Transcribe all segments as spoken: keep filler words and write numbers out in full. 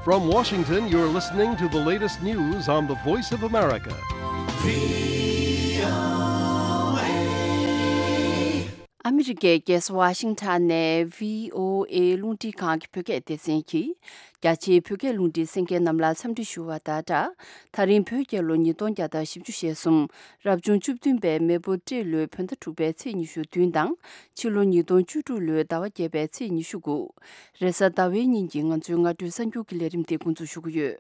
From Washington, you're listening to the latest news on the Voice of America. ཨ་མི་རི་ཀའི་རྒྱལ་ས་ཝ་ཤིང་ཊོན་ནས་བྷི་ཨོ་ཨེ་རླུང་འཕྲིན་ཁང་གི་བོད་སྐད་སྡེ་ཚན་གྱིས། རྒྱ་ཆེའི་བོད་སྐད་རླུང་འཕྲིན་གསན་མཁན་རྣམས་ལ་འཚམས་འདྲི་ཞུ་བ་དང་སྦྲགས། ད་རིང་བོད་རྒྱལ་ལོ་ཉིས་སྟོང་བརྒྱ་དང་བཞི་བཅུ་ཞེ་གསུམ། རབ་བྱུང་བཅུ་བདུན་པའི་མེ་ཕོ་སྤྲེལ་ལོའི་བོད་ཟླ་དྲུག་པའི་ཚེས་ཉི་ཤུ་བདུན་དང་། ཕྱི་ལོ་ཉིས་སྟོང་བཅུ་དྲུག་ལོའི་ཟླ་བ་བརྒྱད་པའི་ཚེས་ཉི་ཤུ་དགུ། རེས་གཟའ་ཟླ་བའི་ཉིན་གྱི་ང་ཚོའི་སྔ་དྲོའི་གསར་འགྱུར་གྱི་ལས་རིམ་དེ་འགོ་འཛུགས་ཞུ་གི་ཡོད།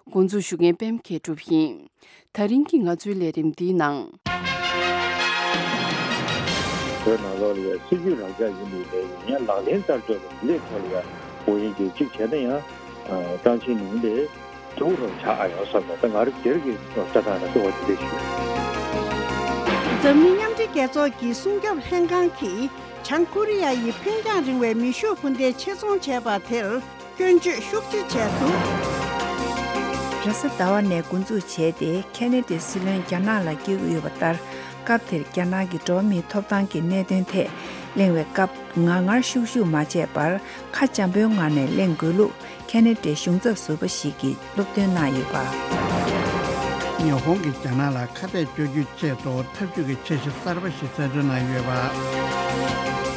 འགོ་འཛུགས་ཞུ་མཁན་པད་མ་མཁས་གྲུབ་ཡིན། ད་རིང་གི་ང་ཚོའི་ལས་རིམ་འདིའི་ནང་། བོད་ནང་ལོགས་ལ་ཡང་སྲིད་ཇུས་རང་འཇགས་ཡིན་པའི་ལས་ཡིན་ཡང་ལག་ལེན་བསྟར་ཕྱོགས་ལ་ཡིན་ལས་ཐོག་ལ་ཡང་འོ་ཡིན་གྱི་གཅིག་བྱས་ན་ཡང་ཀྲང་ཆིན་ལུང་ལས་ཐུགས་རོགས་བྱ་ཨ་ཡོང་བསམ་ནས་ད་ང་རང་སྒེར་གྱི་ལྟ་སྟངས་ལ་ལྟ་བ་དེ་འདྲ་ཞིག་ཡོད། འཛམ་གླིང་མཉམ་འབྲེལ་རྒྱལ་ཚོགས་ཀྱི་སྲུང་སྐྱོབ་ལྷན་ཁང་གིས་བྱང་ཀོ་རི་ཡ་ཡི་འཕེན་རྒྱང་རིང་བའི་མེ་ཤུགས་འཕུར་མདེལ་ཆེད་ཚོང་བྱས་པ་དེར། སྐྱོན་བརྗོད་ཤུགས་ཆེ་བྱས་འདུག། རེས་གཟའ་ཟླ་བ་ནས་འགོ་འཛུགས་བྱས་ཏེ་ཁེ་ན་ཌའི་སྲིད་བློན་རྒྱ་ནག་ལ་བསྐྱོད་ཀྱི་ཡོད་པ་ལྟར། སྐབས་དེར་རྒྱ་ནག་གི་འགྲོ་བ་མིའི་ཐོབ་ཐང་གི་གནད་དོན་ཐད་གླེང་བའི་སྐབས་ངར་ངར་ཤུགས་ཤུགས་མ་བྱས་པར་ཁ་འཇམ་པོའི་ངང་ནས་གླེང་དགོས་ལུགས་ཁེ་ན་ཌའི་གཞུང་ཚབ་ཟུར་པ་ཞིག་གིས་སློབ་སྟོན་གནང་ཡོད་པ། ཉི་ཧོང་གིས་རྒྱ་ནག་ལ་ཁ་གཏད་གཅོག་རྒྱུའི་ཆེད་དུ་ཐབས་ཇུས་ཀྱི་འཆར་གཞི་གསར་པ་ཞིག་རྩལ་འདོན་གནང་ཡོད་པ།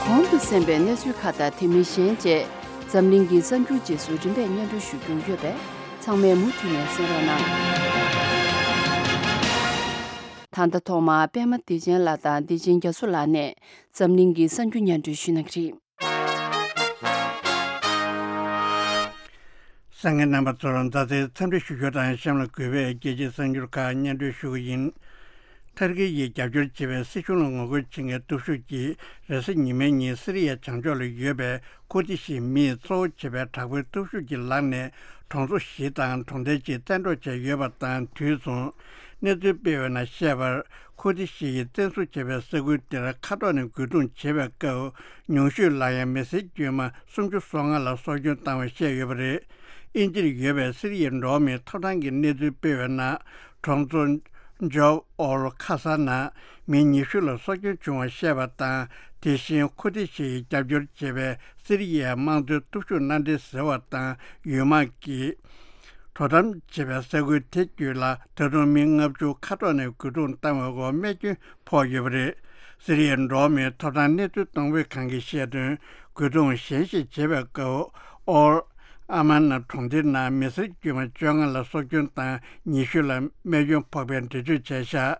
གོང་དུ་གསན་པའི་གནས་ཚུལ་ཁག་དང་དེ་མིན་གཞན་བཅས། འཛམ་གླིང་གི་གསར་འགྱུར་རྗེས་སུ་རིམ་པས་སྙན་སྒྲོན་ཞུ་རྒྱུ་ཡོད་པས་ཚང་མས་མུ་མཐུད་ནས་གསན་རོགས་གནང་། ད་ལྟ་ཐོག་མར་པད་མ་བདེ་ཆེན་ལགས་དང་བདེ་ཆེན་རྒྱ་མཚོ་ལགས་ནས་འཛམ་གླིང་གི་གསར་འགྱུར་སྙན་སྒྲོན་ཞུ་གནང་གི་རེད། གསན་མཁན་རྣམ་པ་ཚོར་མཛའ་བརྩེའི་འཚམས་འདྲི་ཞུ་རྒྱུ་དང་གཤམ་ལ་གུས་པས་རྒྱལ་སྤྱིའི་གསར་འགྱུར་ཁག་སྙན་སྒྲོན་ཞུ་གི་ཡིན། ཐར་ཀི་ཡིས་རྒྱབ་སྐྱོར་བྱེད་པའི་སྲིད་གཞུང་ལ་ངོ་རྒོལ་བྱེད་མཁན་སྟོབས་ཤུགས་ཀྱིས་རེས་གཟའ་ཉི་མའི་ཉིན་སི་རི་ཡའི་བྱང་ཕྱོགས་ལ་ཡོད་པའི་ཁུར་ཏི་ཤི་མིས་གཙོ་བོ་བྱེད་པའི་དྲག་པོའི་སྟོབས་ཤུགས་ཀྱི་ལག་ནས་གྲོང་ཚོ་བཞི་དང་གྲོང་རྡལ་གཅིག་བཙན་འཕྲོག་བྱས་ཡོད་པ་དང་། དུས་མཚུངས་གནས་ཚུལ་སྤེལ་བའི་ནང་བཤད་པར། ཁུར་ཏི་ཤི་ཡིས་བཙན་བཟུང་བྱས་པའི་ས་ཁུལ་དེར་མཁའ་ཐོག་ནས་རྒོལ་རྡུང་བྱེད་པའི་སྐབས། ཉུང་ཤོས་ལ་ཡང་མི་སེར་དཀྱུས་མ་སུམ་ཅུ་སོ་ལྔ་ལ་སྲོག་སྐྱོན་བཏང་བ་བཤད་ཡོད་པ་རེད། དབྱིན་ཇིར་ཡོད་པའི་སི་རི་ཡའི་འགྲོ་བ་མིའི་ཐོབ་ཐང་གི་གནས་ཚུལ་སྤེལ་བའི་ནང་། གྲོང་ཚོ་ཇོབ་ཨོལ་ཁ་ས་ནང་མི་ཉི་ཤུ་ལ་སྲོག་སྐྱོན་བྱུང་བ་བཤད་པ་དང་། དེ་བཞིན་ཁུར་ཏི་ཤི་ཡིས་རྒྱབ་སྐྱོར་བྱེད་པའི་སི་རི་ཡའི་དམངས་གཙོའི་སྟོབས་ཤུགས་མནའ་འབྲེལ་ཟེར་བ་དང་ཡུལ་དམག་གིས་དོ་དམ་བྱེད་པའི་ས་ཁུལ་དེ་བརྒྱུད་ལ་ད་དུང་མི་ལྔ་བཅུ་མཁའ་ཐོག་ནས་རྒོལ་རྡུང་བཏང་བའི་འོག་རྨས་སྐྱོན་ཕོག་ཡོད་པ་རེད། སི་རི་ཡའི་འགྲོ་བ་མིའི་ཐོབ་ཐང་གནས་ཚུལ་གཏོང་ཕོད་ཁང་གིས་བཤད་དོན། རྒོལ་རྡུང་གཞན་ཞིག་བྱེད་པའི་སྐབས་ཨོལ་ཨ་མ་ན་གྲོང་སྡེའི་ནང་མི་སེར་དཀྱུས་མ་བཅོ་ལྔ་ལ་སྲོག་སྐྱོན་དང་ཉི་ཤུ་ལ་རྨས་སྐྱོན་ཕོག་པའི་འགྲེལ་བརྗོད་བྱས་ཤག།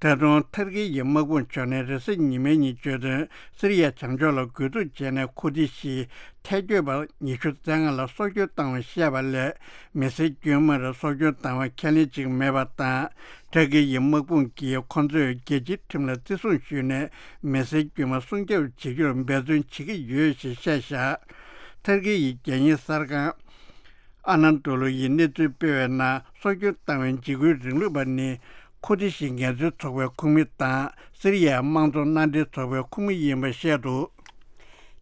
ད་དུང་ཐར་ཀི་ཡི་དམག་དཔུང་ཕྱོགས་ནས་རེས་གཟའ་ཉི་མའི་ཉིན་བརྗོད་དོན། སི་རི་ཡ་བྱང་ཕྱོགས་ལ་རྒོལ་རྡུང་བྱས་ནས་ཁུར་ཏི་ཤི་ཐལ་སྐྱོད་པ་ཉི་ཤུ་རྩ་ལྔ་ལ་སྲོག་སྐྱོན་བཏང་བ་བཤད་པ་ལས། མི་སེར་དཀྱུས་མར་སྲོག་སྐྱོན་བཏང་བ་ཁས་ལེན་བྱེད་ཀྱི་མེད་པ་དང་། ཐར་ཀི་ཡི་དམག་དཔུང་གིས་ཁོང་ཚོས་རྒྱལ་སྤྱིའི་ཁྲིམས་ལ་བརྩི་སྲུང་ཞུས་ནས་མི་སེར་དཀྱུས་མ་སྲུང་སྐྱོབ་བྱེད་རྒྱུར་འབད་བརྩོན་བྱེད་ཀྱི་ཡོད་ཞེས་བཤད་བཞག། ཐར་ཀི་ཡི་རྒྱལ་གཉེར་གསར་ཁང་ཨ་ན་ཏོ་ལུ་ཡིས་གནས་ཚུལ་སྤེལ་བའི་ནང་། སྲོག་སྐྱོན་བཏང་བའི་འཇིགས་སྐུལ་རིང་ལུགས་པ་ནི་ཁུར་ཏི་ཤི་ངལ་རྩོལ་ཚོགས་པའི་ཁོངས་མི་དང་སི་རི་ཡའི་དམངས་གཙོ་མནའ་འབྲེལ་ཚོགས་པའི་ཁོངས་མི་ཡིན་པ་བཤད་འདུག།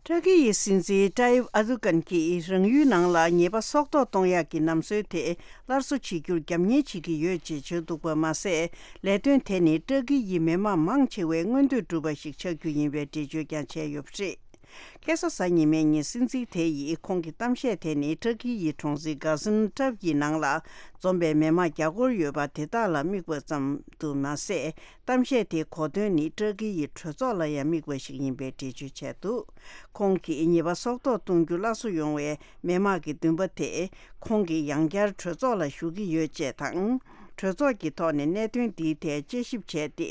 ཏྲ་ཀི་ཡི་སྲིད་འཛིན་ཏཱ་ཡིབ་ཨར་དུ་གན་གྱིས་རང་ཡུལ་ནང་ལ་ཉེས་པ་སྲོག་ཐོག་གཏོང་ཡག་གི་ལམ་སྲོལ་དེ་སླར་གསོ་བྱེད་རྒྱུར་རྒྱབ་གཉེར་བྱེད་ཀྱི་ཡོད་ཅེས་བརྗོད་འདུག་པ་མ་ཟད། ལས་དོན་དེ་ནི་ཏྲ་ཀི་ཡི་མི་དམངས་མང་ཆེ་བའི་མངོན་འདོད་སྒྲུབ་པ་ཞིག་ཆགས་རྒྱུ་ཡིན་པའི་འགྲེལ་བརྗོད་ཀྱང་བྱས་ཡོད་པ་རེད། ཁ་སང་གཟའ་ཉི་མའི་ཉིན་སྲིད་འཛིན་དེ་ཡིས་ཁོང་གི་གཏམ་བཤད་དེ་ནི་ཏྲ་ཀི་ཡི་གྲོང་གསེབ་གྷ་ཟིན་ཏབ་ཡི་ནང་ལ་འཛོམས་པའི་མི་དམངས་བརྒྱ་སྐོར་ཡོད་པ་དེ་དག་ལ་དམིགས་པ་ཙམ་དུ་མ་ཟད། གཏམ་བཤད་དེའི་གོ་དོན་ནི་ཏྲ་ཀི་ཡི་གྲོས་ཚོགས་ལ་ཡང་དམིགས་པ་ཞིག་ཡིན་པའི་འགྲེལ་བརྗོད་བྱས་འདུག། ཁོང་གིས་ཉེས་པ་སྲོག་ཐོག་གཏོང་རྒྱུ་སླར་གསོ་ཡོང་བའི་མི་དམངས་ཀྱི་འདུན་པ་དེ་ཁོང་གིས་ཡང་བསྐྱར་གྲོས་ཚོགས་ལ་ཞུ་གི་ཡོད་ཅེས་དང་། གྲོས་ཚོགས་ཀྱི་ཐོག་ནས་གནད་དོན་འདིའི་ཐད་དཔྱད་ཞིབ་བྱས་ཏེ་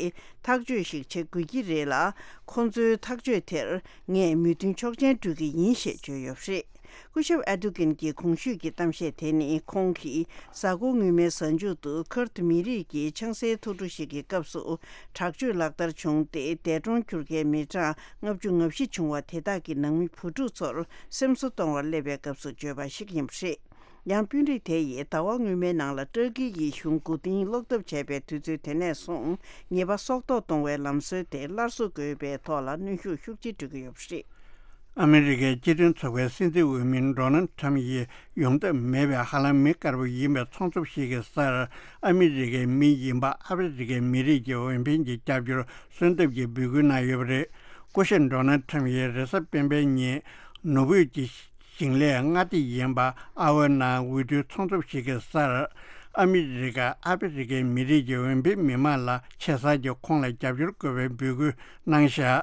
ཐག་གཅོད་ཞིག་བྱེད་དགོས་ཀྱི་རེད་ལ། ཁོང་ཚོའི་ཐག་གཅོད་དེར་ངས་མོས་མཐུན་ཆོག་མཆན་སྤྲོད་ཀྱི་ཡིན་ཞེས་བརྗོད་ཡོད་པ་རེད། སྐུ་ཞབས་ཨར་དུ་གན་གྱི་གོང་ཞུས་ཀྱི་གཏམ་བཤད་དེ་ནི་ཁོང་གིས་གཟའ་འཁོར་སྔོན་མའི་གཟའ་མཇུག་ཏུ་ཁུར་ཏུ་མི་རིགས་ཀྱི་ཆང་སའི་ཐུགས་སྤྲོ་ཞིག་གི་སྐབས་སུ་དྲག་སྤྱོད་ལག་བསྟར་བྱུང་སྟེ། འདས་གྲོངས་གྱུར་མཁན་མི་གྲངས་ལྔ་བཅུ་ང་བཞི་བྱུང་བ་དེ་དག་གི་ནང་མི་བུ་ཕྲུག་ཚོར་སེམས་གསོ་གཏོང་བར་སླེབས་པའི་སྐབས་སུ་བརྗོད་པ་ཞིག་ཡིན་པ་རེད། ཡང་དཔོན་རིགས་དེ་ཡིས་ཟླ་བ་སྔོན་མའི་ནང་ལ་ཏུར་ཀི་ཡི་གཞུང་མགོ་རྟིང་སློག་ཐབས་བྱས་པའི་དུས་ཚོད་དེ་ནས་བཟུང་ཉེས་པ་སྲོག་ཐོག་གཏོང་བའི་ལམ་སྲོལ་དེ་སླར་གསོ་དགོས་པའི་ཐོག་ལ་གནོན་ཤུགས་ཤུགས་ཆེ་སྤྲོད་ཀྱི་ཡོད་པ་རེད། ཨ་མི་རི་ཀའི་སྤྱི་མཐུན་ཚོགས་པའི་སྲིད་འཛིན་འོས་མི་ཌོ་ནལ་ཁྲམ་ཡིས་ཡོང་ཐབས་མེད་པའི་ཧ་ལམ་མི་དཀར་པོ་ཡིན་པའི་ཚོང་ཚོགས་ཤིག་གི་སར་ཨ་མི་རི་ཀའི་མི་ཡིན་པ་ཨ་ཕི་རི་ཀའི་མི་རིགས་ཀྱི་འོས་འཕེན་གྱི་རྒྱབ་སྐྱོར་གསོན་ཐབས་ཀྱི་འབོད་སྐུལ་གནང་ཡོད་པ་རེད། སྐུ་ཞབས་ཌོ་ནལ་ཁྲམ་ཡིས་རེས་གཟའ་སྤེན་པའི་ཉིན་ནོར་བུས་ཀྱི་ ཞིང་ལས་མངའ་སྡེ་ཡིན་པ་ཨ་ཝེ་ནང་འོས་བསྡུའི་ཚོགས་འདུ་ཞིག་གི་སར། ཨ་མི་རི་ཀ་ཨ་ཕི་རི་ཀའི་མི་རིགས་ཀྱི་འོས་འཕེན་མི་མང་ལ་ཆེ་སར་གྱིས་ཁོང་ལ་རྒྱབ་སྐྱོར་དགོས་པའི་འབོད་སྐུལ་གནང་བཞག་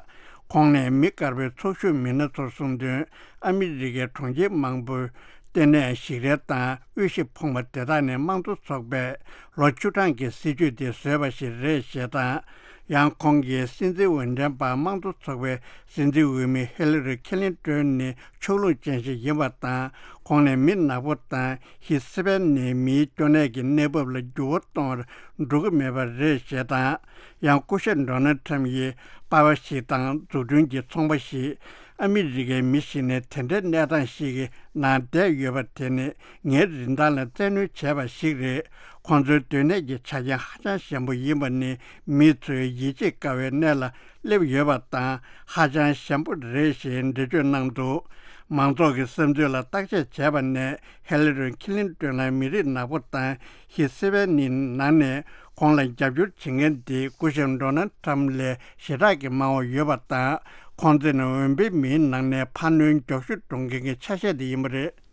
ཁོང་ནས་མི་དཀར་པོའི་ཚོགས་ཞུགས་མི་སྣ་ཚོར་གསུངས་དོན། ཨ་མི་རི་ཀའི་གྲོང་ཁྱེར་མང་པོའི་ལྟེ་གནས་ཞིག་རལ་དང་དབུལ་ཞིང་ཕོངས་པ་དེ་དག་ནས་དམངས་གཙོ་ཚོགས་པས་ལོ་བཅུ་གྲངས་ཀྱི་སྲིད་ཇུས་དེ་བཟོས་པ་ཞིག་རེད་ཞེས་དང་། ཡང་ཁོང་གིས་སྲིད་འཛིན་འོས་འགྲན་པ་དམངས་གཙོ་ཚོགས་པའི་སྲིད་འཛིན་འོས་མི་ཧི་ལ་རི་ཁི་ལིན་ཏོན་ནི་ཕྱོགས་ལྷུང་ཅན་ཞིག་ཡིན་པ་དང་། ཁོང་ནི་མི་ནག་པོ་དང་། ཧི་སི་པན་ནི་མིའི་སྐྱོ་གནས་ཀྱི་གནས་བབ་ལ་འགྱུར་བ་གཏོང་བར་འགྲོ་གི་མེད་པ་རེད་ཞེས་དང་། ཡང་སྐུ་ཞབས་ཌོ་ནལ་ཁྲམ་ཡིས་པར་པ་ཞིག་དང་འཛུགས་སྐྲུན་གྱི་ཚོང་པ་ཞིག་ཨ་མི་རི་ཀའི་མི་ཞིག་ནས་དེ་འདྲའི་གནས་སྟངས་ཤིག་གི་ནང་བསྡད་ཡོད་པ་དེ་ནི་ངའི་རིན་ཐང་ལ་བཙན་གནོན་བྱས་པ་ཞིག་རེད། ཁོང་ཚོའི་སྡོད་གནས་ཀྱི་ཆ་རྐྱེན་ཧ་ཅང་ཞན་པོ་ཡིན་པ་ནི་མི་ཚོས་ཡིད་ཆེས་དཀའ་བའི་གནས་ལ་སླེབས་ཡོད་པ་དང་ཧ་ཅང་ཞན་པོ་རེད་ཞེས་འགྲེལ་བརྗོད་གནང་འདུག་མང་ཚོགས་ཀྱི་བསམ་ཚུལ་ལ་བརྟག་དཔྱད་བྱས་པ་ནས་ཧེ་ལི་རི་ཁི་ལིན་ཏོན་ལ་མི་རིགས་ནག་པོ་དང་ཧི་སི་པན་ནི་ནང་ནས་ཁོང་ལ་རྒྱབ་སྐྱོར་བྱེད་མཁན་དེ་སྐུ་ཞབས་ཌོ་ནལ་ཁྲམ་ལས་ཞེ་དྲག་གི་མང་བ་ཡོད་པ་དང་ཁོང་ཚོ་ནི་འོས་འཕེན་མིའི་ནང་ནས་འཕར་སྣོན་མགྱོགས་ཤོས་གཏོང་མཁན་གྱི་ཆ་ཤས་དེ་ཡིན་པ་རེད།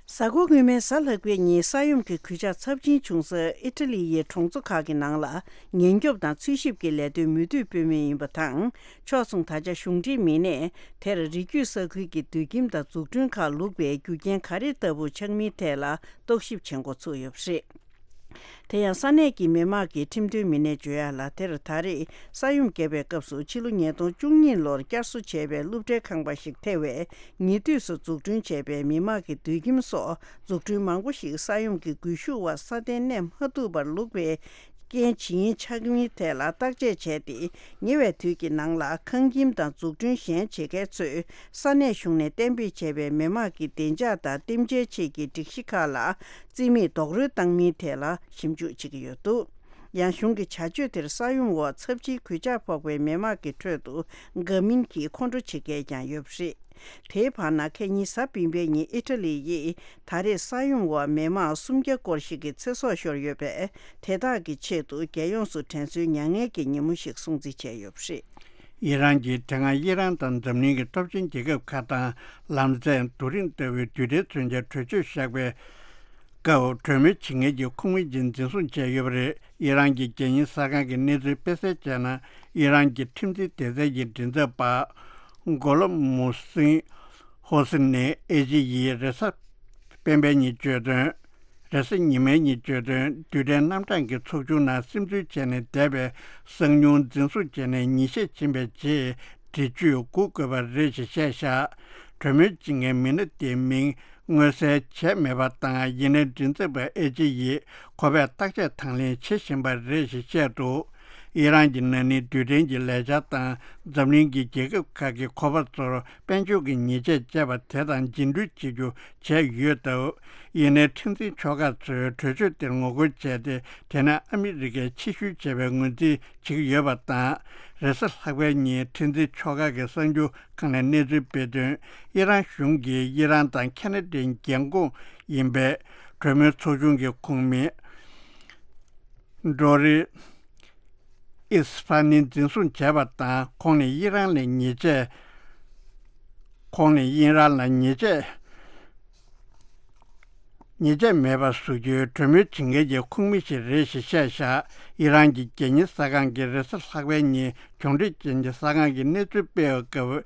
གཟའ་འཁོར་སྔོན་མའི་གཟའ་ལྷག་པའི་ཉིན་ས་ཡོམ་གྱི་གོད་ཆག་ཚབས་ཆེན་བྱུང་སའི་ཨི་ཊ་ལི་ཡི་གྲོང་ཚོ་ཁག་གི་ནང་ལ་ཉེན་སྐྱོབ་དང་འཚོལ་ཞིབ་ཀྱི་ལས་དོན་མུ་མཐུད་སྤེལ་མུས་ཡིན་པ་དང་། ཕྱོགས་མཚུངས་ད་ཆ་གཞུང་འབྲེལ་མི་སྣས་དེར་རི་རྒྱུད་ས་ཁུལ་གྱི་སྡོད་ཁྱིམ་དང་འཛུགས་སྐྲུན་ཁག་ལུག་པའི་རྒྱུ་རྐྱེན་ག་རེ་ལྟ་བུ་ཆགས་མིན་ཐད་ལ་རྟོག་ཞིབ་བྱེད་འགོ་ཚུགས་ཡོད་པ་རེད། དེ་ཡང་ས་གནས་ཀྱི་མི་དམངས་ཀྱིས་ཁྲིམས་དོན་མི་སྣས་བརྗོད་ཡག་ལ། དེར་ད་རེས་ས་ཡོམ་བརྒྱབ་པའི་སྐབས་སུ་ཕྱི་ལོ་ཉིས་སྟོང་བཅུ་གཉིས་ལོར་བསྐྱར་གསོ་བྱས་པའི་སློབ་གྲྭའི་ཁང་པ་ཞིག་ཐེ་བའི་ཉེ་དུས་སུ་འཛུགས་སྐྲུན་བྱས་པའི་མི་དམངས་ཀྱི་སྡོད་ཁྱིམ་སོགས་འཛུགས་སྐྲུན་མང་པོ་ཞིག་ས་ཡོམ་གྱི་སྒུལ་ཤུགས་འོག་སྲ་བརྟན་གནས་མ་ཐུབ་པར་ལུག་པའི་རྐྱེན་ཇི་ཡིན་ཆགས་མིན་ཐད་ལ་བརྟག་དཔྱད་བྱས་ཏེ། ཉེ་བའི་དུས་ཀྱི་ནང་ལ་ཁང་ཁྱིམ་དང་འཛུགས་སྐྲུན་གཞན་བྱེད་མཁན་ཚོས་ས་གནས་གཞུང་ནས་གཏན་འབེབས་བྱས་པའི་མི་དམངས་ཀྱི་བདེ་འཇགས་དང་རྟེན་འབྲེལ་ཆེད་ཀྱི་སྒྲིག་གཞི་ཁག་ལ་རྩིས་མེད་རྡོག་རོལ་བཏང་མིན་ཐད་ལ་ཞིབ་འཇུག་བྱེད་ཀྱི་ཡོད་འདུག་ཡང་གཞུང་གི་བྱ་སྤྱོད་དེར་ས་ཡོམ་འོག་ཚབས་ཆེའི་གོད་ཆག་ཕོག་པའི་མི་དམངས་ཀྱི་ཁྲོད་དུ་དགའ་མིན་གྱིས་ཁོང་ཁྲོ་བྱེད་མཁན་ཀྱང་ཡོད་པ་རེད། དེའི་བར་ན་ཁ་ཉིན་གཟའ་སྤེན་པའི་ཉིན་ཨི་ཊ་ལི་ཡིས་ད་རེས་ས་ཡོམ་འོག་མི་མང་སུམ་བརྒྱ་སྐོར་ཞིག་གི་ཚེ་སྲོག་ཤོར་ཡོད་པས། དེ་དག་གི་ཆེད་དུ་རྒྱལ་ཡོངས་སུ་དྲན་གསོའི་མྱ་ངན་གྱི་ཉིན་མོ་ཞིག་སྲུང་བརྩི་བྱས་ཡོད་པ་རེད། ཨི་རན་གྱིས་དེ་སྔ་ཨི་རན་དང་འཛམ་གླིང་གི་སྟོབས་ཆེན་རྒྱལ་ཁབ་ཁག་དང་ལམ་སེང་རྡོ་རིང་ལྟ་བུའི་རྡུལ་ཕྲན་མཚོན་ཆའི་གྲོས་ཆོད་བཞག་པའི་སྐབས་གྲོས་མོལ་བྱེད་མཁན་གྱི་ཁོངས་མི་ཅིག་འཛིན་བཟུང་བྱས་ཡོད་པ་རེད། ཨི་རན་གྱི་རྒྱལ་ཡིན་གསར་ཁང་གི་གནས་ཚུལ་སྤེལ་གསལ་བྱས་ན། ཨི་རན་གྱི་ཁྲིམས་འཛིན་སྡེ་ཚན་གྱི་མགྲིན་ཚབ་པ་གོ་ལོ་མུ་སིན་ཧོ་སི་ནས་ཨེ་ཇི་ཡིས་རེས་གཟའ་སྤེན་པའི་ཉིན་བརྗོད་དོན། རེས་གཟའ་ཉི་མའི་ཉིན་བརྗོད་དོན། རྡུལ་ཕྲན་རྣམ་གྲངས་ཀྱི་ཚོགས་ཆུང་ནང་སིམ་འཛུལ་བྱས་ནས་བསྡད་པའི་གསང་ཉུལ་འཛིན་བཟུང་བྱས་ནས་ཉིན་ཤས་ཕྱིན་པའི་རྗེས་འདྲི་གཅོད་སྒུག་དགོས་པ་རེད་ཅེས་བཤད་བཞག་གྲོས་མོལ་བྱེད་མཁན་མི་སྣ་དེའི་མིང་མངོན་གསལ་བྱས་མེད་པ་དང་། ཡིན་ནའི་མགྲིན་ཚབ་པ་ཨེ་ཅི་ཡིས་ཁོ་པས་བརྟག་དཔྱད་དང་ལེན་བྱེད་བཞིན་པ་རེད་ཅེས་བཤད་འདུག་ཨི་རན་གྱི་ན་ནིང་རྡུལ་ཕྲན་གྱི་ལས་འཆར་དང་འཛམ་གླིང་གི་རྒྱལ་ཁབ་ཁག་གི་ཁོ་པ་ཚོར་དཔལ་འབྱོར་གྱི་ཉེས་ཆད་བཅད་པ་དེ་དང་རྗེས་འགྲུལ་བྱེད་རྒྱུ་བྱས་ཡོད་སྟབས། ཡིན་ནའི་ཁྲིམས་འཛིན་ཕྱོགས་ཁག་ཚོས་གྲོས་ཆོད་དེར་ངོ་རྒོལ་བྱས་ཏེ། དེ་ནས་ཨ་མི་རི་ཀས་ཕྱིར་བཤོལ་བྱས་པའི་ངོས་འཛིན་བྱེད་ཀྱི་ཡོད་པ་དང་། རེས་གཟའ་ལྷག་པའི་ཉིན་ཁྲིམས་འཛིན་ཕྱོགས་ཁག་གི་གསར་འགྱུར་ཁང་ནས་གནས་ཚུལ་སྤེལ་དོན། ཨི་རན་གཞུང་གིས་ཨི་རན་དང་ཁ་ན་ཌའི་རྒྱལ་འགོང་ཡིན་པའི་གྲོས་མོལ་ཚོགས་ཆུང་གི་ཁོངས་མི་ཌོ་རི་ཨིས་ཕ་ནི་འཛིན་བཟུང་བྱས་པ་དང་། ཁོང་ནི་ཨི་རན་ལ་ཉེས་ཆད། ཁོང་ནི་ཨི་རན་ལ་ཉེས་ཆད། ཉེས་ཆད་མེད་པ་བཟོ་རྒྱུའི་གྲོས་མོལ་བྱེད་མཁན་གྱི་ཁོངས་མི་ཞིག་རེད་ཅེས་བཤད་བཞག་ཨི་རན་གྱི་རྒྱལ་ཡིན་གསར་ཁང་གིས་རེས་གཟའ་ལྷག་པའི་ཉིན་གྱོང་འཕྲད་ཅན་གྱི་གསར་ཁང་གི་གནས་ཚུལ་སྤེལ་བའི་སྐབས།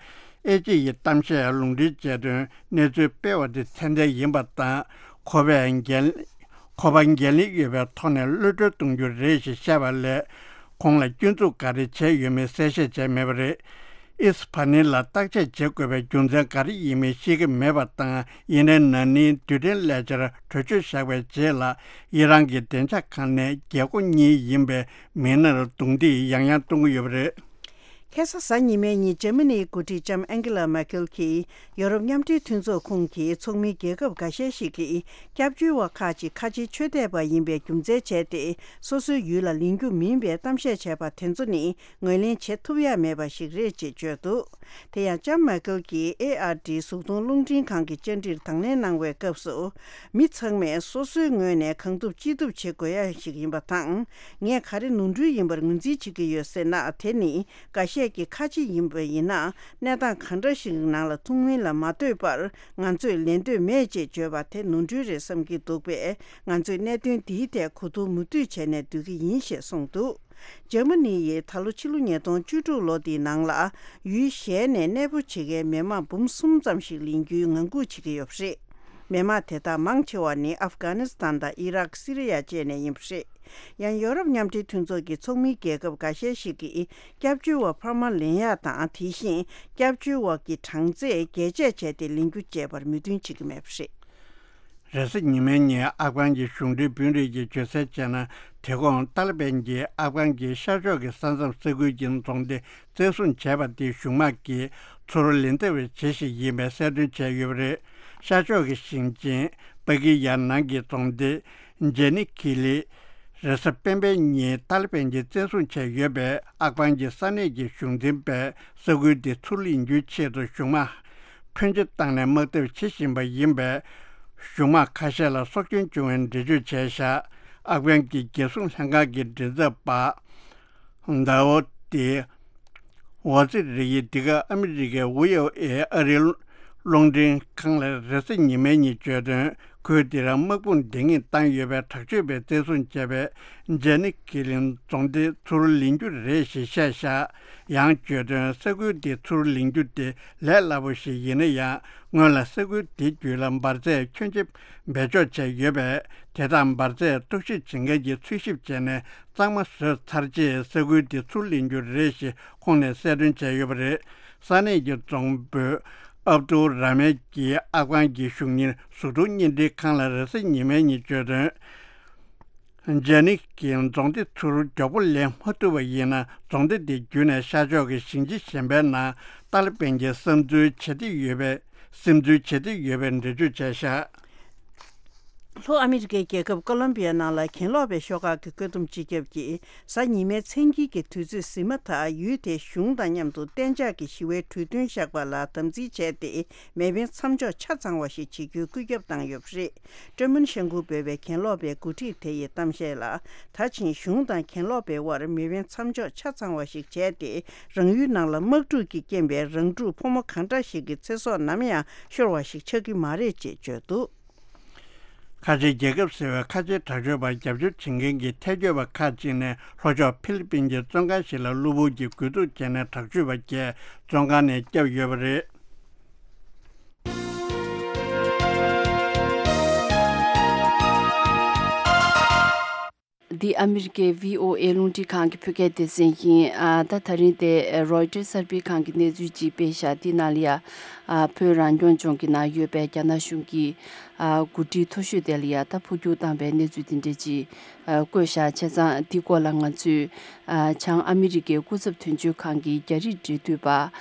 ཨེ་ཅི་ཡི་གཏམ་བཤད་ལུང་འདྲེན་བྱས་དོན། གནས་ཚུལ་སྤེལ་བ་དེ་ཚད་ལྡན་ཡིན་པ་དང་། ཁོ་པས་འགན་ཁོ་པ་འགན་ལེན་ཡོད་པའི་ཐོག་ནས་གློད་གྲོལ་གཏོང་རྒྱུ་རེད་ཅེས་བཤད་པ་ལས། ཁོང་ལ་སྐྱོན་འཛུགས་ག་རེ་བྱས་ཡོད་མེད་གསལ་བཤད་བྱས་མེད་པ་རེད། ཨིས་ཕ་ནི་ལ་བརྟག་དཔྱད་བྱེད་དགོས་པའི་རྒྱུ་མཚན་ག་རེ་ཡིན་མིན་ཤེས་ཀྱི་མེད་པ་དང་། ཡིན་ནའི་ན་ནིང་རྡུལ་ཕྲན་ལས་འཆར་གྲོས་ཆོད་བཞག་པའི་རྗེས་ལ། ཨི་རན་གྱི་བདེ་འཇགས་ཁང་ནས་རྒྱལ་སྒོ་གཉིས་ཡིན་པའི་མི་སྣར་རྡུང་རྡེག་ཡང་ཡང་གཏོང་གི་ཡོད་པ་རེད། ཁ་སང་གཟའ་ཉི་མའི་ཉིན་འཇར་མ་ནིའི་འགོ་ཁྲིད་ལྕམ་ཨན་ཀེ་ལ་མར་ཀེལ་གྱིས་ཡོ་རོབ་མཉམ་འབྲེལ་མཐུན་ཚོགས་ཁོངས་ཀྱི་ཚོགས་མི་རྒྱལ་ཁབ་འགའ་ཤས་ཤིག་གིས་སྐྱབས་བཅོལ་བ་ཁག་ཅིག་ཁ་ཆེའི་ཆོས་དད་པ་ཡིན་པའི་རྒྱུ་མཚན་བྱས་ཏེ། སོ་སོའི་ཡུལ་ལ་ལེན་རྒྱུ་མིན་པའི་གཏམ་བཤད་བྱས་པ་དེ་ཚོ་ནི་ངོས་ལེན་བྱེད་ཐུབ་ཡ་མེད་པ་ཞིག་རེད་ཅེས་བརྗོད་འདུག་དེ་ཡང་ལྕམ་མར་ཀེལ་གྱིས་ཨེ་ཨར་ཌི་གཟུགས་མཐོང་རླུང་འཕྲིན་ཁང་གི་བཅར་འདྲིར་དང་ལེན་གནང་བའི་སྐབས་སུ། མི་ཚང་མས་སོ་སོའི་ངོས་ནས་གང་ཐུབ་ཅི་ཐུབ་བྱེད་དགོས་ཡ་ཞིག་ཡིན་པ་དང་། ངས་ག་རེ་ནོར་འཁྲུལ་ཡིན་པར་ངོས་འཛིན་བྱེད་ཀྱི་ཡོད་ཟེར་ན། དེ་ནི་འགའ་ཤས། ཁྱེད་ཀྱི་ཁ་ཆེ་ཡིན་པ་ཡིན་ན། གནས་སྟངས་གང་འདྲ་ཞིག་ནང་ལ་ཐུག་མིན་ལ་མ་ལྟོས་པར། ང་ཚོས་ལེན་འདོད་མེད་ཅེས་བརྗོད་པ་དེ་ནོར་འཁྲུལ་རེད་བསམ་གྱི་འདུག་པས། ང་ཚོས་གནད་དོན་འདིའི་ཐད་གོ་བསྡུར་མུ་མཐུད་བྱས་ནས་སྡོད་ཀྱི་ཡིན་ཞེས་གསུངས་འདུག་འཇར་མ་ནི་ཡིས་ད་ལོ་ཕྱི་ལོ་ཉིས་སྟོང་བཅུ་དྲུག་ལོ་འདིའི་ནང་ལ། ཡུལ་གཞན་ནས་གནས་སྤོ་བྱེད་མཁན་མི་མང་འབུམ་གསུམ་ཙམ་ཞིག་ལེན་རྒྱུའི་ངང་སྒུག་བྱེད་ཀྱི་ཡོད་པ་རེད། མི་མང་དེ་དག་མང་ཆེ་བ་ནི་ཨབ་གྷ་ནི་སི་ཐན་དང་ཨི་རག་སི་རི་ཡ་བཅས་ནས་ཡིན་པ་རེད། ཡང་ཡོ་རོབ་མཉམ་འབྲེལ་མཐུན་ཚོགས་ཀྱི་ཚོགས་མིའི་རྒྱལ་ཁབ་འགའ་ཤས་ཤིག་གིས། སྐྱབས་བཅོལ་བ་འཕར་མ་ལེན་ཡག་དང་། དེ་བཞིན་སྐྱབས་བཅོལ་བ་གི་གྲངས་ཚད་རྒྱས་བཅད་བྱས་ཏེ་ལེན་རྒྱུ་བཅས་པར་མོས་མཐུན་བྱེད་ཀྱི་མེད་པ་རེད། རེས་གཟའ་ཉི་མའི་ཉིན་ཨབ་གྷན་གྱི་གཞུང་འབྲེལ་དཔོན་རིགས་ཀྱིས་བརྗོད་གསལ་བྱས་ན། དེ་གོང་ཏཱ་ལི་བན་གྱིས་ཨབ་གྷན་གྱི་ཤར་ཕྱོགས་ཀྱི་ས་མཚམས་ས་ཁུལ་གྱི་རྫོང་སྡེ་བཙན་བཟུང་བྱས་པ་དེ་གཞུང་དམག་གིས་ཚུར་ལེན་ཐབས་བྱེད་བཞིན་ཡིན་པའི་གསལ་སྟོན་བྱས་ཡོད་པ་རེད། ཤར་ཕྱོགས་ཀྱི་ཞིང་ཆེན་པ་ཀི་ཡ་ནང་གི་རྫོང་སྡེ་ཇེ་ནི་ཁི་ལི། རེས་གཟའ་སྤེན་པའི་ཉིན་ཏཱ་ལི་བན་གྱིས་བཙན་བཟུང་བྱས་ཡོད་པས། ཨབ་གྷན་གྱི་ས་གནས་ཀྱི་གཞུང་འཛིན་པས་ས་ཁུལ་དེ་ཚུར་ལེན་རྒྱུའི་ཆེད་དུ་གཞུང་དམག་ཕོན་ཆེ་བཏང་ནས་དམག་འཐབ་བྱེད་བཞིན་པ་ཡིན་པས། གཞུང་དམག་ཁ་ཤས་ལ་སྲོག་སྐྱོན་བྱུང་བའི་འགྲེལ་བརྗོད་བྱས་བཞག་ཨབ་གྷན་གྱི་རྒྱལ་སྲུང་ལྷན་ཁང་གི་མགྲིན་ཚབ་པ་ཟླ་བོ་ཏི་ཝ་ཙི་རི་ཡིས་འདི་ག་ཨ་མི་རི་ཀའི་ཝི་ཨོ་ཨེ་ཨ་རིའི་རླུང་འཕྲིན་ཁང་ལ་རེས་གཟའ་ཉི་མའི་ཉིན་བརྗོད་དོན། ཁུལ་དེ་རང་དམག་དཔུང་འདེད་ངེས་བཏང་ཡོད་པའི་དྲག་སྤྱོད་པས་བཙན་བཟུང་བྱས་པའི་ཇེ་ནི་ཁི་ལིན་རྫོང་སྡེ་ཚུར་ལེན་རྒྱུ་རེད་ཞེས་བཤད་བཞག་ཡང་བརྗོད་དོན། ས་ཁུལ་དེ་ཚུར་ལེན་རྒྱུ་དེ་ལས་སླ་པོ་ཞིག་ཡིན་ན་ཡང་། སྔོན་ལ་ས་ཁུལ་དེ་བརྒྱུད་ལ་འབར་རྫས་ཁྱོན་ཆེ་སྦས་འཇོག་བྱས་ཡོད་པས། དེ་དག་འབར་རྫས་རྟོག་ཞིབ་བྱེད་མཁན་གྱིས་འཚོལ་ཞིབ་བྱས་ནས་གཙང་མ་བཟོས་ཚར་རྗེས་ས་ཁུལ་དེ་ཚུར་ལེན་རྒྱུ་རེད་ཞེས་ཁོང་ནས་གསལ་སྟོན་བྱས་ཡོད་པ་རེད། ས་གནས་ཀྱི་རྫོང་དཔོན་ཨབ་ཏུ་ར་མེད་ཀྱིས་ཨབ་གྷན་གྱི་གཞུང་གཉེར་གཟུགས་མཐོང་བརྙན་འཕྲིན་ཁང་ལ་རེས་གཟའ་ཉི་མའི་ཉིན་བརྗོད་དོན། ཇེ་ནི་ཀྱིས་རྫོང་སྡེ་ཚུར་མགྱོགས་པོ་ལེན་མ་ཐུབ་པ་ཡིན་ན། རྫོང་སྡེ་དེ་བརྒྱུད་ནས་ཤར་ཕྱོགས་ཀྱི་ཞིང་ཆེན་གཞན་པའི་ནང་ཏཱ་ལི་བན་གྱིས་བསམ་ཚུལ་བྱེད་འདོད་ཡོད་པའི་སིམ་འཛུལ་བྱེད་འདོད་ཡོད་པའི་འགྲེལ་བརྗོད་བྱས་བཞག་ལྷོ་ཨ་མི་རི་ཀའི་རྒྱལ་ཁབ་ཀོ་ལོམ་བི་ཡ་ནང་ལ་གྱེན་ལོག་པའི་ཤོག་ཁག་གི་བཀོད་འདོམས་སྤྱི་ཁྱབ་ཀྱིས་གཟའ་ཉི་མའི་མཚན་དཀྱིལ་གྱི་དུས་ཚོད་ཟིན་མ་ཐག་ཡུལ་དེའི་གཞུང་དང་མཉམ་དུ་གཏན་འཇགས་ཀྱི་ཞི་བའི་གྲོས་མཐུན་བཞག་པ་ལ་དམ་འཛིན་བྱས་ཏེ། མེ་འཕེན་མཚམས་འཇོག་ཆ་ཚང་བ་ཞིག་བྱེད་རྒྱུའི་བཀོད་ཁྱབ་བཏང་ཡོད་པ་རེད། ཀྲེ་མོན་ཤན་ཀུའུ་འབོད་པའི་གྱེན་ལོག་པའི་འགོ་ཁྲིད་དེ་ཡི་གཏམ་བཤད་ལ། ད་ཕྱིན་གཞུང་དང་གྱེན་ལོག་པའི་དབར་མེ་འཕེན་མཚམས་འཇོག་ཆ་ཚང་བ་ཞིག་བྱས་ཏེ། རང་ཡུལ་ནང་ལ་དམག་འཁྲུག་གི་རྐྱེན་པས་རང་འཁྲུག་ཕོ་མོ་གང་འདྲ་ཞིག་གི་ཚེ་སྲོག་ནམ་ཡང་ཤོར་བ་ཞིག་ཆགས་ཀྱི་མ་རེད་ཅེས་བརྗོད་འདུག་ཁ་ཆེའི་རྒྱལ་ཁབ་ཟེར་བའི་ཁ་ཆེའི་དྲག་སྤྱོད་པར་རྒྱབ་སྐྱོར་བྱེད་མཁན་གྱི་ཐལ་སྐྱོད་པ་ཁག་ཅིག་ནས་ལྷོ་ཕྱོགས་ཧྥི་ལི་པིན་གྱི་བཙོན་ཁང་ཞིག་ལ་གློ་བུར་གྱི་རྒོལ་རྡུང་བྱས་ནས་དྲག་སྤྱོད་པ་བརྒྱད་བཙོན་ཁང་ནས་བསྐྱབས་ཡོད་པ་རེད། འདི་ཨ་མི་རི་ཀའི་བྷི་ཨོ་ཨེ་རླུང་འཕྲིན་ཁང་གི་བོད་སྐད་སྡེ་ཚན་ཡིན། ཨ་ད་ད་རིང་དེ་རོའི་ཊར་གསར་སྤེལ་ཁང་གི་གནས་ཚུལ་ཅིག་སྤེལ་ཤག་འདི་ནང་ལ་ཡ། ཨ་བོད་རང་སྐྱོང་ལྗོངས་ཀྱི་ནང་ཡོད་པའི་རྒྱ་ནག་གཞུང་གི་ཨ་འགོ་ཁྲིད་མཐོ་ཤོས་དེ་ལ་ཡ་ད་འཕོ་འགྱུར་བཏང་བའི་གནས་ཚུལ་དེ་འདྲ་ཅིག་ཨ་བཀོད་ཤག་བྱས་ཙང་འདི་སྐོར་ལ་ང་ཚོས་ཨ་བྱང་ཨ་མི་རི་ཀའི་སྐུ་ཚབ་དོན་གཅོད་ཁང་གི་རྒྱ་རིགས་འབྲེལ་མཐུད་པ་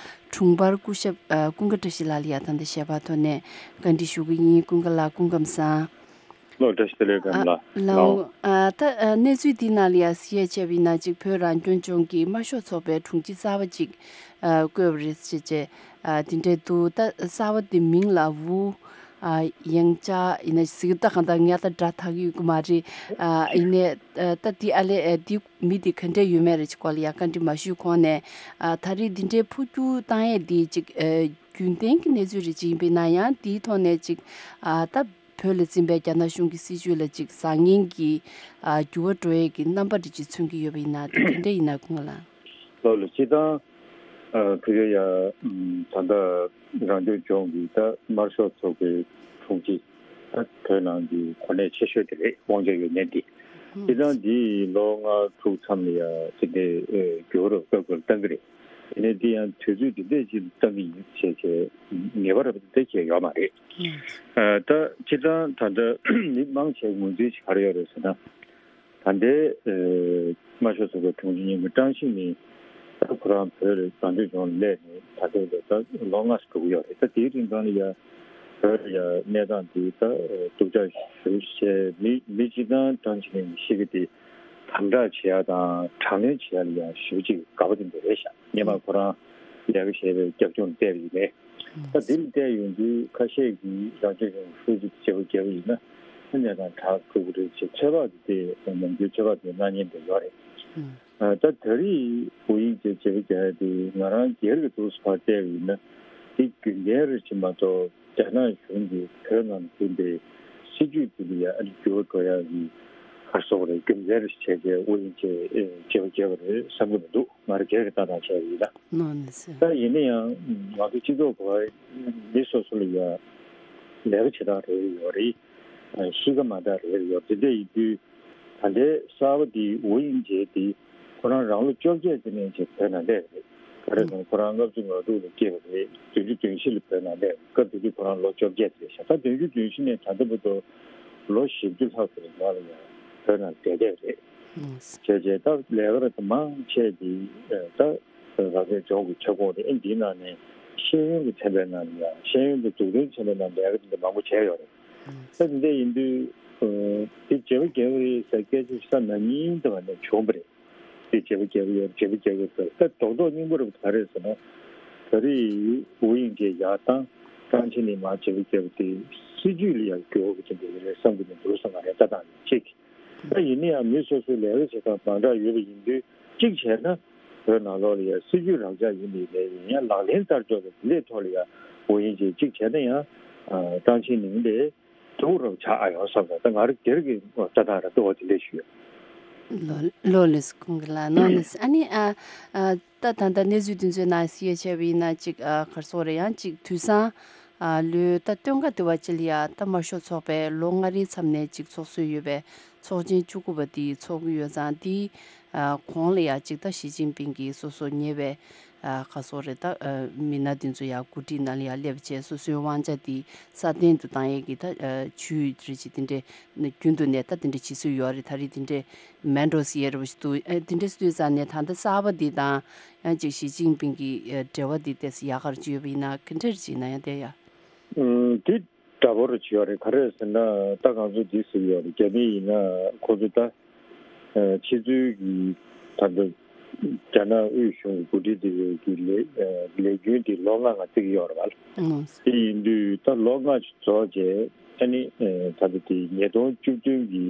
དྲུང་འཕར་སྐུ་ཞབས་ཨ་ཀུན་དགའ་བཀྲ་ཤིས་ལགས་ལ་ཡ་ད་ལྟ་ཞལ་པར་ཐོག་ནས་བཀའ་འདྲི་ཞུ་གི་ཡིན། ཀུན་དགའ་ལགས་སྐུ་ཁམས་བཟང་། ལོ་བཀྲ་ཤིས་བདེ་ལེགས་ཨ་ལགས། ལགས་འོང་། ཨ་ད་ཨ་གནས་ཚུལ་འདི་ནང་ལ་ཡ་གཟིགས་ཡས་བྱས་པ་ཡིན་ན་ཅིག་བོད་རང་སྐྱོང་ལྗོངས་ཀྱི་དམར་ཤོག་ཚོགས་པའི་དྲུང་ཆེ་གསར་པ་ཅིག་ཨ་བསྐོས་པ་རེད་ཟེར་བྱས་ཨ་དེ་འདྲས་འདུག་ད་གསར་པ་དེ་མིང་ལ་ཝུའུ་ཨ་ཡང་ཅཱ་ཡིན་ན་ཟིག་ད་གང་ལྟར་ངས་ད་སྒྲ་དག་གི་ཡོད་གི་མ་རེད། ཨ་ཡིན་ནའི་ཨ་ད་འདི་ཨ་ལས་ཨ་འདི་མི་འདི་ག་འདྲས་ཡོད་མེད་རེད་ཅིག་སྐོར་ལ་ཡ་བཀའ་འདྲི་མ་ཞུས་གོང་ནས་ཨ་ད་རེས་འདི་འདྲའི་འཕོ་འགྱུར་བཏང་ཡས་འདི་ཅིག་ཨ་རྒྱུན་ལྡན་གྱི་གནས་ཚུལ་རེད་ཅིག་ཡིན་པས་ན་ཡང་འདིའི་ཐོག་ནས་ཅིག་ཨ་ད། བོད་ལ་འཛིན་པའི་རྒྱ་ནག་གཞུང་གི་སྲིད་བྱུས་ལ་ཅིག་བཟང་ངན་གྱི་ཨ་འགྱུར་བ་འགྲོ་ཡས་ཀྱི་རྣམ་པ་འདི་ཅིག་མཚོན་གྱི་ཡོད་པ་ཡིན་ན་དེ་ག་འདྲ་ཡིན་ན་ཀུན་དགའ་ལགས། ལགས་ལགས། སྤྱིར་བཏང་ཨ་ཕ་གི་ཡ་ད་ལྟ་རང་སྐྱོང་ལྗོངས་ཀྱི་ད་དམར་ཤོག་ཚོགས་པའི་དྲུང་ཆེ་ད་བོད་ནང་གི་གོ་གནས་ཆེ་ཤོས་དེ་རེད། དབང་ཆ་ཡོད་མཁན་དེ། སྤྱིར་བཏང་འདི་ལོ་ལྔ་དྲུག་མཚམས་ལ་ཡ་དེ་འདྲའི་ཨ་འགྱུར་བ་རབ་ཏུ་བཏང་གི་རེད། ཡིན་ནའི་འདི་ཡང་དུས་ཚོད་འདི་འདྲས་ཅིག་བཏང་གི་ཡིན་ཞེས་བྱས་ངེས་པ་རབ་ཏུ་བྱས་ཡོད་མ་རེད། ཨ་ད་སྤྱིར་བཏང་ད་ལྟ་མི་མང་ཆེ་ངོས་འཛིན་ཞིག་ག་རེ་ཡོད་རེད་ཟེར་ན། ད་ལྟའི་ཨ་དམར་ཤོག་ཚོགས་པའི་དྲུང་ཆེ་གཉིས་ཀྱི་ཀྲང་ཞི་ནི་ད་ཁོ་རང་བོད་རང་སྐྱོང་ལྗོངས་ལ་སླེབས་ནས་ད་ལྟའི་ད་ལོ་ལྔ་ཙམ་འགྲོ་གི་ཡོད་རེད། ད་དེའི་རིང་ཙམ་ལ་ཡ་བོད་ལ་ཡ་གནས་སྟངས་འདི་ད་སྡུག་ཅག་ཞེ་པོ་ཅིག་བྱས། མི་མི་སྤྱིར་བཏང་ཀྲང་ཞི་ནི་ཤི་གི་དེ། དམ་དྲག་བྱེད་ཡ་དང་དྲག་གནོན་བྱེད་ཡ་ལ་ཡང་ཞེ་པོ་ཅིག་དགའ་པོ་དེ་འདྲ་རེད་ཤག་སྔོན་མ་ཁོ་རང་ལས་ཀ་བྱས་པའི་རྒྱབ་ལྗོངས་ལ་བལྟས་པ་ཡིན་ནའི། ད་འདི་ལ་བལྟས་ཡོང་དུས་ཁ་ཤས་ཀྱིས་རང་སྐྱོང་ལྗོངས་ཧྲུའུ་ཅི་བྱེད་པོ་རྒྱབ་པ་ཡིན་ན་ཨ་ནེ་དང་དྲག་དགོས་ཀྱི་རེད་ཅེས་ཚོད་དཔག་དེ་ནམ་རྒྱུན་ཚོད་དཔག་དེ་གནང་མཁན་དེ་ཡོད་རེད། ད་ད་རེས་ཝུ་དབྱིང་ཅེས་བྱེད་པ་རྒྱག་ཡ་དེ་ང་རང་སྒེར་གྱི་འདུག་སེ་ཕར་བལྟས་པ་ཡིན་ན། དེ་རྒྱུ་མཚན་རེད་ཅེས་མ་གཏོགས་རྒྱ་ནག་གཞུང་གིས་བོད་ནང་ལ་བསྐྲུན་པའི་སྲིད་ཇུས་དེ་ལ་ཡ་ཨ་ནི་འགྱུར་བ་འགྲོ་ཡ་གི་ག་རེ་ཟེར་དགོས་རེད། རྒྱུ་མཚན་རེད་ཅེས་བྱས་ཏེ་ཝུ་དབྱིང་ཅེས་བྱེད་པ་རྒྱག་པ་རེད་བསམ་གྱི་མི་འདུག་ང་རང་སྒེར་གྱི་ལྟ་སྟངས་བྱས་པ་ཡིན་ན། ནོ་ནི་སི། ད་ཡིན་ན་ཡང་ང་ཚོ་སྤྱི་ཚོགས་ཁག་མི་སོ་སོ་ལ་ཡ་ལས་ཀ་བྱེད་སྟངས་རེ་རེ་ཡོད་རེད། གཤིས་ཀ་མ་འདྲ་རེ་རེ་ཡོད། དེ་འདྲ་ཡིན་དུས་ད་ལྟའི་གསར་པ་འདི་ཝུ་དབྱིང་ཅེ་འདི་ཁོ་རང་རང་ལོ་བཅོ་བརྒྱད་ཙམ་ནས་བྱས་བོད་ནང་སླེབས་རེད། ག་རེ་ཟེར་ན་ཁོ་རང་ལྔ་བཅུ་ང་དྲུག་ལ་སྐྱེས་པ་རེད། བདུན་ཅུ་དོན་བཞི་ལ་བོད་ནང་སླེབས་རེད། སྐབས་དེ་དུས་ཁོ་རང་ལོ་བཅོ་བརྒྱད་ཙམ་རེད་ཤག་ད་བདུན་ཅུ་དོན་བཞི་ནས་ད་ལྟ་བར་དུ་ལོ་བཞི་བཅུ་ལྷག་ཙམ་ནང་ལ་ཡང་བོད་ནང་བསྡད་བསྡད་རེད། བྱས་བྱས་ད་ལས་ཀ་རེ་ད་མང་ཆེ་འདི་ད་རང་སྐྱོང་ལྗོངས་ཀྱི་ཁྱབ་ཁོངས་རེད། ཨ་འདིའི་ནང་ནས་ཤེས་ཡོན་གྱི་ཚན་པའི་ནང་ལ་ཡང་ཤེས་ཡོན་དང་འཛུགས་སྐྲུན་ཚན་པའི་ནང་ལས་ཀ་འདི་འདྲ་མང་པོ་བྱས་ཡོད་རེད། ད་འདི་འདྲ་ཡིན་དུས་འདི་བྱེད་པ་རྒྱག་གི་རེད་ཟེར་སྐད་ཆ་ཞིག་ས་ན་ཉིན་འདི་བ་ནས་བྱུང་བ་རེད། འདི་བྱེད་པ་རྒྱག་གི་ཡོད་རེད། བྱེད་པ་རྒྱག་གི་ཡོད་རེད་ཟེར། ད་རྡོག་རྡོག་སྙིང་པོ་རེད་པ། ག་རེ་ཟེར་ན་ད་རེས་ཝུ་དབྱིང་ཅེ་ཡར་བཏང་། ཀྲང་ཅིན་ལི་མར་བྱེད་པ་རྒྱག་པ་དེ་སྲིད་ཇུས་ལ་ཡང་འགྱུར་བ་ཅིག་འགྲོ་གི་རེད་བསམ་གྱི་མི་འདུག་བསམ་པ་རེད། ལྟ་སྟངས་ནི་གཅིག་ད་ཡིན་ན་ཡང་མི་སོ་སོའི་ལས་ཀ་བྱེད་སྟངས་མ་འདྲ་ཡོད་པ་ཡིན་དུས་གཅིག་བྱས་ན་བོད་ནང་ལོགས་ལ་ཡང་སྲིད་ཇུས་རང་འཇགས་ཡིན་པའི་ལས་ཡིན་ཡང་ལག་ལེན་བསྟར་ཕྱོགས་དང་དེ་འདྲའི་ཐོག་ལ་ཡང་ཝུ་དབྱིང་ཅེ་གཅིག་བྱས་ན་ཡང་ཀྲང་ཅིན་ལི་ལས་སྡུག་རུ་ཆགས་ཨ་ཡོང་བསམ་པ་ད་ང་རང་སྒེར་གྱི་ལྟ་སྟངས་རེད། ལྟ་བ་དེ་འདྲ་ཞུ་ཡོད། ལོ་ལོ་ལེགས་ཁོང་གི་ལ་ནོ་ནི་ཨ་ནི་ཨ་ཨ་ད་ད་ལྟ་གནས་ཚུལ་དེ་ཚོའི་ནང་གསལ་བཤད་བྱས་པ་ཡིན་ན་ཅིག་ཨ་ག་རེ་ཟེར་དགོས་རེད། ཡང་ཅིག་དུས་སང་ཨ་ལོའི་ད་སྟོན་ཁ་དེ་བ་ཅིག་ལ་ཡ་ད་དམར་ཤོག་ཚོགས་པས་ལོ་ལྔ་རེའི་མཚམས་ནས་ཅིག་ཚོགས་སྲོལ་ཡོད་པའི་ཚོགས་ཆེན་བཅུ་དགུ་པ་དེ་ཚོགས་ཀྱི་ཡོད་ཙང་། དེའི་ཨ་གོང་ལ་ཡ་ཅིག་ད་ཞི་ཅིན་ཕིང་གིས་སོ་སོ་ཉེ་བའི་ཨ་ག་རེ་ཟེར་དགོས་རེད། ད་ཨ་མི་སྣ་དེ་ཚོ་ཡ་གོ་སྒྲིག་ནང་ལ་ཡ་སླེབས་བྱས་སོ་སོའི་དབང་ཆ་དེ་སྲ་བརྟན་དུ་བཏང་ཡས་ཀྱི་ད་ཨ་ཇུས་རེ་ཅིག་དེ་འདྲས་རྒྱུན་དུ་ནས་ད་དེ་འདྲས་བྱེད་སྲོལ་ཡོད་རེད། ད་རེས་དེ་འདྲས་མེད་འགྲོ་ཟེར་ཡས་རེ་བ་ཞིག་འདུག་ཨ་དེ་འདྲས་སུ་དུས་ཙང་ནས་ད་ལྟ་གསར་པ་འདི་དང་ཡང་ཅིག་ཞི་ཅིན་ཕིང་གི་ཨ་འབྲེལ་བ་འདི་ཏོག་ཙམ་ཡག་ག་རེ་ཅིག་ཡོད་པ་ཡིན་ན་ག་འདྲས་ཅིག་ཡིན་ན་ཡང་བསྡད་ཡ། ཨུམ། དེ་འདྲ་པོ་རེ་ཅིག་ཡོད་རེད། ག་རེ་ཟེར་ན་ད་ང་ཚོ་འདི་ཟེར་གྱི་ཡོད་རེད། རྒྱ་མི་ཡིན་ན་ཁོ་ཚོ་ད་ཨ་ཕྱི་ཚུལ་གྱི་ད་ལྟ་རྒྱ་ནག་དབུས་གཞུང་གི་འགོ་ཁྲིད་དེ་གི་ལས་ཨ་ལས་རྒྱུན་དེ་ལོ་ལྔ་ལྔ་བརྩི་གི་ཡོད་རེད་པ། ཨང་། དེ་ཡིན་དུས་ད་ལོ་ལྔ་ཅིག་རྫོགས་རྗེས་ཨ་ནི་ཨ་ད་ལྟ་དེ་ཉིས་སྟོང་བཅུ་བདུན་གྱི་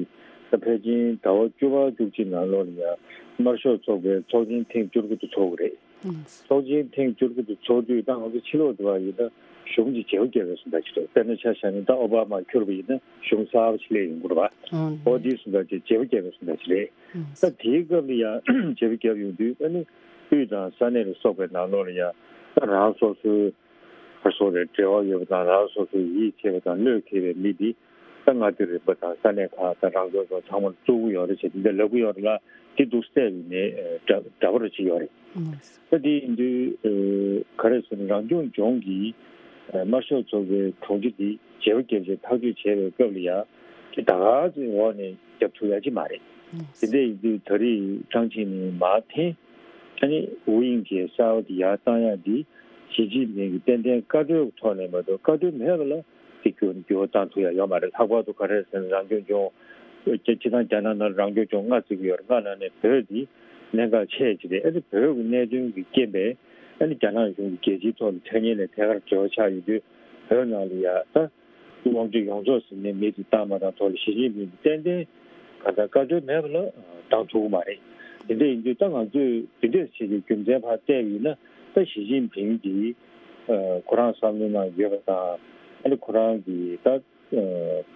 ད་ཕལ་ཆེར་ཟླ་བ་བཅུ་པ་བཅུ་གཅིག་ནང་ལོགས་ལ་ཡང་དམར་ཤོག་ཚོགས་པའི་ཚོགས་ཆེན་ཐེངས་བཅུ་དགུ་དེ་ཚོགས་ཀྱི་རེད། ཨང་། ཚོགས་ཆེན་ཐེངས་བཅུ་དགུ་དེ་ཚོགས་དུས་ད་ང་ཚོ་ཕྱི་ལོགས་འགྲོ་བ་ཡིན་ན་གཞུང་གཅིག་བརྗེ་པོ་བརྒྱབ་པའི་བཟོ་འདྲ་ཅིག་རེད། དཔེར་ན་ཆ་བཞག་ན་ད་ཨོ་བྷ་མ་འཁྱུར་བ་ཡིན་ན་གཞུང་གསར་པ་ཞིག་སླེབས་ཡོང་གི་རེད་པ། ཨང་། འོ་དེའི་བཟོ་འདྲ་ཅིག་བརྗེ་པོ་བརྒྱབ་པའི་བཟོ་འདྲ་ཅིག་རེད། ཨང་། ད་དེའི་སྐབས་ལ་ཡང་བརྗེ་པོ་བརྒྱབ་ཡོང་དུས་ཨ་ནི་དབུས་དང་ས་གནས་ལ་སོགས་པའི་ནང་ལོགས་ལ་ཡང་ད་རང་སོ་སོའི་ཧར་སོ་རེ་འབྲེལ་བ་ཡོད་པ་དང་རང་སོ་སོའི་ཡིད་ཆེས་པ་དང་བློས་འཁེལ་བའི་མི་འདི་ད་མངའ་སྡེ་རིམ་པ་དང་ས་གནས་ཁག་དང་རང་སྐྱོང་ལྗོངས་ཚང་མར་བཙུགས་ཀྱི་ཡོད་རེད་ཅེས་འདི་འདྲ་ལབ་ཀྱི་ཡོད་རེད་ལ། དེ་འདུག་སེ་བསྡད་ཡོད་ནས་འདྲ་འདྲ་པོ་རེ་ཅིག་ཡོད་རེད། ད་དེ་ཡིན་དུས་ཨ་ག་རེ་ཟེར་ན་རང་སྐྱོང་ལྗོངས་ཀྱི་ཨ་དམར་ཤོག་ཚོགས་པའི་དྲུང་ཆེ་འདི་བརྗེ་པོ་བརྒྱབ་བྱས་ཐག་གཅོད་བྱས་པའི་སྐབས་ལ་ཡང་དེ་ད་ག་ཚོད་འོག་ནས་རྒྱབ་ཐུབ་ཡ་ཅིག་མ་རེད། དེ་འདྲ་ཡིན་དུས་ད་རེས་ཀྲང་ཅིན་ལིན་མར་འཐེན། ཨ་ནི་ཝུ་དབྱིང་ཅེ་གསར་པ་དེ་ཡར་བཏང་ཡག་འདི་ཞི་ཅིན་ཕིང་གིས་ཏན་ཏན་བཀའ་འཁྲོལ་གྱི་ཐོག་ནས་མ་གཏོགས་བཀའ་འཁྲོལ་མེད་པ་ལ་དེ་འགྱུར་འགྱུར་བ་བཏང་ཐུབ་ཡག་ཡོད་མ་རེད། ལྷག་པར་དུ་ག་རེ་ཟེར་ན་རང་སྐྱོང་ལྗོངས་སྤྱི་བཏང་རྒྱ་ནག་ནང་རང་སྐྱོང་ལྗོངས་ལྔ་བརྩི་གི་ཡོད་རེད། ལྔ་ནང་ནས་བོད་འདི་གནད་འགག་ཆེ་ཅིག་རེད། ཨ་ནི་བོད་ཀྱི་གནད་དོན་གྱི་རྐྱེན་པས་ཨ་ནི་རྒྱ་ནག་གཞུང་གིས་རྒྱལ་སྤྱིའི་ཐོག་ལ་འཆར་ཉེན་ལས་ཐད་ཀར་འབྲེལ་བ་ཆགས་ཡོད་དུས་བོད་ནང་ལ་ཡ་ད་དབང་སྒྱུར་ཡོངས་རྫོགས་ཟིན་ནས་མི་དེ་བཏང་མ་བཏང་ཐོག་ལ་ཞི་ཅིན་ཕིང་གིས་ཏན་ཏན་གང་ལྟར་བཀའ་འཁྲོལ་མེད་པ་ལ་བཏང་ཐུབ་ཀྱི་མ་རེད། དེ་འདྲ་ཡིན་དུས་ད་ང་ཚོས་དེ་འདྲས་བྱེད་ཀྱི་རྒྱུ་མཚན་ཕར་བལྟས་པ་ཡིན་ན་ད་ཞི་ཅིན་ཕིང་གིས་ཁོ་རང་བསམ་བློའི་ནང་ཡོད་པ་དང་ཨ་ནི་ཁོ་རང་གིས་ད་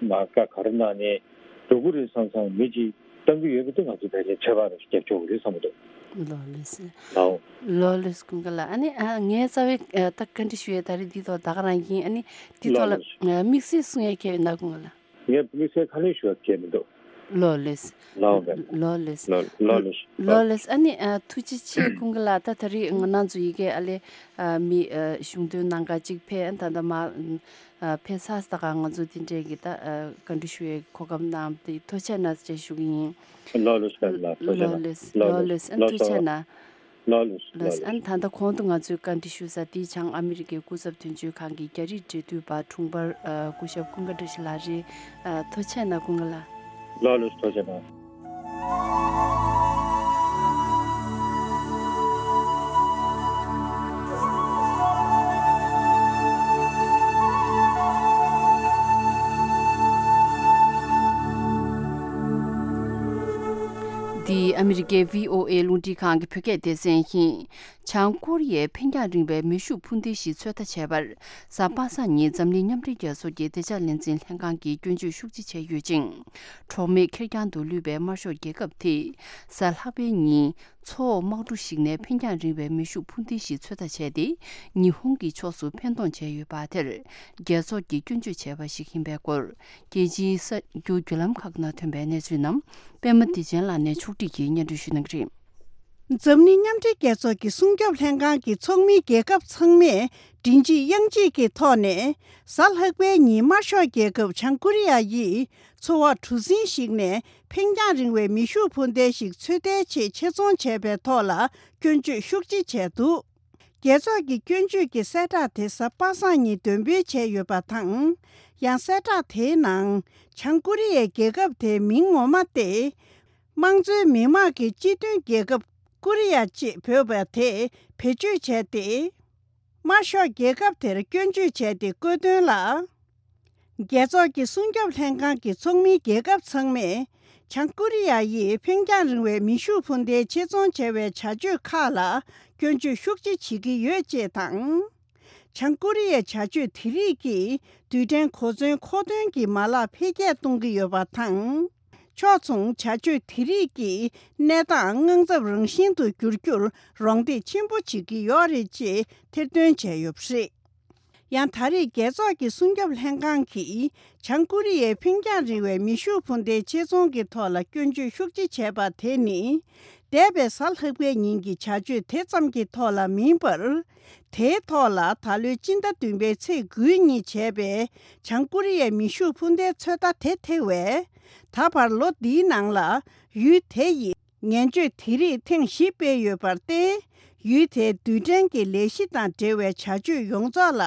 མ་བཀའ་ག་རེ་གནང་ནས་འགྲོ་གི་རེད་བསམ་བསམ་མི་གཅིག་བཏང་གི་ཡོད་པ་དེ་ང་ཚོ་ཕལ་ཆེར་ཚོད་དཔག་རེ་ཞིག་རྒྱབ་ཆོག་གི་རེད་བསམ་གྱི་འདུག་ལགས་ལགས་སེ། ལགས། ལགས་ལགས་སེ་ཀུན་དགའ་ལགས། ཨ་ནི་ཨ་ངའི་རྩ་བའི་ཨ་ད་བཀའ་འདྲི་ཞུ་ཡས་ད་རེས་འདི་ཐོག་ད་ག་རང་ཡིན། ཨ་ནི་འདི་ཐོག་ལ་ལགས་ལགས། ཨ་དམིགས་བསལ་གསུང་ཡས་མཁན་ཡོད་ན་ཀུན་དགའ་ལགས། ངས་དམིགས་བསལ་ཁ་ལན་ཞུ་བ་བྱས་མི་འདུག་ལགས་ལགས་སེ། ལགས་ལགས། ལགས་ལགས་སེ། ལགས་ལགས་ལགས་སེ། ལགས་ལགས་སེ། ཨ་ནི་ཨ་ཐུགས་རྗེ་ཆེ་ཀུན་དགའ་ལགས། ད་ད་རེས་ང་རང་ཚོ་ཡི་གེ་ཨ་ལས་ཨ་མི་ཨ་གཞུང་དོན་ནང་ག་ཅིག་ཕེབས། ཨ་ད་ད་མ་ཨ་ཕེབས་ཚར་ད་ག་ང་ཚོ་དེ་འདྲས་ཀྱི་ད་ཨ་བཀའ་འདྲི་ཞུ་ཡས་ཀྱི་གོ་སྐབས་གནང་བ་དེ་ཐུགས་རྗེ་ཆེ་གནང་ཞེས་ཞུ་གི་ཡིན། ལགས་ལགས་སེ། ལགས་ལགས་སེ། ལགས་ལགས་སེ། ལགས་ལགས་སེ། ཨ་ཐུགས་རྗེ་ཆེ་གནང་། ལགས་ལགས་སེ། ལགས་སེ། ཨ་ནི་ད་ལྟ་གོང་དུ་ང་ཚོས་བཀའ་འདྲི་ཞུ་ས་དེ་བྱང་ཨ་མི་རི་ཀའི་སྐུ་ཚབ་དོན་གཅོད་ཁང་གི་རྒྱ་རིགས་འབྲེལ་མཐུད་པ་དྲུང་འཕར་ཨ་སྐུ་ཞབས་ཀུན་དགའ་བཀྲ་ཤིས་ལགས་རེད། ཨ་ཐུགས་རྗེ་ཆེ་གནང་ཀུན་དགའ་ལགས། ལགས་ལགས་སེ། ཐུགས་རྗེ་ཆེ་གནང་། འདི། ཨ་མི་རི་ཀའི་བྷི་ཨོ་ཨེ་རླུང་འཕྲིན་ཁང་གི་བོད་སྐད་སྡེ་ཚན་ཡིན། བྱང་ཀོ་རི་ཡས་འཕེན་རྒྱང་རིང་བའི་མེ་ཤུགས་འཕུར་མདེལ་ཞིག་ཚོད་ལྟ་བྱས་པར། གཟའ་པ་སངས་ཉིན་འཛམ་གླིང་མཉམ་འབྲེལ་རྒྱལ་ཚོགས་ཀྱི་བདེ་འཇགས་ལས་འཛིན་ལྷན་ཁང་གིས་སྐྱོན་བརྗོད་ཤུགས་ཆེ་བྱས་ཡོད་ཅིང་། གྲོགས་མེད་ཁེར་རྐྱང་དུ་ལུས་པའི་དམར་ཤོག་རྒྱལ་ཁབ་དེས་གཟའ་ལྷག་པའི་ཉིན། མཚོ་འོག་དམག་གྲུ་ཞིག་ནས་འཕེན་རྒྱང་རིང་བའི་མེ་ཤུགས་འཕུར་མདེལ་ཞིག་ཚོད་ལྟ་བྱས་ཏེ། ཉི་ཧོང་གི་ཕྱོགས་སུ་འཕེན་གཏོང་བྱས་ཡོད་པ་དེར། རྒྱལ་ཚོགས་ཀྱིས་སྐྱོན་བརྗོད་བྱས་པ་ཞིག་ཡིན་པའི་སྐོར། རྒྱལ་སྤྱིའི་གསར་འགྱུར་བརྒྱུད་ལམ་ཁག་ནང་ཐོན་པའི་གནས་ཚུལ་རྣམས། པད་མ་བདེ་ཆེན་ལགས་ནས་ཕྱོགས་སྒྲིག་གིས་སྙན་སྒྲོན་ཞུ་གནང་གི་རེད། འཛམ་གླིང་མཉམ་འབྲེལ་རྒྱལ་ཚོགས་ཀྱི་སྲུང་སྐྱོབ་ལྷན་ཁང་གི་ཚོགས་མི་རྒྱལ་ཁབ་ཚང་མས་མགྲིན་གཅིག་དབྱངས་གཅིག་གི་ཐོག་ནས། གཟའ་ལྷག་པའི་ཉིན་དམར་ཤོག་རྒྱལ་ཁབ་བྱང་ཀོ་རི་ཡ་ཡིས། མཚོ་འོག་གྲུ་གཟིངས་ཤིག་ནས་འཕེན་རྒྱང་རིང་བའི་མེ་ཤུགས་འཕུར་མདེལ་ཞིག་ཚོད་ལྟའི་ཆེད་ཆེད་རྫོང་བྱས་པའི་ཐོག་ལ་སྐྱོན་བརྗོད་ཤུགས་ཆེ་བྱས་འདུག། རྒྱལ་ཚོགས་ཀྱི་སྐྱོན་བརྗོད་ཀྱི་གསལ་བསྒྲགས་དེ་གཟའ་པ་སངས་ཉིན་འདོན་སྤེལ་བྱས་ཡོད་པ་དང་། ཡང་གསལ་བསྒྲགས་དེའི་ནང་། བྱང་ཀོ་རི་ཡའི་རྒྱལ་ཁབ་དེའི་མིང་ངོ་མ་སྟེ། དམངས་གཙོའི་མི་དམངས་ཀྱི་སྤྱི་མཐུན་རྒྱལ་ཁབ་ཀོ་རི་ཡ་ཅེས་འབོད་པ་དེ་བེད་སྤྱོད་བྱས་ཏེ། དམར་ཤོག་རྒྱལ་ཁབ་དེར་སྐྱོན་བརྗོད་བྱས་ཏེ་བཀོད་དོན་ལ། རྒྱལ་ཚོགས་ཀྱི་སྲུང་སྐྱོབ་ལྷན་ཁང་གི་ཚོགས་མི་རྒྱལ་ཁབ་ཚང་མས། བྱང་ཀོ་རི་ཡ་ཡིས་འཕེན་རྒྱང་རིང་བའི་མེ་ཤུགས་འཕུར་མདེལ་ཆེད་རྫོང་བྱ་བའི་བྱ་སྤྱོད་ཁག་ལ་སྐྱོན་བརྗོད་ཤུགས་ཆེ་བྱེད་ཀྱི་ཡོད་ཅེས་དང་། བྱང་ཀོ་རི་ཡའི་བྱ་སྤྱོད་དེ་རིགས་ཀྱིས་རྡུལ་ཕྲན་གོ་མཚོན་མཁོ་འདོན་གྱི་མ་ལག་འཕེལ་རྒྱས་གཏོང་གི་ཡོད་པ་དང་། ཕྱོགས་མཚུངས་བྱ་སྤྱོད་དེ་རིགས་ཀྱིས་གནས་སྟངས་དངངས་འཚབ་རང་བཞིན་དུ་འགྱུར་རྒྱུར་རོགས་འདེགས་ཆེན་པོ་བྱེད་ཀྱི་ཡོད་རེད་ཅེས་ཐེར་འདོན་བྱས་ཡོད་པ་རེད། ཡང་ད་རེས་རྒྱལ་ཚོགས་ཀྱི་སྲུང་སྐྱོབ་ལྷན་ཁང་གིས་བྱང་ཀོ་རི་ཡའི་འཕེན་རྒྱང་རིང་བའི་མེ་ཤུགས་འཕུར་མདེལ་ཆེད་རྫོང་གི་ཐོག་ལ་སྐྱོན་བརྗོད་ཤུགས་ཆེ་བྱས་པ་དེ་ནི། འདས་པའི་གཟའ་ལྷག་པའི་ཉིན་གྱི་བྱ་སྤྱོད་དེ་ཙམ་གྱི་ཐོག་ལ་མིན་པར། དེའི་ཐོག་ལ་ད་ལོའི་སྤྱི་ཟླ་བདུན་པའི་ཚེས་དགུའི་ཉིན་བྱས་པའི་བྱང་ཀོ་རི་ཡའི་མེ་ཤུགས་འཕུར་མདེལ་ཚོད་ལྟ་དེ་ཐེ་བས། ད་བར་ལོ་འདིའི་ནང་ལ་ཡུལ་དེ་ཡིས། ངན་སྤྱོད་དེ་རིགས་ཐེངས་བཞི་སྤེལ་ཡོད་པར་བརྟེན། ཡུལ་དེའི་རྡུལ་ཕྲན་གྱི་ལས་གཞི་དང་འབྲེལ་བའི་བྱ་སྤྱོད་ཡོངས་རྫོགས་ལ།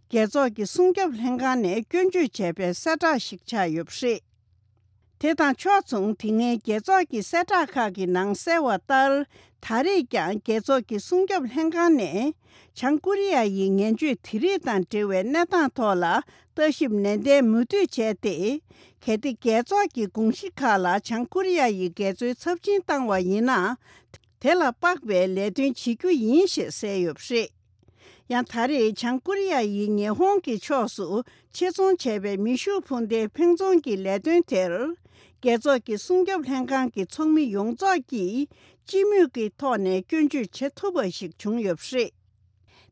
རྒྱལ་ཚོགས་ཀྱི་སྲུང་སྐྱོབ་ལྷན་ཁང་ནས་སྐྱོན་བརྗོད་བྱས་པའི་གསལ་བསྒྲགས་ཤིག་ཆགས་ཡོད་པ་རེད། དེ་དང་ཕྱོགས་མཚུངས་དེ་སྔའི་རྒྱལ་ཚོགས་ཀྱི་གསལ་བསྒྲགས་ཁག་གི་ནང་གསལ་བ་ལྟར། ད་རེས་ཀྱང་རྒྱལ་ཚོགས་ཀྱི་སྲུང་སྐྱོབ་ལྷན་ཁང་ནས། བྱང་ཀོ་རི་ཡ་ཡི་ངན་སྤྱོད་དེ་རིགས་དང་འབྲེལ་བའི་གནས་སྟངས་ཐོག་ལ་ལྟ་ཞིབ་ནན་ཏན་མུ་མཐུད་བྱས་ཏེ། གལ་ཏེ་རྒྱལ་ཚོགས་ཀྱི་དགོངས་གཞི་ཁག་ལ་བྱང་ཀོ་རི་ཡ་ཡི་འགལ་འཛོལ་ཚབས་ཆེན་བཏང་བ་ཡིན་ན། དེ་ལ་དཔག་པའི་ལས་དོན་བྱེད་རྒྱུ་ཡིན་ཞེས་གསལ་ཡོད་པ་རེད། ཡང་ད་རེས་བྱང་ཀོ་རི་ཡ་ཡིས་ཉི་ཧོང་གི་ཕྱོགས་སུ་ཆེད་རྫོང་བྱས་པའི་མེ་ཤུགས་འཕུར་མདེལ་འཕེན་རྫོང་གི་ལས་དོན་དེར། རྒྱལ་ཚོགས་ཀྱི་སྲུང་སྐྱོབ་ལྷན་ཁང་གི་ཚོགས་མི་ཡོངས་རྫོགས་ཀྱིས་སྤྱི་མོས་ཀྱི་ཐོག་ནས་སྐྱོན་བརྗོད་བྱེད་ཐུབ་པ་ཞིག་བྱུང་ཡོད་པ་རེད།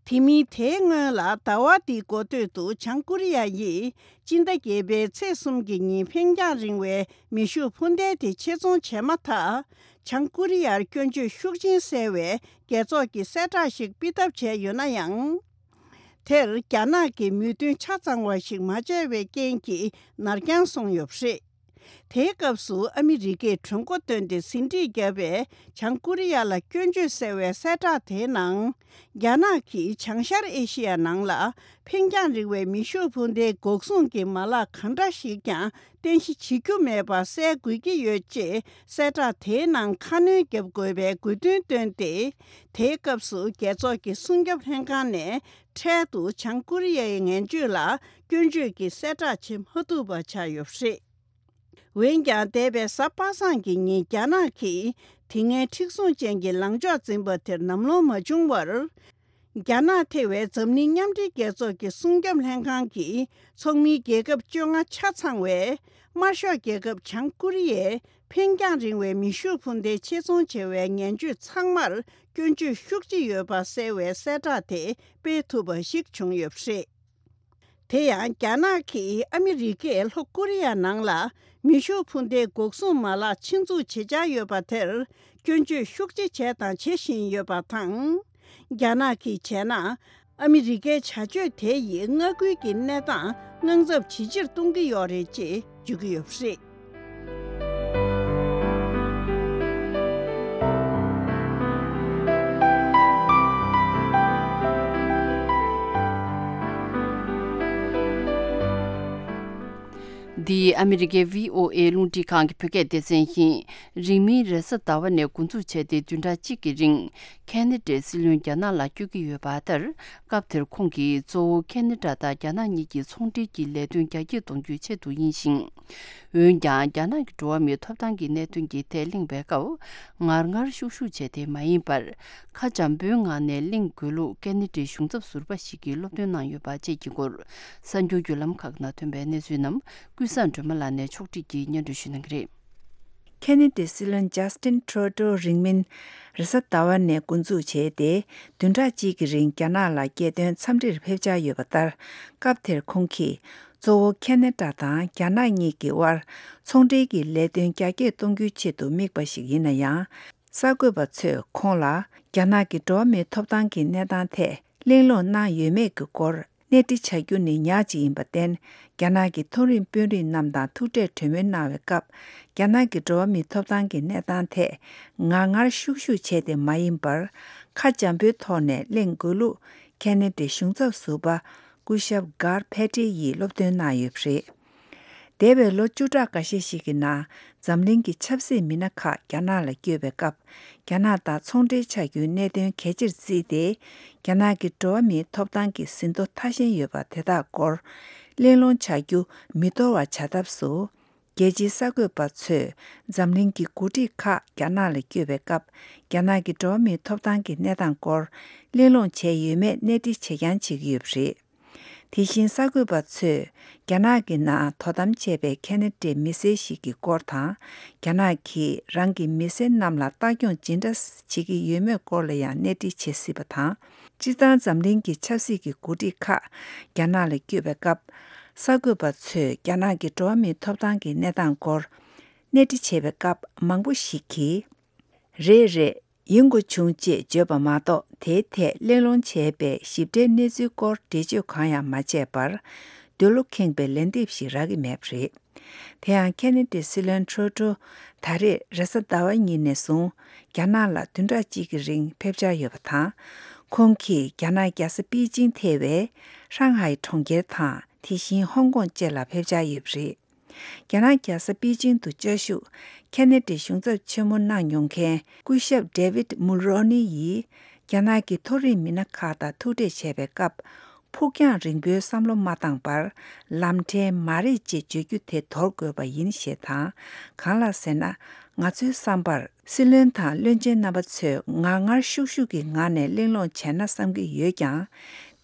དེ་མིན་དེའི་སྔོན་ལ་ཟླ་བ་འདིའི་འགོ་སྟོད་དུ་བྱང་ཀོ་རི་ཡ་ཡིས་སྤྱི་ཟླ་བརྒྱད་པའི་ཚེས་གསུམ་གྱི་ཉིན་འཕེན་རྒྱང་རིང་བའི་མེ་ཤུགས་འཕུར་མདེལ་དེ་ཆེད་རྫོང་བྱས་མ་ཐག། བྱང་ཀོ་རི་ཡར་སྐྱོན་བརྗོད་ཤུགས་ཆེན་གསལ་བའི་རྒྱལ་ཚོགས་ཀྱི་གསལ་བསྒྲགས་ཤིག་སྤེལ་ཐབས་བྱས་ཡོད་ན་ཡང་། དེར་རྒྱ་ནག་གིས་མོས་མཐུན་ཆ་ཚང་བ་ཞིག་མ་བྱས་པའི་རྐྱེན་གྱིས་ནར་འགྱངས་སོང་ཡོད་པ་རེད། དེའི་སྐབས་སུ་ཨ་མི་རི་ཀས་གྲོས་འགོ་བཏོན་ཏེ་ཟིན་བྲིས་བརྒྱབ་པའི་བྱང་ཀོ་རི་ཡ་ལ་སྐྱོན་བརྗོད་གསལ་བའི་གསལ་བསྒྲགས་དེའི་ནང་། རྒྱ་ནག་གིས་བྱང་ཤར་ཨེ་ཤི་ཡ་ནང་ལ་འཕེན་རྒྱང་རིང་བའི་མེ་ཤུགས་འཕུར་མདེལ་འགོག་སྲུང་གི་མ་ལག་གང་འདྲ་ཞིག་ཀྱང་རྟེན་གཞི་བྱེད་རྒྱུ་མེད་པ་གསལ་དགོས་ཀྱི་ཡོད་ཅེས་གསལ་བསྒྲགས་དེའི་ནང་ཁ་སྣོན་བརྒྱབ་དགོས་པའི་དགོས་འདུན་བཏོན་ཏེ། དེའི་སྐབས་སུ་རྒྱལ་ཚོགས་ཀྱི་སྲུང་སྐྱོབ་ལྷན་ཁང་ནས་འཕྲལ་དུ་བྱང་ཀོ་རི་ཡའི་ངན་སྤྱོད་ལ་སྐྱོན་བརྗོད་ཀྱི་གསལ་བསྒྲགས་བྱེད་མ་ཐུབ་པ་ཆགས་ཡོད་པ་རེད། འོན་ཀྱང་། འདས་པའི་གཟའ་པ་སངས་ཀྱི་ཉིན་རྒྱ་ནག་གིས་དེ་སྔའི་མཁྲེགས་བཟུང་ཅན་གྱི་ལངས་ཕྱོགས་འཛིན་པ་དེར་ལམ་ལྷོང་མ་བྱུང་བར། རྒྱ་ནག་ཐེ་བའི་འཛམ་གླིང་མཉམ་འབྲེལ་རྒྱལ་ཚོགས་ཀྱི་སྲུང་སྐྱོབ་ལྷན་ཁང་གི་ཚོགས་མིའི་རྒྱལ་ཁབ་བཅོ་ལྔ་ཆ་ཚང་བས། དམར་ཤོག་རྒྱལ་ཁབ་བྱང་ཀོ་རི་ཡས་འཕེན་རྒྱང་རིང་བའི་མེ་ཤུགས་འཕུར་མདའི་ཆེད་རྫོང་བྱེད་པའི་ངན་སྤྱོད་ཚང་མར་སྐྱོན་བརྗོད་ཤུགས་ཆེ་ཡོད་པ་གསལ་བའི་གསལ་བསྒྲགས་དེ་སྤེལ་ཐུབ་པ་ཞིག་བྱུང་ཡོད་པ་རེད། དེ་ཡང་། རྒྱ་ནག་གིས་ཨ་མི་རི་ཀས་ལྷོ་ཀོ་རི་ཡ་ནང་ལ་མེ་ཤུགས་འཕུར་མདའི་འགོག་སྲུང་མ་ལག་ཆེད་འཛུགས་བྱེད་འཆར་ཡོད་པ་དེར་སྐྱོན་བརྗོད་ཤུགས་ཆེ་བྱས་དང་བྱེད་བཞིན་ཡོད་པ་དང་། རྒྱ་ནག་གིས་བྱས་ན། ཨ་མི་རི་ཀའི་བྱ་སྤྱོད་དེ་ཡིས་མངའ་ཁུལ་གྱི་གནས་སྟངས་དངངས་འཚབ་ཇེ་ཆེར་གཏོང་གི་ཡོད་རེད་ཅེས་བརྗོད་ཀྱི་ཡོད་པ་རེད། འདི་ཨ་མི་རི་ཀའི་བྷི་ཨོ་ཨེ་རླུང་འཕྲིན་ཁང་གི་བོད་སྐད་སྡེ་ཚན་ཡིན། རིང་མིན་རེས་གཟའ་ཟླ་བ་ནས་འགོ་འཛུགས་བྱས་ཏེ་བདུན་ཕྲག་གཅིག་གི་རིང་ཁེ་ན་ཌའི་སྲིད་བློན་རྒྱ་ནག་ལ་བསྐྱོད་ཀྱི་ཡོད་པ་ལྟར། སྐབས་དེར་ཁོང་གིས་གཙོ་བོ་ཁེ་ན་ཌ་དང་རྒྱ་ནག་གཉིས་ཀྱི་ཚོང་འབྲེལ་གྱི་ལས་དོན་རྒྱ་སྐྱེད་གཏོང་རྒྱུའི་ཆེད་དུ་ཡིན་ཞིང་། འོན་ཀྱང་རྒྱ་ནག་གི་འགྲོ་བ་མིའི་ཐོབ་ཐང་གི་གནད་དོན་གྱི་ཐད་གླེང་བའི་སྐབས། ངར་ངར་ཤུགས་ཤུགས་བྱས་ཏེ་མ་ཡིན་པར། ཁ་འཇམ་པོའི་ངང་ནས་གླེང་དགོས་ལུགས་ཁེ་ན་ཌའི་གཞུང་ཚབ་ཟུར་པ་ཞིག་གིས་སློབ་སྟོན་གནང་ཡོད་པ་བཅས་ཀྱི་སྐོར། གསར་འགྱུར་བརྒྱུད་ལམ་ཁག་ནང་ཐོན་པའི་གནས་ཚུལ་རྣམས་ཀུན་བཟང་སྒྲོལ་མ་ལགས་ནས་ཕྱོགས་སྒྲིག་གིས་སྙན་སྒྲོན་ཞུ་གནང་གི་རེད། ཁེ་ན་ཌའི་སྲིད་བློན་ཇ་སི་ཊིན་ཁྲོ་ཏོ་རིང་མིན་རེས་གཟའ་ཟླ་བ་ནས་འགོ་འཛུགས་བྱས་ཏེ། བདུན་ཕྲག་གཅིག་གི་རིང་རྒྱ་ནག་ལ་རྒྱལ་དོན་འཚམས་འདྲིར་ཕེབས་འཆར་ཡོད་པ་ལྟར། སྐབས་དེར་ཁོང་གིས་གཙོ་བོ་ཁེ་ན་ཌ་དང་རྒྱ་ནག་གཉིས་ཀྱི་དབར་ཚོང་འབྲེལ་གྱི་ལས་དོན་རྒྱ་སྐྱེད་གཏོང་རྒྱུའི་ཆེད་དུ་དམིགས་པ་ཞིག་ཡིན་ན་ཡང་། གསར་འགོད་པ་ཚོས་ཁོང་ལ་རྒྱ་ནག་གི་འགྲོ་བ་མིའི་ཐོབ་ཐང་གི་གནས་སྟངས་ཐད་གླེང་སློང་གནང་ཡོད་མེད་ཀྱི་སྐོར་གནས་འདྲི་བྱ་རྒྱུ་ནི་ཉག་ཅིག་ཡིན་པར་བརྟེན། རྒྱ་ནག་གི་མཐོ་རིམ་དཔོན་རིགས་རྣམས་དང་ཐུག་འཕྲད་གྲོས་མོལ་གནང་བའི་སྐབས། རྒྱ་ནག་གི་འགྲོ་བ་མིའི་ཐོབ་ཐང་གི་གནས་སྟངས་ཐད་ངར་ངར་ཤུགས་ཤུགས་བྱས་ཏེ་མ་ཡིན་པར། ཁ་འཇམ་པོའི་ཐོག་ནས་གླེང་དགོས་ལུགས་ཁེ་ན་ཌའི་གཞུང་ཚབ་ཟུར་པ་སྐུ་ཞབས་གྷར་ཕེ་ཏྲེ་ཡིས་སློབ་སྟོན་གནང་ཡོད་པ་རེད། འདས་པའི་ལོ་བཅུ་ཕྲག་འགའ་ཤས་ཤིག་གི་ནང་འཛམ་གླིང་གི་ཆབ་སྲིད་མི་སྣ་ཁག་རྒྱ་ནག་ལ་བསྐྱོད་པའི་སྐབས། རྒྱ་ནག་དང་ཚོང་འབྲེལ་བྱ་རྒྱུའི་གནད་དོན་གལ་ཆེར་བརྩིས་ཏེ། རྒྱ་ནག་གི་འགྲོ་བ་མིའི་ཐོབ་ཐང་གི་ཟིན་ཐོ་མཐའ་ཞེན་ཡོད་པ་དེ་དག་སྐོར་གླེང་སློང་བྱ་རྒྱུ་མི་འདོར་བ་བྱ་ཐབས་སུ། རྒྱལ་སྤྱིའི་གསར་འགོད་པ་ཚོས་འཛམ་གླིང་གི་འགོ་ཁྲིད་ཁག་རྒྱ་ནག་ལ་བསྐྱོད་པའི་སྐབས། རྒྱ་ནག་གི་འགྲོ་བ་མིའི་ཐོབ་ཐང་གི་གནས་སྟངས་སྐོར་གླེང་སློང་བྱས་ཡོད་མེད་གནས་འདྲི་བྱེད་རྐྱང་བྱེད་ཀྱི་ཡོད་པ་རེད། དེ་བཞིན་གསར་འགོད་པ་ཚོས་རྒྱ་ནག་གི་ནང་དོ་དམ་བྱས་པའི་ཁེ་ན་ཌའི་མི་སེར་ཞིག་གི་སྐོར་དང་། རྒྱ་ནག་གིས་རང་གི་མི་སེར་རྣམས་ལ་ལྟ་སྐྱོང་ཇི་འདྲ་བྱེད་ཀྱི་ཡོད་མེད་སྐོར་ལ་ཡང་གནས་འདྲི་བྱེད་སྲིད་པ་དང་། སྤྱིར་བཏང་འཛམ་གླིང་གི་ཆབ་སྲིད་ཀྱི་འགོ་ཁྲིད་ཁག་རྒྱ་ནག་ལ་བསྐྱོད་པའི་སྐབས། གསར་འགོད་པ་ཚོས་རྒྱ་ནག་གི་འགྲོ་བ་མིའི་ཐོབ་ཐང་གི་གནས་སྟངས་སྐོར་གནས་འདྲི་བྱེད་པའི་སྐབས་མང་པོ་ཞིག་གིས། རེད་རེད། ཡིན་དགོས་བྱུང་ཅེས་བརྗོད་པ་མ་གཏོགས། དེའི་ཐད་གླེང་སློང་བྱས་པའི་ཞིབ་ཕྲའི་གནས་ཚུལ་སྐོར་འགྲེལ་བརྗོད་གང་ཡང་མ་བྱས་པར། འདོད་བློ་ཁེངས་པའི་ལན་འདེབས་ཤིག་རག་གི་མེད་པ་རེད། དེ་ཡང་ཁེ་ན་ཌའི་སྲིད་བློན་ཁྲོ་ཏོ་ད་རེས་རེས་གཟའ་ཟླ་བ་ཉིན་ནས་བཟུང་རྒྱ་ནག་ལ་བདུན་ཕྲག་གཅིག་གི་རིང་ཕེབས་འཆར་ཡོད་པ་དང་། ཁོང་གིས་རྒྱ་ནག་རྒྱལ་ས་པེ་ཅིང་ཐེ་བའི་ཧྲང་ཧའེ་གྲོང་ཁྱེར་དང་། དེ་བཞིན་ཧོང་ཀོང་བཅས་ལ་ཕེབས་འཆར་ཡོད་པ་རེད། རྒྱ་ནག་རྒྱལ་ས་པེ་ཅིང་དུ་བཅའ་བཞུགས་ཁེ་ན་ཌའི་གཞུང་ཚབ་ཆེན་མོ་གནང་མྱོང་མཁན་སྐུ་ཞབས་ཌེ་ཝིད་མུལ་རོ་ནི་ཡིས། རྒྱ་ནག་གི་མཐོ་རིམ་མི་སྣ་ཁག་དང་ཐུག་འཕྲད་བྱས་པའི་སྐབས། ཕུགས་རྒྱང་རིང་པོའི་བསམ་བློ་མ་བཏང་བར། ལམ་ཕྲན་མ་རེད་ཅེས་བརྗོད་རྒྱུ་དེ་དོར་དགོས་པ་ཡིན་ཞེས་དང་། གང་ལགས་ཟེར་ན། ང་ཚོའི་བསམ་པར། སྲིད་བློན་དང་བློན་ཆེན་རྣམ་པ་ཚོས་ངར་ངར་ཤུགས་ཤུགས་ཀྱི་ངང་ནས་གླེང་སློང་བྱས་ན་བསམ་གྱི་ཡོད་ཀྱང་།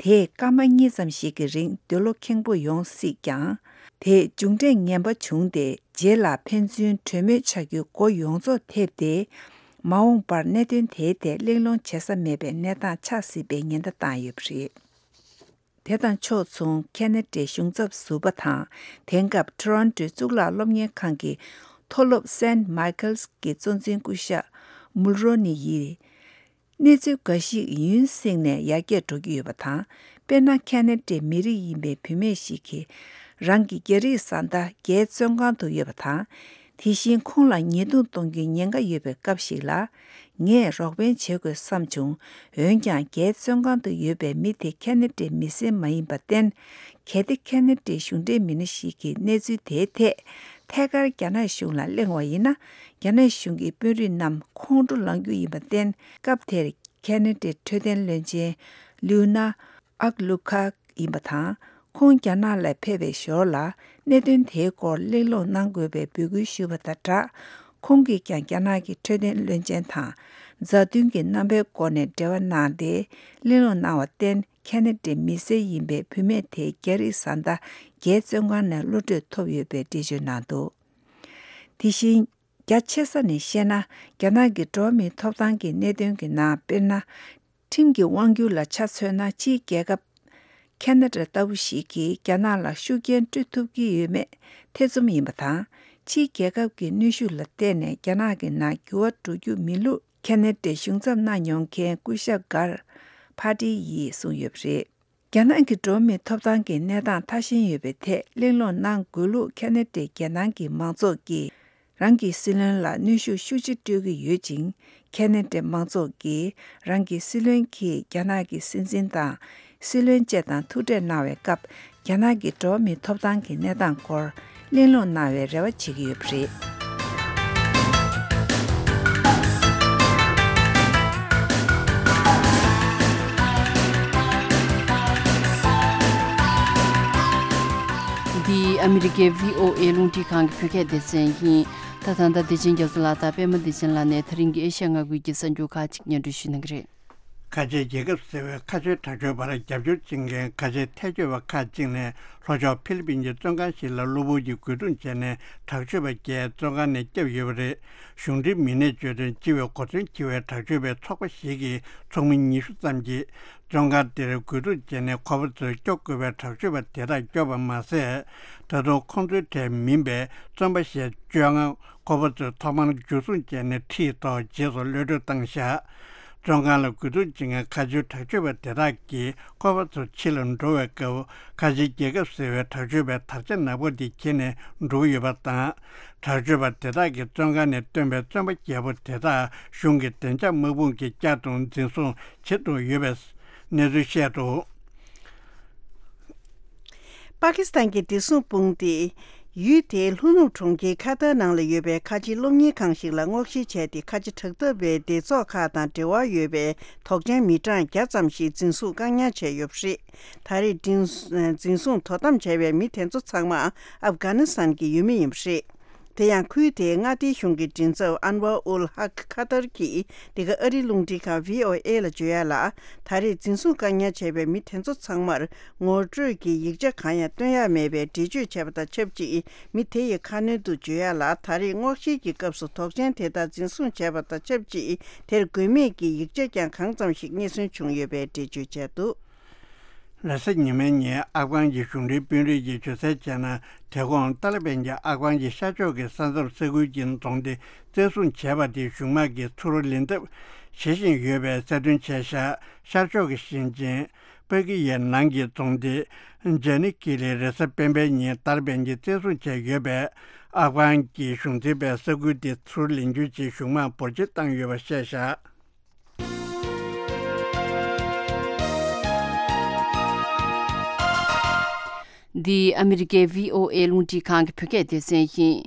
དེས་སྐར་མ་གཉིས་ཙམ་ཞིག་གི་རིང་འདོད་བློ་ཁེངས་པོ་ཡོང་སྲིད་ཀྱང་། དེས་མཇུག་འབྲས་ངན་པ་བྱུང་སྟེ། རྗེས་ལ་ཕན་ཚུན་གྲོས་མོལ་བྱ་རྒྱུའི་སྒོ་ཡོངས་རྫོགས་ཐེབས་ཏེ། མ་འོངས་པར་གནད་དོན་དེའི་ཐད་གླེང་སློང་བྱེད་ས་མེད་པའི་གནས་སྟངས་ཆགས་སྲིད་པའི་ཉེན་བརྡ་བཏང་ཡོད་པ་རེད། དེ་དང་ཕྱོགས་མཚུངས་ཁེ་ན་ཌའི་གཞུང་ཚབ་ཟུར་པ་དང་། དེང་སྐབས་ཊོ་རོན་ཊོའི་གཙུག་ལག་སློབ་གཉེར་ཁང་གི་མཐོ་སློབ་སེན་མའི་ཁལ་གྱི་གཙོ་འཛིན་སྐུ་ཞབས་མུལ་རོ་ནི་ཡིས། གནས་ཚུལ་འགའ་ཞིག་ཡུན་བསྲིངས་ནས་ཡར་རྒྱས་འགྲོ་གི་ཡོད་པ་དང་། དཔེར་ན། ཁེ་ན་ཌའི་མི་རིགས་ཡིན་པའི་བུད་མེད་ཞིག་གིས་རང་གི་རྒྱ་རིགས་བཟའ་ཟླ་རྒྱའི་བཙོན་ཁང་དུ་ཡོད་པ་དང་། དེ་བཞིན་ཁོང་ལ་ཉེས་རྡུང་གཏོང་རྒྱུའི་ཉེན་ཁ་ཡོད་པའི་སྐབས་ཤིག་ལ། ངས་རོགས་ཕན་བྱེད་དགོས་བསམ་བྱུང་། འོན་ཀྱང་། རྒྱའི་བཙོན་ཁང་དུ་ཡོད་པའི་མི་དེ་ཁེ་ན་ཌའི་མི་སེར་མ་ཡིན་པར་བརྟེན། གལ་ཏེ་ཁེ་ན་ཌའི་གཞུང་འབྲེལ་མི་སྣ་ཞིག་གིས་གནས་ཚུལ་དེའི་ཐད་ཐད་ཀར་རྒྱ་ནག་གཞུང་ལ་གླེང་བ་ཡིན་ན། རྒྱ་ནག་གཞུང་གི་དཔོན་རིགས་རྣམས་ཁོང་ཁྲོ་ལངས་རྒྱུ་ཡིན་པར་བརྟེན། སྐབས་དེར་ཁེ་ན་ཌའི་འཕྲོད་བསྟེན་བློན་ཆེན་ལིའུ་ན་ཨག་ལུ་ཁ་ཡིན་པ་དང་། ཁོང་རྒྱ་ནག་ལ་ཕེབས་པའི་ཞོར་ལ། གནད་དོན་དེའི་སྐོར་གླེང་སློང་གནང་དགོས་པའི་འབོད་སྐུལ་ཞུས་པ་དང་སྦྲགས། ཁོང་གིས་ཀྱང་རྒྱ་ནག་གི་འཕྲོད་བསྟེན་བློན་ཆེན་དང་མཛའ་མཐུན་གྱི་རྣམ་པའི་སྒོ་ནས་འབྲེལ་བ་གནང་སྟེ། གླེང་སློང་གནང་བར་བརྟེན། ཁེ་ན་ཌའི་མི་སེར་ཡིན་པའི་བུད་མེད་དེ་རྒྱ་རིགས་བཟའ་ཟླ་རྒྱའི་བཙོན་ཁང་ནས་གློད་གྲོལ་ཐོབ་ཡོད་པའི་འགྲེལ་བརྗོད་གནང་འདུག་དེ་བཞིན། རྒྱ་ཆེ་ས་ནས་བཤད་ན། རྒྱ་ནག་གི་འགྲོ་བ་མིའི་ཐོབ་ཐང་གི་གནད་དོན་གྱི་ནང་། དཔེར་ན། ཁྲིམས་ཀྱི་དབང་སྒྱུར་ལ་ཆ་མཚོན་ན། ཕྱིའི་རྒྱལ་ཁབ་ཁེ་ན་ཌ་ལྟ་བུ་ཞིག་གིས་རྒྱ་ནག་ལ་ཤུགས་རྐྱེན་སྤྲོད་ཐུབ་ཀྱི་ཡོད་མེད་ཐེ་ཚོམ་ཡིན་པ་དང་། ཕྱིའི་རྒྱལ་ཁབ་ཀྱི་གནོན་ཤུགས་ལ་བརྟེན་ནས་རྒྱ་ནག་གི་ནང་འགྱུར་བ་འགྲོ་རྒྱུ་མིན་ལུགས། ཁེ་ན་ཌའི་གཞུང་ཚབ་གནང་མྱོང་མཁན་སྐུ་ཞབས་གྷར་ཕ་ཏི་ཡིས་གསུངས་ཡོད་པ་རེད། རྒྱ་ནག་གི་འགྲོ་བ་མིའི་ཐོབ་ཐང་གི་གནས་སྟངས་ཐ་ཞན་ཡོད་པའི་ཐད་གླེང་སློང་གནང་དགོས་ལུགས། ཁེ་ན་ཌའི་རྒྱལ་ནང་གི་མང་ཚོགས་ཀྱིས་རང་གི་སྲིད་བློན་ལ་གནོན་ཤུགས་ཤུགས་ཆེ་སྤྲོད་ཀྱི་ཡོད་ཅིང་། ཁེ་ན་ཌའི་མང་ཚོགས་ཀྱིས་རང་གི་སྲིད་བློན་གྱིས་རྒྱ་ནག་གི་སྲིད་འཛིན་དང་ སྲིད་བློན་བཅས་དང་ཐུག་འཕྲད་གནང་བའི་སྐབས། རྒྱ་ནག་གི་འགྲོ་བ་མིའི་ཐོབ་ཐང་གི་གནས་སྟངས་སྐོར་གླེང་སློང་གནང་བའི་རེ་བ་བྱེད་ཀྱི་ཡོད་པ་རེད། འདི་ཨ་མི་རི་ཀའི་བྷི་ཨོ་ཨེ་རླུང་འཕྲིན་ཁང་གི་བོད་སྐད་སྡེ་ཚན་ཡིན། ད་ད་ལྟ་བདེ་ཆེན་རྒྱ་མཚོ་ལགས་དང་པད་མ་བདེ་ཆེན་ལགས་ནས་ད་རིང་གི་ཨེ་ཤ་ཡ་མངའ་ཁུལ་གྱི་གསར་འགྱུར་ཁག་ཅིག་སྙན་སྒྲོན་ཞུ་གནང་གི་རེད། ཁ་ཆེའི་རྒྱལ་ཁབ་ཟེར་བའི་ཁ་ཆེའི་དྲག་སྤྱོད་པར་རྒྱབ་སྐྱོར་བྱེད་མཁན་ཁ་ཆེའི་ཐལ་སྐྱོད་པ་ཁག་ཅིག་ནས་ལྷོ་ཕྱོགས་ཧྥི་ལི་པིན་གྱི་བཙོན་ཁང་ཞིག་ལ་གློ་བུར་གྱིས་རྒོལ་རྡུང་བྱས་ནས་དྲག་སྤྱོད་པ་བརྒྱད་བཙོན་ཁང་ནས་བསྐྱབས་ཡོད་པ་རེད། གཞུང་འབྲེལ་མི་སྣས་བརྗོད་དོན། སྤྱི་པའི་གོ་མཚོན་འཁྱེར་བའི་དྲག་སྤྱོད་པའི་ཚོགས་པ་ཞིག་གི་ཚོགས་མི་ཉི་ཤུ་ཙམ་གྱིས་བཙོན་ཁང་དེར་རྒོལ་རྡུང་བྱས་ནས་ཁོ་པ་ཚོས་སྐྱོབ་དགོས་པའི་དྲག་སྤྱོད་པ་དེ་དག་བསྐྱོབས་པ་མ་ཟད། ད་དུང་ཁོང་ཚོའི་གྲས་མིན་པའི་བཙོན་པ་ཞེས་བཅོ་ལྔ། ཁོ་པ་ཚོས་ཐོག་མར་འཇུ་བཟུང་བྱས་ནས་ཁྲིད་ཐོག་རྗེས་སུ་གློད་གྲོལ་བཏང་བཞག་བཙོན་ཁང་ལ་རྒོལ་རྡུང་བྱེད་མཁན་ཁ་ཆེའི་དྲག་སྤྱོད་པ་དེ་དག་གིས་ཁོ་པ་ཚོ་ཕྱི་ལ་འགྲོ་བའི་སྐབས། ཁ་ཆེའི་རྒྱལ་ཁབ་ཟེར་བའི་དྲག་སྤྱོད་པའི་དར་ཆ་ནག་པོ་དེ་འཁྱེར་ནས་འགྲོ་གི་ཡོད་པ་དང་། དྲག་སྤྱོད་པ་དེ་དག་གིས་བཙོན་ཁང་ནས་བཏོན་པའི་བཙོན་པ་བརྒྱད་པོ་དེ་དག་གཞུང་གི་བདེ་འཇགས་དམག་དཔུང་གིས་བསྐྱར་དུ་འཛིན་བཟུང་བྱེད་དུ་ཡོད་པའི་གནས་ཚུལ་བཤད་འདུག་པ་ཀི་སི་ཐན་གྱི་བདེ་སྲུང་དཔུང་སྡེས་ཡུལ་དེའི་ལྷོ་ནུབ་གྲོང་ཁྱེར་ཁ་ཏར་ནང་ལ་ཡོད་པའི་ཁ་ཆེའི་སློབ་གཉེར་ཁང་ཞིག་ལ་སྔོག་བཤེར་བྱས་ཏེ། ཁ་ཆེ་དྲག་འཐབ་པའི་སྡེ་ཚོགས་ཁག་དང་འབྲེལ་བ་ཡོད་པའི་དོགས་ཅན་མི་གྲངས་བརྒྱ་ཙམ་ཞིག་འཛིན་བཟུང་བཀག་ཉར་བྱས་ཡོད་པ་རེད། ད་རེས་འཛིན་འཛིན་བཟུང་དོ་དམ་བྱས་པའི་མི་དེ་ཚོ་ཚང་མ་ཨབ་གྷ་ནི་སི་ཐན་གྱི་ཡུལ་མི་ཡིན་པ་རེད། དེ་ཡང་ཁུལ་དེའི་མངའ་སྡེའི་གཞུང་གི་མགྲིན་ཚབ་ཨན་ཝར་ཨུལ་ཧག་ཁ་ཐར་གྱིས་འདི་ག་ཨ་རིའི་རླུང་འཕྲིན་ཁང་བྷི་ཨོ་ཨེ་ལ་བརྗོད་ཡག་ལ། ད་རེས་འཛིན་བཟུང་བཀག་ཉར་བྱས་པའི་མི་དེ་ཚོ་ཚང་མར་ངོ་སྤྲོད་ཀྱི་ཡིག་ཆ་གང་ཡང་སྟོན་ཡག་མེད་པའི་འགྲེལ་བརྗོད་བྱས་པ་དང་ཆབས་ཅིག་མི་དེ་ཡི་ཁ་སྣོན་དུ་བརྗོད་ཡག་ལ། ད་རེས་སྔོག་བཤེར་གྱི་སྐབས་སུ་དོགས་ཅན་དེ་དག་འཛིན་བཟུང་བྱས་པ་དང་ཆབས་ཅིག་དེར་དགོས་མེད་ཀྱི་ཡིག་ཆ་ཀྱང་གང་ཙམ་ཞིག་རྙེད་སོན་བྱུང་ཡོད་པའི་འགྲེལ་བརྗོད་བྱས་འདུག་རེས་གཟའ་ཉི་མའི་ཉིན་ཨབ་གྷན་གྱི་གཞུང་འབྲེལ་དཔོན་རིགས་ཀྱིས་བརྗོད་གསལ་བྱས་ན། དེ་གོང་ཏཱ་ལི་བན་གྱིས་ཨབ་གྷན་གྱི་ཤར་ཕྱོགས་ཀྱི་ས་མཚམས་ས་ཁུལ་གྱི་རྫོང་སྡེ་བཙན་བཟུང་བྱས་པ་དེ་གཞུང་དམག་གིས་ཚུར་ལེན་ཐབས་བྱེད་བཞིན་ཡོད་པའི་གསལ་སྟོན་བྱས་བཞག་ཤར་ཕྱོགས་ཀྱི་ཞིང་ཆེན་པ་ཀི་ཡའི་ནང་གི་རྫོང་སྡེ་ཇ་ནི་ཀི་ལི་རེས་གཟའ་སྤེན་པའི་ཉིན་ཏཱ་ལི་བན་གྱིས་བཙན་བཟུང་བྱས་ཡོད་པས། ཨབ་གྷན་གྱི་གཞུང་འཛིན་པས་ས་ཁུལ་དེ་ཚུར་ལེན་རྒྱུའི་ཆེད་གཞུང་དམག་འབོར་ཆེན་བཏང་ཡོད་པ་བཤད་བཞག་འདི་ཨ་མི་རི་ཀའི་བྷི་ཨོ་ཨེ་རླུང་འཕྲིན་ཁང་གི་བོད་སྐད་སྡེ་ཚན་ཡིན།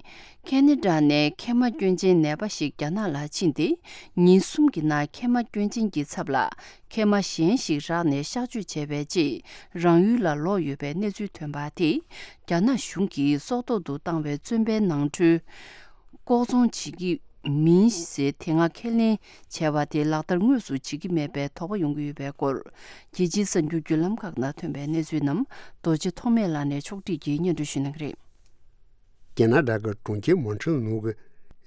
ཁེ་ན་ཌ་ནས་མཁལ་མ་སྐྱོན་ཅན་ནད་པ་ཞིག་རྒྱ་ནག་ལ་ཕྱིན་ཏེ། ཉིན་གསུམ་གྱི་ནང་མཁལ་མ་སྐྱོན་ཅན་གྱི་ཚབ་ལ་མཁལ་མ་གཞན་ཞིག་རག་ནས་གཤག་བཅོས་བྱས་པའི་རྗེས་རང་ཡུལ་ལ་ལོག་ཡོད་པའི་གནས་ཚུལ་ཐོན་པ་དེས་རྒྱ་ནག་གཞུང་གིས་སྲོག་ཐོག་ཏུ་བཏང་བའི་བཙོན་པའི་ནང་ཁྲོལ་ལྐོག་ཚོང་བྱེད་ཀྱི་མིན་ཞེས་དེ་སྔ་ཁས་ལེན་བྱས་པ་དེ་ལག་བསྟར་དངོས་སུ་བྱེད་ཀྱི་མེད་པའི་དོགས་པ་ཡོང་གི་ཡོད་པའི་སྐོར། རྒྱལ་སྤྱིའི་གསར་འགྱུར་བརྒྱུད་ལམ་ཁག་ནང་ཐོན་པའི་གནས་ཚུལ་རྣམས་རྡོ་རྗེ་ཐོགས་མེད་ལགས་ནས་ཕྱོགས་སྒྲིག་གིས་སྙན་སྒྲོན་ཞུ་གནང་གི་རེད། ཀེ་ན་ཌ་གི་གྲོང་ཁྱེར་མོན་ཊི་རི་ནང་གི་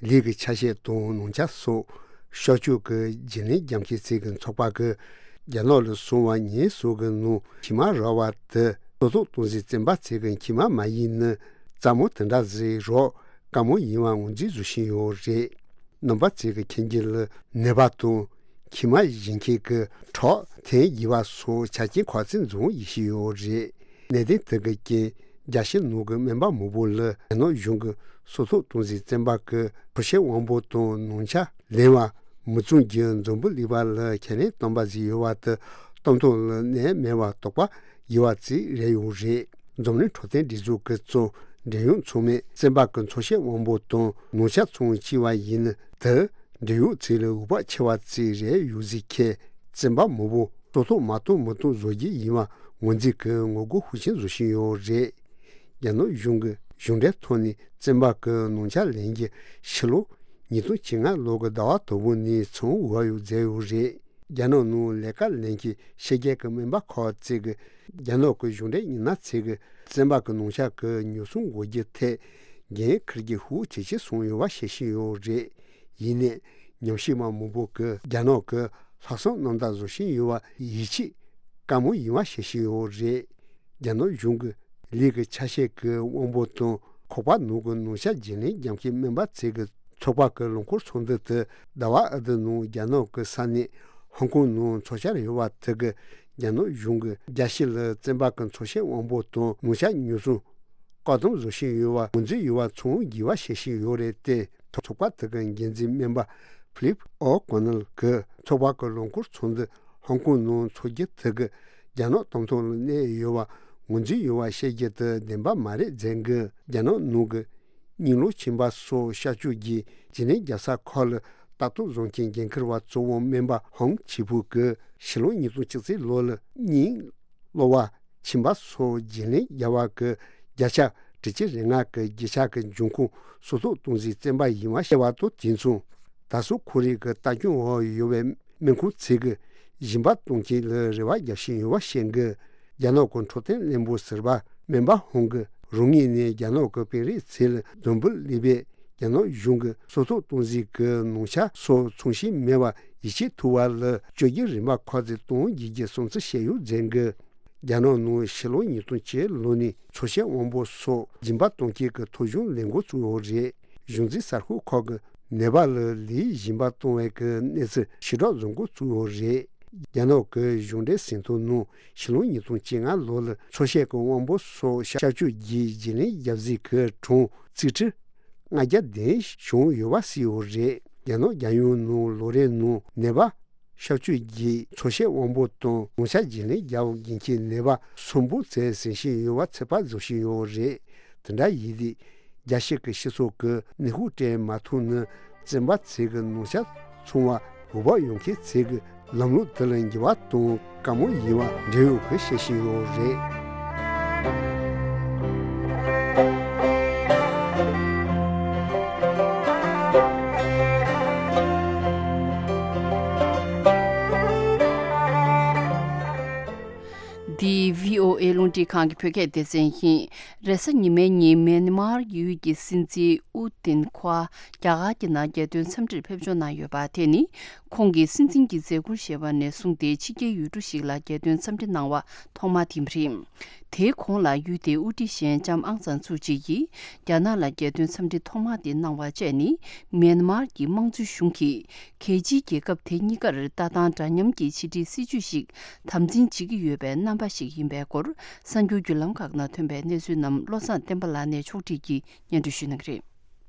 ལུད་ཀྱི་ཆ་ཤས་དང་ནང་ཆ་སོགས་གཤག་བཅོས་ཀྱི་བརྗེ་ལེན་རྒྱག་མཁན་ཚོའི་ཚོགས་པ་གིས་རྒྱ་ནག་ལ་སོང་བ་ཉིན་གསུམ་གྱི་ནང་མཁལ་མ་རག་པ་དེ་གཙུག་ལག་སྟོང་ཟད་བཙོན་པ་ཚོའི་མཁལ་མ་མ་ཡིན་ནི་རྩ་མོ་དེ་འདྲ་ཟིག་རག་དཀའ་མོ་ཡིན་པ་ངོས་འཛིན་བཟོ་བཞིན་ཡོད་རེད། རྣམ་པ་ཚོས་མཁྱེན་རྒྱུ་ལ་ནད་པ་དང་མཁལ་མ་བཞེས་མཁན་གྱི་ཁྲག་འཐེན་དགོས་པ་སོགས་ཆ་རྐྱེན་ཁག་ཅིག་འཛོམས་ཡོང་བཞིན་ཡོད་རེད། གནད་དོན་དེ་གི་རྐྱེན་རྒྱལ་སྤྱིའི་ནང་གི་སྨན་པ་མང་པོ་ལ་རྒྱ་ནག་གཞུང་གིས་གཙུག་ལག་སྟོང་ཟད་བཙོན་པ་གི་ཁྲག་ཤེད་དབང་པོ་དང་ནང་ཆ་ལེན་པ་མི་བཙུགས་རྒྱུ་འཛམ་བུ་གླིང་པ་ལ་ཁས་ལེན་བཏང་པ་ཟིག་ཡོད་པ་དེ་གཏན་ཐོག་ལ་གནས་མེད་པ་དོགས་པ་ཡོད་པ་ཅིག་རེད་ཡོད་རེད། འཛམ་གླིང་འཕྲོད་བསྟེན་སྒྲིག་འཛུགས་ཀྱི་གཙོ་འབྲེལ་ཡོད་ཚང་མས་བཙོན་པ་གི་ཁྲག་ཤེད་དབང་པོ་དང་ནང་ཆ་ཚང་བཅུག་པ་ཡིན་ན་དེ་འབྲེལ་ཡོད་ཚོ་ལ་འོས་བབ་ཆེ་བ་ཅིག་རེད་ཡོད་ཟིག་ཁྱེད་བཙོན་པ་མང་པོ་གཙུག་ལག་མ་གཏོགས་མི་གཏོང་བཟོ་རྒྱུ་ཡིན་པ་ངོས་འཛིན་གྱིས་ངོ་རྒོལ་ཤུགས་ཆེན་བཟོ་བཞིན་ཡོད་རེད། རྒྱ་ནག་གཞུང་གིས་གཞུང་འབྲེལ་ཐོག་ནས་བཙོན་པ་གི་ནང་ཆ་ལེན་རྒྱུ་ཕྱི་ལོ་ཉིས་སྟོང་བཅོ་ལྔ་ལོ་གི་ཟླ་བ་དང་པོ་ནས་ཚང་འོས་བབ་མཛད་ཡོད་རེད། རྒྱ་ནག་ནང་ལས་ཀ་ལེན་མཁན་ཕྱི་རྒྱལ་གྱི་སྨན་པ་ཁག་ཅིག་གིས་རྒྱ་ནག་གི་གཞུང་འབྲེལ་མི་སྣ་ཚོས་བཙོན་པ་གི་ནང་ཆ་གི་ཉོ་ཚོང་འགོག་རྒྱུའི་ཐད་འགན་འཁུར་རྒྱུ་ཤུགས་ཇེ་ཆེར་སོང་ཡོད་པ་བཤད་བཞིན་ཡོད་རེད། ཡིན་ནའི་ཉམས་ཞིབ་པ་མང་པོ་གིས་རྒྱ་ནག་གིས་ལྷག་བསམ་རྣམ་དག་བཟོ་བཞིན་ཡོད་པ་ཡིད་ཆེས་དཀའ་མོ་ཡིན་པ་བཤད་བཞིན་ཡོད་རེད། རྒྱ་ནག་གཞུང་གིས་ལུད་ཀྱི་ཆ་ཤས་ཀྱི་དབང་པོ་དང་ཁོག་པ་ནང་གི་ནང་ཆ་བརྗེ་ལེན་རྒྱག་མཁན་སྨན་པ་ཚོའི་ཚོགས་པ་གི་ལོ་འཁོར་ཚོགས་འདུ་དེ་ཟླ་བ་ཨ་དི་ནང་རྒྱ་ནག་གི་ས་གནས་ཧོང་ཀོང་ནང་འཚོགས་འཆར་ཡོད་པ་དེ་གིས་རྒྱ་ནག་གཞུང་གིས་རྒྱལ་སྤྱི་ལ་བཙོན་པ་གི་ཁྲག་ཤེད་དབང་པོ་དང་ནང་ཆ་ཉོ་ཚོང་བཀག་སྡོམ་བཟོ་བཞིན་ཡོད་པ་ངོས་འཛིན་ཡོད་པ་ཚང་དགོས་པ་བཤད་བཞིན་ཡོད་རེད་དེ། ཚོགས་པ་དེ་གི་འགན་འཛིན་སྨན་པ་ཕི་ལིབ་ཨོ་ཀོ་ནལ་གྱིས་ཚོགས་པ་གི་ལོ་འཁོར་ཚོགས་འདུ་ཧོང་ཀོང་ནང་འཚོགས་རྒྱུ་དེ་གིས་ རྒྱ་ནག་དམག་དོན་ལ་གནས་ཡོད་པ་ངོས་འཛིན་ཡོད་པ་བཤད་རྒྱུ་དེ་བདེན་པ་མ་རེད་ཟེར་གི། རྒྱ་ནག་ནང་གི་རྙིང་ལོ་ཆེན་པ་སོགས་བཤའ་བཅོས་ཀྱིས་བརྗེ་ལེན་རྒྱབ་ས་ཁག་ལ་ལྟ་རྟོག་བཟོ་མཁན་འགན་འཁུར་བ་གཙོ་བོ་སྨན་པ་ཧོང་ཆི་ཕུའུ་གིས་ཕྱི་ལོ་ཉིས་སྟོང་བཅུ་གཅིག་ལོ་ལ་རྙིང་ལོ་བ་ཁྱིམ་པ་སོགས་བརྗེ་ལེན་རྒྱག་པ་གི་བརྒྱ་ཆ་དྲུག་ཅུ་རེ་ལྔ་གི་རྒྱུ་ཆ་གི་འབྱུང་ཁུངས་སོར་གཏོད་གཏོང་རྩིས་བཙན་པ་ཡིན་པ་བཤད་པ་དང་དུས་མཚུངས། ད་གཟོད་ཁོར་ཡུག་གི་ལྟ་སྐྱོང་འོག་ཡོད་པའི་སྨན་ཁང་ཚོས་ཀྱི་སྦྱིན་པ་གཏོང་མཁན་ལ་རེ་བ་རྒྱག་བཞིན་ཡོད་པ་བཤད་འདུག་རྒྱ་ནག་གི་འཕྲོད་བསྟེན་བློན་པོ་ཟུར་པ་སྨན་པ་ཧོང་གིས་རང་ངོས་ནས་རྒྱ་ནག་གི་དཔོན་རིགས་ཚོ་ལ་འདོན་འབུལ་སླེབས་པའི་རྒྱ་ནག་གཞུང་གི་སོར་གཏོད་གཏོང་རྩིས་ཀྱི་ནང་ཆ་སོགས་ཚང་ཞིག་མེད་པར་ཡིད་ཆེས་ཐུབ་པ་ལ་བཅོས་སྒྱུར་རིམ་པ་ཁག་ཅིག་གཏོང་རྒྱུའི་བསམ་ཚུལ་བཤད་ཡོད་ཟེར་འདུག་རྒྱ་ནག་ནང་ཕྱི་ལོ་ཉིས་སྟོང་བཅུ་ལོ་ནས་ཚོ་ཤེས་དབང་པོ་སོགས་སྦྱིན་པ་གཏོང་མཁན་གྱི་ཐོ་གཞུང་ལེན་འགོ་བཙུགས་ཡོད་རེད། གཞུང་འཛིན་གསར་ཤོག་ཁག་གི་ནད་པ་ལ་ལུས་སྦྱིན་པ་གཏོང་བའི་གི་གནས་ཚུལ་ཕྱིར་བསྒྲགས་བཟོ་འགོ་བཙུགས་ཡོད་རེད། རྒྱ་ནག་གི་གཞུང་འབྲེལ་ཟིན་ཐོ་ནང་ཕྱི་ལོ་ཉིས་སྟོང་བཅོ་ལྔ་ལོ་ལ་ཚོ་ཤེས་ཀྱི་དབང་པོ་སོགས་བཤའ་བཅོས་ཀྱིས་བརྗེ་ལེན་རྒྱབ་རྩིས་ཀྱི་གྲངས་ཚིག་ཁྲི་ལྔ་བརྒྱ་བདུན་བྱུང་ཡོད་པ་གསལ་ཡོད་རེད། རྒྱ་ནག་རྒྱལ་ཡོངས་ནང་ལོ་རེའི་ནང་ནད་པ་བཤའ་བཅོས་ཀྱིས་ཚོ་ཤེས་དབང་པོ་དང་ནང་ཆ་བརྗེ་ལེན་རྒྱག་དགོས་མཁན་ནད་པ་སུམ་སྟོང་ཙམ་ཟིན་བཞིན་ཡོད་པ་ཚོད་དཔག་བཟོ་བཞིན་ཡོད་རེད། དེ་འདྲ་ཡིན་དུས་རྒྱལ་སྤྱི་གི་སྤྱི་ཚོགས་ཀྱི་ནུས་ཤུགས་སྤྲད་མ་ཐུབ་ན་བཙོན་པ་ཚོས་ཀྱི་ནང་ཆ་ཚང་བ་འོས་བབ་ཡོད་མཁན་ཚོས་ཀྱི་ལམ་ལུགས་དེ་ལ་འགྱུར་བ་གཏོང་དཀའ་མོ་ཡིན་པ་འབྲེལ་ཡོད་ཀྱིས་བཤད་བཞིན་ཡོད་རེད། འདི་བྷི་ཨོ་ཨེ་རླུང་འཕྲིན་ཁང་གི་བོད་སྐད་སྡེ་ཚན་ཡིན། རེས་གཟའ་ཉི་མའི་ཉིན་མེན་མར་ཡུལ་གྱི་སྲིད་འཛིན་ཨུ་ཏིན་ཁོ་རྒྱ་གར་གྱི་ནང་རྒྱལ་དོན་འཚམས་འདྲིར་ཕེབས་འབྱོར་གནང་ཡོད་པ་དེ་ནི། ཁོང་གིས་སྲིད་འཛིན་གྱི་མཛད་ཁུར་བཞེས་པ་ནས་བཟུང་སྟེ་ཕྱི་རྒྱལ་ཡུལ་གྲུ་ཞིག་ལ་རྒྱལ་དོན་འཚམས་འདྲི་གནང་བ་ཐོག་མ་དེ་རེད། དེའི་གོང་ལ་ཡུལ་དེའི་དབུ་ཁྲིད་གཞན་ལྕམ་ཨང་སན་སུའུ་ཅི་ཡིས་རྒྱ་ནག་ལ་རྒྱལ་དོན་འཚམས་འདྲི་ཐོག་མ་དེ་གནང་བ་བཅས་ནི། མེན་མར་གྱི་དམངས་གཙོའི་གཞུང་གིས་གལ་ཆེའི་རྒྱལ་ཁབ་དེ་གཉིས་ཀར་ལྟ་སྟངས་འདྲ་མཉམ་གྱི་ཕྱི་འབྲེལ་སྲིད་ཇུས་ཤིག་དམ་འཛིན་བྱེད་ཀྱི་ཡོད་པའི་རྣམ་པ་ཞིག་ཡིན་པའི་སྐོར། གསར་འགྱུར་བརྒྱུད་ལམ་ཁག་ནང་ཐོན་པའི་གནས་ཚུལ་རྣམས་བློ་བཟང་བསྟན་པ་ལགས་ནས་ཕྱོགས་སྒྲིག་གིས་སྙན་སྒྲོན་ཞུ་གནང་གི་རེད།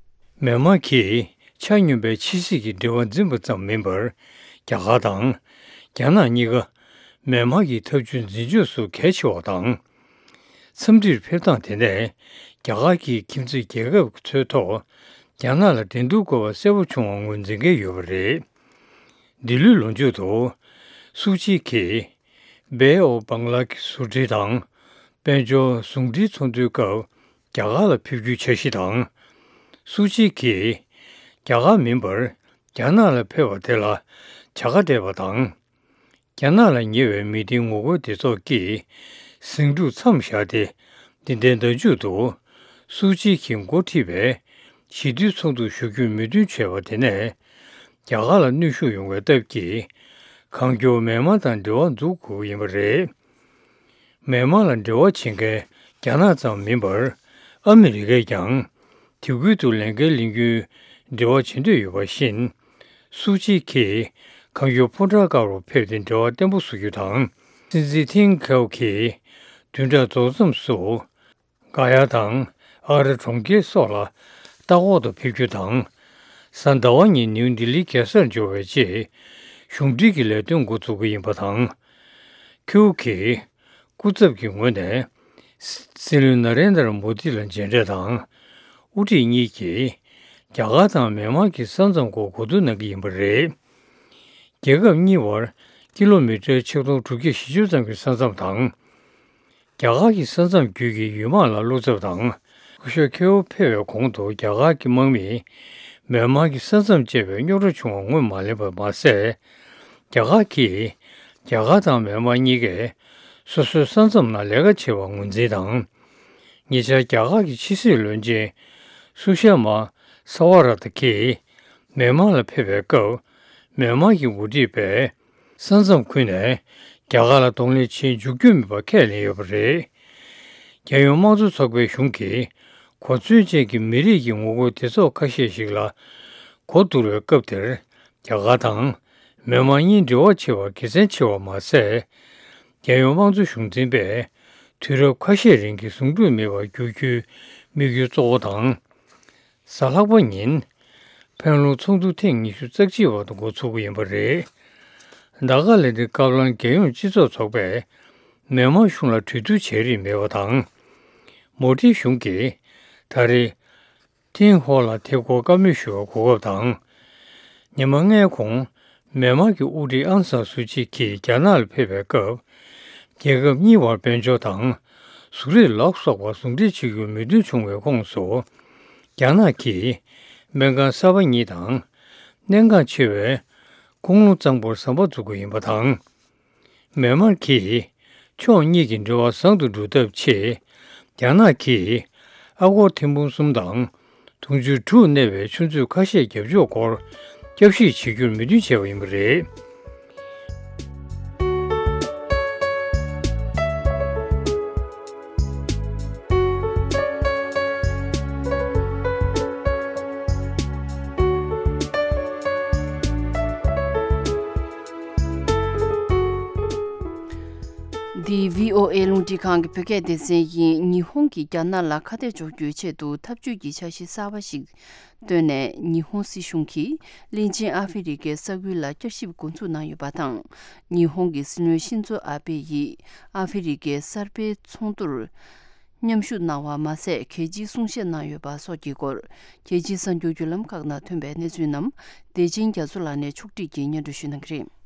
མེན་མར་གྱིས་ཆ་སྙོམས་པའི་ཕྱི་སྲིད་ཀྱི་འབྲེལ་བ་འཛིན་པ་ཙམ་མིན་པར། རྒྱ་གར་དང་རྒྱ་ནག་གཉིས་ཀ་མེན་མར་གྱི་འཐབ་ཇུས་འཛིན་ཕྱོགས་སུ་གལ་ཆེ་བ་དང་། འཚམས་འདྲིར་ཕེབས་སྟངས་དེ་ནས་རྒྱ་གར་གྱི་ཁྱིམ་མཚེས་རྒྱལ་ཁབ་ཚོའི་ཐོག་རྒྱ་ནག་ལ་འགྲན་བསྡུར་དགོས་པ་གསལ་པོ་བྱུང་བ་ངོས་འཛིན་མཁན་ཡོད་པ་རེད། འདི་ལོའི་ལོ་མཇུག་ཏུ་སུའུ་ཅི་གིས་Bay of Bengal གི་ཟུར་འབྲེལ་དང་དཔལ་འབྱོར་ཟུང་འབྲེལ་ཚོགས་འདུའི་སྐབས་རྒྱ་གར་ལ་ཕེབས་རྒྱུའི་འཆར་གཞི་དང་། སུའུ་ཅི་གིས་རྒྱ་གར་མིན་པར་རྒྱ་ནག་ལ་ཕེབས་པ་དེ་ལ་བྱ་དགའ་སྤྲད་པ་དང་། རྒྱ་ནག་ལ་ཉེ་བའི་མི་སྡེའི་ངོ་རྒོལ་སྡེ་ཚོགས་ཀྱིས་ཟིང་འཁྲུག་མཚམས་བཞག་སྟེ། འདི་ཟླའི་ཟླ་མཇུག་ཏུ་སུའུ་ཅི་གིས་འགོ་ཁྲིད་པའི་ཞི་བདེའི་ཚོགས་འདུར་ཞུགས་རྒྱུའི་མོས་མཐུན་བྱས་པ་དེ་ནས་རྒྱ་གར་ལ་གནོན་ཤུགས་ཡོང་བའི་སྟབས་ཀྱིས། གང་མགྱོགས་མེན་མར་དང་འབྲེལ་བ་འཛུགས་དགོས་ཀྱི་ཡིན་པ་རེད། མེན་མར་ལ་འབྲེལ་བ་བྱེད་མཁན་རྒྱ་ནག་ཙམ་མིན་པར། ཨ་མི་རི་ཀས་ཀྱང་དེ་ཁུལ་དུ་ལས་འགན་ལེན་རྒྱུའི་འབྲེལ་བ་བྱེད་འདོད་ཡོད་པ་བཞིན། སུའུ་ཅི་གིས་གང་མགྱོགས་ཕོ་བྲང་དཀར་པོར་ཕེབས་ཏེ་འབྲེལ་བ་བརྟན་པོ་བཟོ་རྒྱུ་དང་། སྲིད་འཛིན་ཐིན་ཁེའུ་གིས་བདུན་ཕྲག་རྫོགས་མཚམས་སུ་ག་ཡ་དང་ཨ་ར་གྲོང་ཁྱེར་སོགས་ལ་ལྟ་སྐོར་དུ་ཕེབས་རྒྱུ་དང་། གཟའ་ཟླ་བ་ཉིན་ནིའུ་ལྡི་ལི་རྒྱལ་སར་འབྱོར་བའི་རྗེས་གཞུང་འབྲེལ་གྱི་ལས་དོན་འགོ་འཛུགས་ཀྱི་ཡིན་པ་དང་། ཁེའུ་གིས་སྐུ་ཚབ་ཀྱི་ངོས་ནས་སྲིད་བློན་ན་རེན་དར་མོ་དི་ལ་མཇལ་འཕྲད་དང་། དབུ་ཁྲིད་གཉིས་ཀྱིས་རྒྱ་གར་དང་མེན་མར་གྱི་ས་མཚམས་སྐོར་གོ་བསྡུར་གནང་གི་ཡིན་པ་རེད། རྒྱལ་ཁབ་གཉིས་བར་ཀི་ལོ་མི་ཊར་ཆིག་སྟོང་དྲུག་བརྒྱ་བཞི་བཅུ་ཙམ་གྱི་ས་མཚམས་དང་། རྒྱ་གར་གྱི་ས་མཚམས་བརྒྱུད་ཀྱི་ཡུལ་དམག་ལ་བློ་འཚབ་དང་། སྐུ་ཞབས་ཁེའུ་ཕེབས་པའི་གོང་དུ་རྒྱ་གར་གྱི་དམག་མིས་མེན་མར་གྱི་ས་མཚམས་བཅད་པའི་རྙོག་དྲ་བྱུང་བ་ངོས་མ་ལེན་པར་མ་ཟད། རྒྱ་གར་གྱིས་རྒྱ་གར་དང་མེན་མར་གཉིས་ཀས་སོ་སོའི་ས་མཚམས་ནང་ལས་ཀ་བྱེད་པར་ངོས་འཛིན་དང་། ཉེ་ཆར་རྒྱ་གར་གྱི་ཕྱི་སྲིད་བློན་ཆེན་སུ་ཤ་མ་ས་ཝ་ར་ཏ་གིས་མེན་མར་ལ་ཕེབས་པའི་སྐབས། མེན་མར་གྱི་འགོ་ཁྲིད་པས་ས་མཚམས་ཁུལ་ནས་རྒྱ་གར་ལ་གདོང་ལེན་བྱེད་འཇུག་རྒྱུ་མིན་པ་ཁས་ལེན་ཡོད་པ་རེད། རྒྱལ་ཡོངས་དམངས་གཙོ་ཚོགས་པའི་གཞུང་གིས་གོ་མཚོན་ཅན་གྱི་མི་རིགས་ཀྱི་ངོ་རྒོལ་སྡེ་ཚོགས་ཁ་ཤས་ཤིག་ལ་གོ་བསྡུར་བའི་སྐབས་དེར། རྒྱ་གར་དང་མེན་མར་གཉིས་འབྲེལ་བ་ཆེ་བ་དགེ་མཚན་ཆེ་བ་མ་ཟད། རྒྱལ་ཡོངས་དམངས་གཙོ་གཞུང་འཛིན་པས་དུས་རབས་ཁ་ཤས་རིང་གི་ཟུང་འབྲེལ་མེད་པར་འགྱུར་རྒྱུའི་དམིགས་ཡུལ་གཙོ་བོ་དང་། གཟའ་ལྷག་པ་ཉིན། ཕན་ལུང་ཚོགས་འདུ་ཐེངས་ཉི་ཤུ་རྩ་གཅིག་པ་དེ་འགོ་ཚུགས་ཀྱི་ཡིན་པ་རེད། ཟླ་དཀར་ལ་འདི་སྐབས་ལ་རྒྱལ་ཡོངས་སྤྱི་ཚོགས་ཚོགས་པས་ མེན་མར་གཞུང་ལ་གྲོས་བསྡུར་བྱས་རིན་མེད་པ་དང་། མོ་ཏི་གཞུང་གིས་ད་རེས་ཏིན་ཧོ་ལ་ཐད་ཀར་བཀའ་མོལ་ཞུ་བའི་གོ་སྐབས་དང་། ཉི་མ་ལྔའི་གོང་མེན་མར་གྱི་དབུ་ཁྲིད་ཨང་སང་སུའུ་ཅི་གིས་རྒྱ་ནག་ལ་ཕེབས་པའི་སྐབས། རྒྱལ་ཁབ་གཉིས་བར་དཔལ་འབྱོར་དང་ཟུང་འབྲེལ་ལ་སོགས་པ་ཟུང་འབྲེལ་བྱེད་རྒྱུར་མོས་མཐུན་བྱུང་བའི་ཁོངས་སུ། རྒྱ་ནག་གིས་སྨན་ཁང་གསར་པ་གཉིས་དང་། གནད་འགག་ཆེ་བའི་ཀུང་ལུང་གཙང་པོར་ཟམ་པ་འཛུགས་རྒྱུ་ཡིན་པ་དང་། མེན་མར་གྱིས་ཕྱོགས་གཉིས་ཀྱི་འབྲེལ་བ་བཟང་དུ་འགྲོ་ཐབས་ཆེད། རྒྱ་ནག་གིས་ཨ་སྒོར་ཐེར་འབུམ་གསུམ་དང་དུང་ཕྱུར་དྲུག་གནས་པའི་ཆུ་མཛོད་ཁ་ཤས་རྒྱབ་ཕྱོགས་སྐོར་བསྐྱར་ཞིབ་བྱེད་རྒྱུར་མོས་མཐུན་བྱས་པ་ཡིན་པ་རེད། འདི་བྷི་ཨོ་ཨེ་རླུང་འཕྲིན་ཁང་གི་བོད་སྐད་སྡེ་ཚན་ཡིན། ཉི་ཧོང་གིས་རྒྱ་ནག་ལ་ཁ་གཏད་གཅོག་རྒྱུའི་ཆེད་དུ་འཐབ་ཇུས་ཀྱི་འཆར་གཞི་གསར་པ་ཞིག་བཏོན་ནས། ཉི་ཧོང་སྲིད་གཞུང་གིས་གླིང་ཆེན་ཨ་ཧྥེ་རི་ཁའི་ས་ཁུལ་ལ་བསྐྱར་ཞིབ་འགོ་འཛུགས་གནང་ཡོད་པ་དང་། ཉི་ཧོང་གི་སྲིད་བློན་ཤིན་ཛོ་ཨ་བྷེ་ཡིས་ཨ་ཧྥེ་རི་ཁའི་གསར་སྤེལ་ཚོགས་འདུར་མཉམ་ཞུགས་གནང་བ་མ་ཟད། གལ་ཆེའི་གསུང་བཤད་གནང་ཡོད་པ་སོགས་ཀྱི་སྐོར། རྒྱལ་སྤྱིའི་གསར་འགྱུར་བརྒྱུད་ལམ་ཁག་ནང་ཐོན་པའི་གནས་ཚུལ་རྣམས་བདེ་ཆེན་རྒྱ་མཚོ་ལགས་ནས་ཕྱོགས་སྒྲིག་གིས་སྙན་སྒྲོན་ཞུ་གནང་གི་རེད།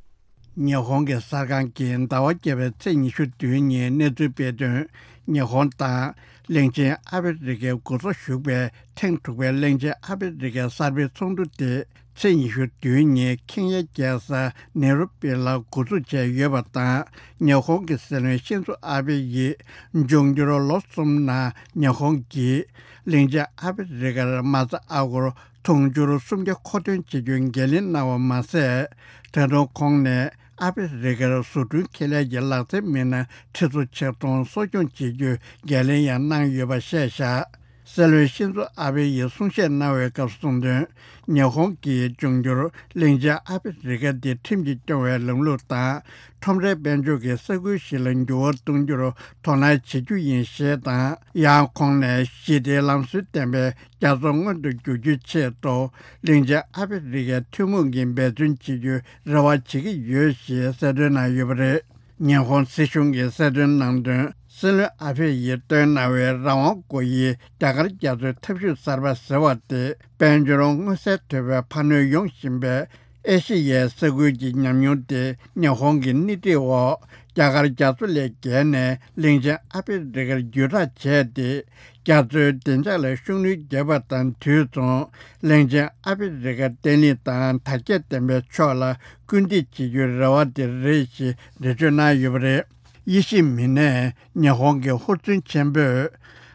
ཉི་ཧོང་གི་གསར་ཁང་གིས་ཟླ་བ་བརྒྱད་པའི་ཚེས་ཉི་ཤུ་བདུན་ཉིན་གནས་ཚུལ་སྤེལ་དོན། ཉི་ཧོང་དང་གླིང་ཆེན་ཨ་ཧྥེ་རི་ཁའི་འགོ་གཙོ་ཞུགས་པའི་ཐེངས་དྲུག་པའི་གླིང་ཆེན་ཨ་ཧྥེ་རི་ཁའི་གསར་སྤེལ་ཚོགས་འདུ་དེ་ཚེས་ཉི་ཤུ་བདུན་ཉིན་ཁེན་ཡའི་རྒྱལ་ས་ནེ་རོ་པི་ལ་འགོ་འཛུགས་བྱས་ཡོད་པ་དང་། ཉི་ཧོང་གི་སྲིད་བློན་ཤིན་ཛོ་ཨ་བྷེ་ཡིས་འབྱུང་འགྱུར་ལོ་གསུམ་ནང་ཉི་ཧོང་གིས་གླིང་ཆེན་ཨ་ཧྥེ་རི་ཁར་མ་རྩ་ཨ་སྒོར་དུང་ཕྱུར་སུམ་བརྒྱ་མཁོ་འདོན་བྱེད་རྒྱུའི་འགན་ལེན་གནང་བ་མ་ཟད། ད་དུང་ཁོང་ནས་ཨ་ཧྥེ་རི་ཁར་བཟོ་སྐྲུན་ཁེ་ལས་ཀྱི་ལག་རྩལ་མི་སྣ་ཁྲི་ཚོ་ཆིག་སྟོང་གསོ་སྐྱོང་བྱེད་རྒྱུའི་འགན་ལེན་ཡང་གནང་ཡོད་པ་བཤད་བཞག་སྲིད་བློན་ཤིན་ཛོ་ཨ་བྷེ་ཡིས་གསུང་བཤད་གནང་བའི་སྐབས་གསུངས་དོན། ཉི་ཧོང་གིས་འབྱུང་འགྱུར་གླིང་ཆེན་ཨ་ཧྥེ་རི་ཁ་འདི་ཁྲིམས་ཀྱིས་སྐྱོང་བའི་ལམ་ལུགས་དང་། ཁྲོམ་རའི་དཔལ་འབྱོར་གྱི་ས་ཁུལ་ཞིག་ལ་འགྱུར་བ་གཏོང་རྒྱུར་དོ་སྣང་བྱེད་རྒྱུ་ཡིན་ཞེས་དང་། ཡང་ཁོང་ནས་ཞི་བདེའི་ལམ་སྲོལ་ལྡན་པའི་རྒྱ་མཚོ་མངོན་དུ་འགྱུར་རྒྱུའི་ཆེད་དུ། གླིང་ཆེན་ཨ་ཧྥེ་རི་ཁའི་ཐུན་མོང་གི་འབད་བརྩོན་བྱེད་རྒྱུའི་རེ་བ་བྱེད་ཀྱི་ཡོད་ཞེས་གསལ་སྟོན་གནང་ཡོད་པ་རེད། ཉི་ཧོང་སྲིད་གཞུང་གིས་གསལ་སྟོན་གནང་དོན། སྲིད་བློན་ཨ་ཧྥེ་ཡིས་བཏོན་གནང་བའི་རང་དབང་སྒོ་དབྱེའི་རྒྱ་གར་རྒྱ་མཚོའི་འཐབ་ཇུས་གསར་པ་ཟེར་བ་དེ། དཔལ་འབྱོར་མངོན་གསལ་དོད་པའི་འཕར་སྣོན་ཡོང་བཞིན་པའི་ཨེ་ཤེ་ཡའི་ས་ཁུལ་གྱི་ཉམས་མྱོང་དེ། ཉི་ཧོང་གི་སྣེ་ཁྲིད་འོག་རྒྱ་གར་རྒྱ་མཚོ་ལས་བརྒལ་ནས་གླིང་ཆེན་ཨ་ཧྥེ་རི་ཁར་བརྒྱུད་བསྒྲགས་བྱས་ཏེ། རྒྱ་མཚོའི་བདེ་འཇགས་ལ་ཤུགས་སྣོན་བརྒྱབ་པ་དང་དུས་མཚུངས། གླིང་ཆེན་ཨ་ཧྥེ་རི་ཁ་བརྟན་ལྷིང་དང་དར་རྒྱས་ལྡན་པའི་ཕྱོགས་ལ་སྐུལ་འདེད་བྱེད་རྒྱུའི་རེ་བ་དེ་རེད་ཞེས་འགྲེལ་བརྗོད་གནང་ཡོད་པ་རེད། དབྱེ་ཞིབ་མི་སྣས་ཉི་ཧོང་གི་ཧུར་བརྩོན་ཆེན་པོས་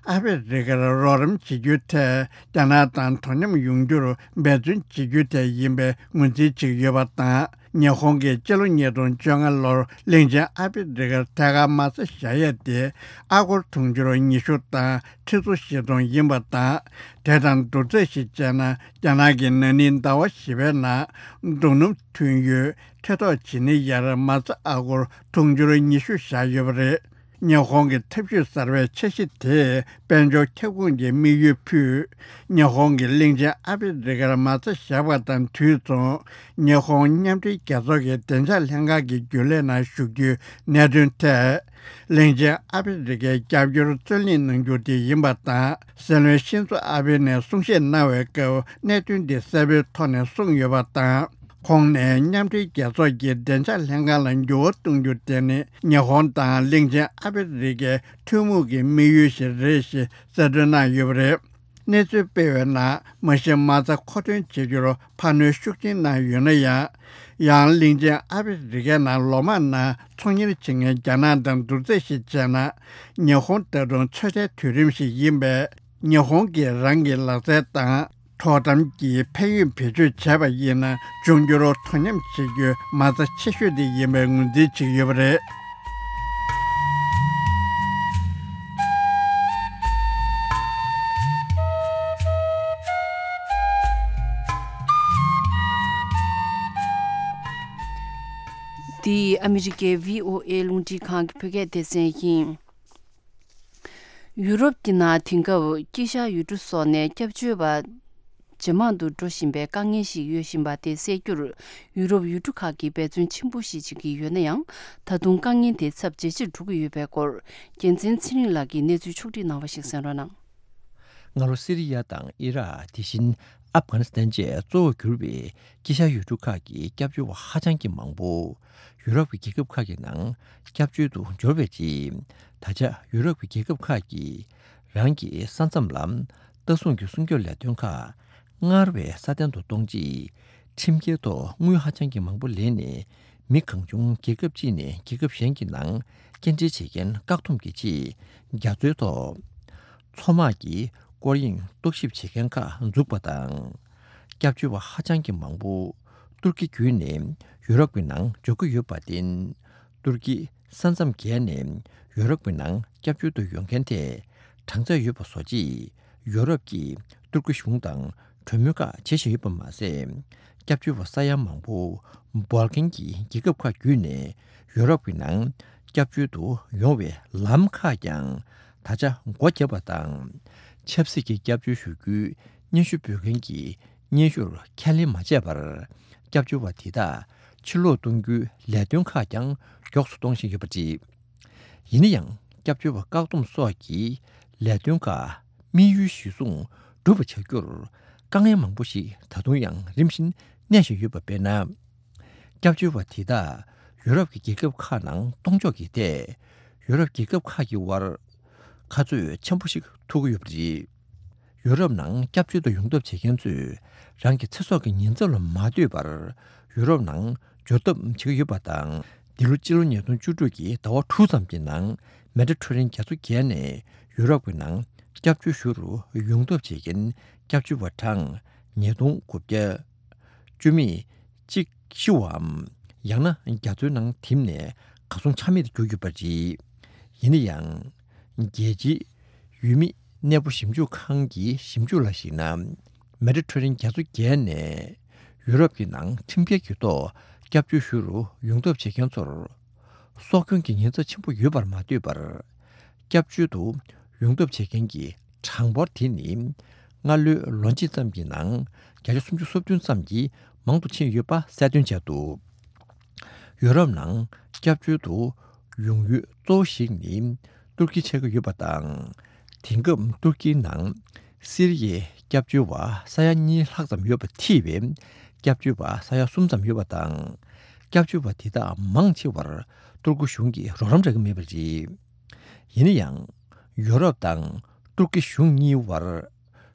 ཨ་ཧྥེ་རི་ཁར་རོགས་རམ་བྱེད་རྒྱུའི་ཐད། རྒྱ་ནག་དང་དོ་མཉམ་ཡོང་རྒྱུར་འབད་བརྩོན་བྱེད་རྒྱུའི་ཐད་ཡིན་པའི་ངོས་འཛིན་བྱེད་ཀྱི་ཡོད་པ་དང་། ཉི་ཧོང་གིས་སྤྱི་ལོ་ཉིས་སྟོང་བཅོ་ལྔ་ལོར་གླིང་ཆེན་ཨ་ཧྥེ་རི་ཁར་ཐད་ཀར་མ་རྩ་བཞག་ཡས་དེ། ཨ་སྒོར་དུང་ཕྱུར་ཉི་ཤུ་དང་ཁྲི་ཚོ་བཞི་སྟོང་ཡིན་པ་དང་། དེ་དང་བསྡུར་ཚད་ཞིག་བྱས་ན། རྒྱ་ནག་གིས་ན་ནིང་ཟླ་བ་བཞི་པའི་ནང་རྡོ་སྣུམ་ཐོན་ཡུལ་ཐེ་ཐོག་ཇི་ནི་ཡར་མ་རྩ་ཨ་སྒོར་དུང་ཕྱུར་ཉི་ཤུ་བཞག་ཡོད་པ་རེད། ཉི་ཧོང་གི་ཐབས་ཇུས་གསར་པའི་འཆར་གཞི་དེས་དཔལ་འབྱོར་ཁྱབ་ཁོངས་ཀྱི་དམིགས་ཡུལ་ཕུད། ཉི་ཧོང་གིས་གླིང་ཆེན་ཨ་ཧྥེ་རི་ཁར་མ་རྩ་བཞག་པ་དང་དུས་མཚུངས། ཉི་ཧོང་མཉམ་འབྲེལ་རྒྱལ་ཚོགས་ཀྱི་བདེ་འཇགས་ལྷན་ཁང་གི་རྒྱུན་ལས་ནང་ཞུགས་རྒྱུའི་གནད་དོན་ཐད། གླིང་ཆེན་ཨ་ཧྥེ་རི་ཁའི་རྒྱབ་སྐྱོར་རྩོད་ལེན་གནང་རྒྱུ་དེ་ཡིན་པ་དང་། སྲིད་བློན་ཤིན་ཛོ་ཨ་བྷེ་ནས་གསུང་བཤད་གནང་བའི་སྐབས། གནད་དོན་འདི་གསལ་པོའི་ཐོག་ནས་གསུངས་ཡོད་པ་དང་། ཁོང་ནས་མཉམ་འབྲེལ་རྒྱལ་ཚོགས་ཀྱི་བདེ་འཇགས་ལྷན་ཁང་ལ་འགྱུར་བ་གཏོང་རྒྱུ་དེ་ནི། ཉི་ཧོང་དང་གླིང་ཆེན་ཨ་ཧྥེ་རི་ཁའི་ཐུན་མོང་གི་དམིགས་ཡུལ་ཞིག་རེད་ཞེས་གསལ་སྟོན་གནང་ཡོད་པ་རེད། གནས་ཚུལ་སྤེལ་བའི་ནང་། མ་གཞི་མ་རྩ་མཁོ་འདོན་བྱེད་རྒྱུར་འཕར་སྣོན་ཤུགས་ཆེན་གནང་ཡོད་ན་ཡང་། ཡང་གླིང་ཆེན་ཨ་ཧྥེ་རི་ཁའི་ནང་ལོ་མང་ནང་ཚོང་གཉེར་བྱེད་མཁན་རྒྱ་ནག་དང་བསྡུར་ཚད་ཞིག་བྱས་ན། ཉི་ཧོང་ད་དུང་ཚོད་ལྟའི་དུས་རིམ་ཞིག་ཡིན་པས། ཉི་ཧོང་གིས་རང་གི་ལག་རྩལ་དང་དོ་དམ་གྱི་ཕན་ཡོན་བེད་སྤྱོད་བྱས་པ་ཡིན་ན། འབྱུང་འགྱུར་དོ་མཉམ་བྱེད་རྒྱུའི་མ་རྩ་ཆེ་ཤོས་དེ་ཡིན་པའི་ངོས་འཛིན་བྱེད་ཀྱི་ཡོད་པ་རེད། འདི་ཨ་མི་རི་ཀའི་བྷི་ཨོ་ཨེ་རླུང་འཕྲིན་ཁང་གི་བོད་སྐད་སྡེ་ཚན་ཡིན། ཡུ་རོབ་ཀྱི་ནང་དེང་སྐབས་དཀྱིལ་ཤར་ཡུལ་གྲུ་སོགས་ནས་སྐྱབས་བཅོལ་བ་ ཇེ་མང་དུ་འགྲོ་བཞིན་པའི་དཀའ་ངལ་ཞིག་ཡོད་བཞིན་པ་དེ་སེལ་རྒྱུར་ཡུ་རོབ་ཡུལ་གྲུ་ཁག་གིས་འབད་བརྩོན་ཆེན་པོ་ཞིག་བྱེད་ཀྱི་ཡོད་ན་ཡང་། ད་དུང་དཀའ་ངལ་དེ་ཚབས་ཇེ་ཆེར་འགྲོ་གི་ཡོད་པའི་སྐོར། རྒྱལ་མཚན་ཚེ་རིང་ལགས་ཀྱིས་གནས་ཚུལ་ཕྱོགས་སྒྲིག་གནང་བ་ཞིག་གསན་རོགས་གནང་། སྔ་ལོ་སི་རི་ཡ་དང་ཨི་རག་དེ་བཞིན་ཨབ་གྷ་ནི་སི་ཐན་བཅས་གཙོ་བོར་གྱུར་པའི་དཀྱིལ་ཤར་ཡུལ་གྲུ་ཁག་གི་སྐྱབས་བཅོལ་བ་ཧ་ཅང་གི་མང་པོ་ཡུ་རོབ་ཀྱི་རྒྱལ་ཁབ་ཁག་གི་ནང་སྐྱབས་བཅོལ་དུ་འབྱོར་བའི་རྗེས། ད་ཆ་ཡུ་རོབ་ཀྱི་རྒྱལ་ཁབ་ཁག་གིས་རང་གི་ས་མཚམས་ལ་ལྟ་སྲུང་གི་སྲུང་སྐྱོབ་ལས་དོན་ཁག་སྔར་བས་སྲ་བརྟན་དུ་གཏོང་ཆེད། ཁྲིམས་འགལ་ཐོག་དངུལ་ཧ་ཅང་གི་མང་པོ་ལེན་ནས། མི་གང་བྱུང་རྒྱལ་ཁབ་གཅིག་ནས་རྒྱལ་ཁབ་གཞན་གྱི་ནང་སྐྱེལ་འདྲེན་བྱེད་མཁན་བཀག་སྡོམ་གྱི་ཆེད་རྒྱ་མཚོའི་ཐོག་མཚོ་དམག་གི་སྐོར་གཡེང་རྟོག་ཞིབ་བྱེད་མཁན་ཁག་འཛུགས་པ་དང་། སྐྱབས་བཅོལ་བ་ཧ་ཅང་གི་མང་པོ་ཏུར་ཀི་བརྒྱུད་ནས་ཡུ་རོབ་ཀྱི་ནང་འབྱོར་གྱི་ཡོད་པར་བརྟེན། ཏུར་ཀི་ས་མཚམས་བརྒལ་ནས་ཡུ་རོབ་ཀྱི་ནང་སྐྱབས་བཅོལ་དུ་ཡོང་མཁན་དེ་གྲངས་ཚད་ཡོད་པ་བཟོ་ཆེད། ཡུ་རོབ་ཀྱིས་ཏུར་ཀི་གཞུང་དང་གྲོས་མོལ་ཁག་བྱེད་བཞིན་ཡོད་པ་མ་ཟད། སྐྱབས་བཅོལ་བ་ས་ཡ་མང་པོ་སྦོལ་ཀན་གྱི་རྒྱལ་ཁབ་ཁག་བརྒྱུད་ནས་ཡུ་རོབ་ཀྱི་ནང་སྐྱབས་བཅོལ་དུ་ཡོང་བའི་ལམ་ཁག་ཀྱང་ད་ཆ་སྒོ་བརྒྱབ་པ་དང་། ཆབ་སྲིད་ཀྱི་སྐྱབས་བཅོལ་ཞུ་རྒྱུའི་སྙན་ཞུ་འབུལ་མཁན་གྱི་སྙན་ཞུར་ཁས་ལེན་མ་བྱས་པར། སྐྱབས་བཅོལ་བ་དེ་དག་ཕྱིར་ལོག་གཏོང་རྒྱུའི་ལས་དོན་ཁག་ཀྱང་མགྱོགས་སུ་གཏོང་བཞིན་ཡོད་པ་རེད། ཡིན་ན་ཡང་། སྐྱབས་བཅོལ་བ་བཀག་སྡོམ་སོགས་ཀྱི་ལས་དོན་ཁག་དམིགས་ཡུལ་གཞིར་བཟུང་སྒྲུབ་པ་བྱ་རྒྱུར་དཀའ་ངལ་མང་པོ་ཞིག་ད་དུང་ཡང་རིམ་བཞིན་གནས་བཞིན་ཡོད་པ། དཔེར་ན། སྐྱབས་བཅོལ་བ་དེ་དག་ཡུ་རོབ་ཀྱི་རྒྱལ་ཁབ་ཁག་ནང་གཏོང་ཕྱོགས་ཀྱི་ཐད། ཡུ་རོབ་རྒྱལ་ཁབ་ཁག་གི་དབར་ཁ་རྩོད་ཆེན་པོ་ཞིག་ཐུག་གི་ཡོད་པ་རེད། ཡུ་རོབ་ནང་སྐྱབས་བཅོལ་དུ་ཡོང་ཐབས་བྱེད་མཁན་ཚོས་རང་གི་ཚེ་སྲོག་གི་ཉེན་ཚབས་ལ་མ་ལྟོས་པར་ཡུ་རོབ་ནང་འབྱོར་ཐབས་བྱེད་ཀྱི་ཡོད་པ་དང་། འདི་ལོ་སྤྱི་ལོ་ཉིས་སྟོང་བཅུ་དྲུག་གི་ཟླ་བ་དྲུག་ཙམ་གྱི་ནང་མེ་ཌི་ཊེ་རེ་ནི་ཡན་རྒྱ་མཚོ་བརྒལ་ནས་ཡུ་རོབ་ཀྱི་ནང་སྐྱབས་བཅོལ་ཞུ་རུ་ཡོང་ཐབས་བྱེད་མཁན་སྐྱབས་བཅོལ་བ་གྲངས་ཉིས་སྟོང་དགུ་བརྒྱ་བཅུ་མེད་གཅིག་ཤི་བའམ། ཡང་ན་རྒྱ་མཚོའི་ནང་ཐིམ་ནས་གར་སོང་ཆ་མེད་དུ་གྱུར་ཡོད་པ་རེད། ཡིན་ན་ཡང་། རྒྱལ་སྤྱིའི་ཡུལ་མི་གནས་སྤོ་ཞིབ་འཇུག་ཁང་གི་ཞིབ་འཇུག་ལ་གཞིགས་ན། མེ་ཌི་ཊེ་རེ་ནི་ཡན་རྒྱ་མཚོ་བརྒལ་ནས་ཡུ་རོབ་ཀྱི་ནང་ཁྲིམས་འགལ་གྱི་ཐོག་སྐྱབས་བཅོལ་ཞུ་རུ་ཡོང་ཐབས་བྱེད་མཁན་ཚོར། སྲོག་སྐྱོན་གྱི་ཉེན་ཚབས་ཆེན་པོ་ཡོད་པར་མ་ལྟོས་པར། སྐྱབས་བཅོལ་དུ་ཡོང་ཐབས་བྱེད་མཁན་གྱི་གྲངས་འབོར་དེ་ནི། སྔ་ལོའི་ལོ་གཅིག་ཙམ་གྱི་ནང་བརྒྱ་ཆ་སུམ་ཅུ་སོ་བདུན་ཙམ་གྱིས་མང་དུ་ཕྱིན་ཡོད་པ་གསལ་སྟོན་བྱས་འདུག་ཡུ་རོབ་ནང་སྐྱབས་བཅོལ་དུ་ཡོང་ཡུལ་གཙོ་བོ་ཞིག་ནི་ཏུར་ཀི་ཆགས་ཀྱི་ཡོད་པ་དང་། དེང་སྐབས་ཏུར་ཀིའི་ནང་སི་རི་ཡའི་སྐྱབས་བཅོལ་བ་ས་ཡ་གཉིས་ལྷག་ཙམ་ཡོད་པ་ཐེ་བའི་སྐྱབས་བཅོལ་བ་ས་ཡ་གསུམ་ཙམ་ཡོད་པ་དང་། སྐྱབས་བཅོལ་བ་དེ་དག་མང་ཆེ་བར་ཏུར་ཀི་གཞུང་གིས་རོགས་རམ་རག་གི་མེད་པ་རེད། ཡིན་ན་ཡང་། ཡུ་རོབ་དང་ཏུར་ཀི་གཞུང་གཉིས་བར་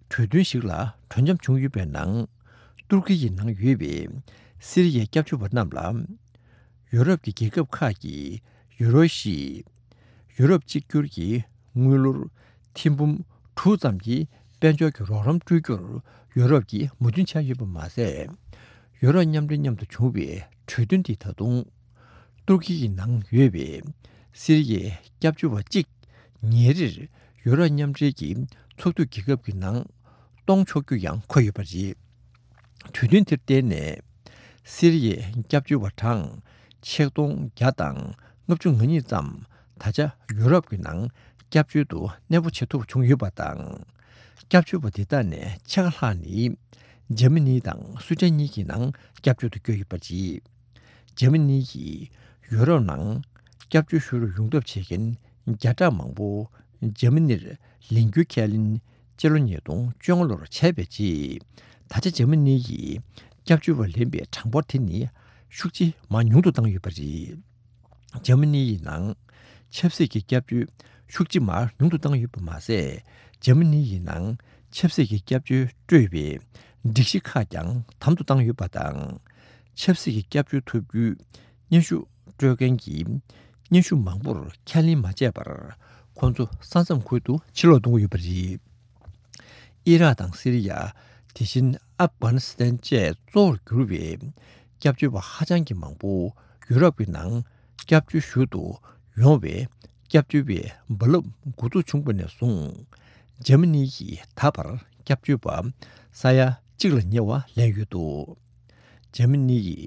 གྲོས་མཐུན་ཞིག་ལ་གྲོས་འཆམ་བྱུང་ཡོད་པའི་ནང་། ཏུར་ཀི་ཡི་ནང་ཡོད་པའི་སི་རི་ཡའི་སྐྱབས་བཅོལ་བ་རྣམས་ལ། ཡུ་རོབ་ཀྱི་རྒྱལ་ཁབ་ཁག་གིས་ཡུ་རོ་ཤི། ཡུ་རོབ་གཅིག་གྱུར་གྱི་དངུལ་ལོར་ཐེར་འབུམ་དྲུག་ཙམ་གྱི་དཔལ་འབྱོར་གྱི་རོགས་རམ་སྤྲོད་རྒྱུར་ཡུ་རོབ་ཀྱིས་མོས་མཐུན་བྱས་ཡོད་པ་མ་ཟད། ཡུ་རོབ་མཉམ་འབྲེལ་མཉམ་དུ་བྱུང་བའི་གྲོས་མཐུན་དེ་ད་དུང་། ཏུར་ཀི་ཡི་ནང་ཡོད་པའི་སི་རི་ཡའི་སྐྱབས་བཅོལ་བ་གཅིག་ཉིན་རེར་ཡུ་རོབ་མཉམ་འབྲེལ་གྱི་ཚོགས་འཐུས་རྒྱལ་ཁབ་ཀྱི་ནང་གཏོང་ཆོག་རྒྱུ་ཡང་འཁོད་ཡོད་པ་རེད། གྲོས་མཐུན་དེར་བརྟེན་ནས་སི་རི་ཡའི་སྐྱབས་བཅོལ་བ་གྲངས་ཆིག་སྟོང་བརྒྱ་དང་ལྔ་བཅུ་ང་གཉིས་ཙམ་ད་ཆ་ཡུ་རོབ་ཀྱི་ནང་སྐྱབས་བཅོལ་དུ་གནས་སྤོ་བྱེད་ཐུབ་པ་བྱུང་ཡོད་པ་དང་། སྐྱབས་བཅོལ་བ་དེ་དག་ནས་ཕྱེད་ཀ་ལྷག་ནི་འཇར་མ་ནི་དང་སུའེ་ཏེན་གཉིས་ཀྱི་ནང་སྐྱབས་བཅོལ་དུ་བསྐྱོད་ཡོད་པ་རེད། འཇར་མ་ནི་ཡིས་ཡུ་རོབ་ནང་སྐྱབས་བཅོལ་ཞུ་རུ་ཡོང་ཐབས་བྱེད་མཁན་བརྒྱ་ཕྲག་མང་པོ་འཇར་མ་ནིར་ལེན་རྒྱུའི་ཁས་ལེན་སྤྱི་ལོ་ཉིས་སྟོང་བཅོ་ལྔ་ལོར་བྱས་པའི་རྗེས། ད་ཆ་འཇར་མ་ནི་ཡིས་སྐྱབས་བཅོལ་བ་ལེན་པའི་གྲངས་འབོར་དེ་ནི་ཤུགས་ཆེ་མར་ཉུང་དུ་བཏང་ཡོད་པ་རེད། འཇར་མ་ནི་ཡི་ནང་ཆབ་སྲིད་ཀྱི་སྐྱབས་བཅོལ་ཤུགས་ཆེ་མར་ཉུང་དུ་བཏང་ཡོད་པ་མ་ཟད། འཇར་མ་ནི་ཡི་ནང་ཆབ་སྲིད་ཀྱི་སྐྱབས་བཅོལ་སྤྲོད་པའི་སྒྲིག་གཞི་ཁག་ཀྱང་དམ་དུ་བཏང་ཡོད་པ་དང་། ཆབ་སྲིད་ཀྱི་སྐྱབས་བཅོལ་ཐོབ་རྒྱུའི་སྙན་ཞུ་སྤྲོད་མཁན་གྱི་སྙན་ཞུ་མང་པོར་ཁས་ལེན་མ་བྱས་པར། ཁོང་ཚོ་ས་མཚམས་ཁུལ་དུ་ཕྱིར་ལོག་གཏོང་གི་ཡོད་པ་རེད། ཨི་རག་དང་སི་རི་ཡ། དེ་བཞིན་ཨབ་གྷ་ནི་སི་ཐན་བཅས་གཙོ་བོར་གྱུར་བའི་སྐྱབས་བཅོལ་བ་ཧ་ཅང་གི་མང་པོ་ཡུ་རོབ་ཀྱི་ནང་སྐྱབས་བཅོལ་ཞུ་དུ་ཡོང་བའི་སྐྱབས་བཅོལ་བའི་རྦ་རླབས་འགོ་འཛུགས་བྱུང་བ་ནས་བཟུང་། འཇར་མ་ནི་ཡིས་ད་བར་སྐྱབས་བཅོལ་བ་ས་ཡ་གཅིག་ལ་ཉེ་བ་ལེན་ཡོད་འདུག་འཇར་མ་ནི་ཡི་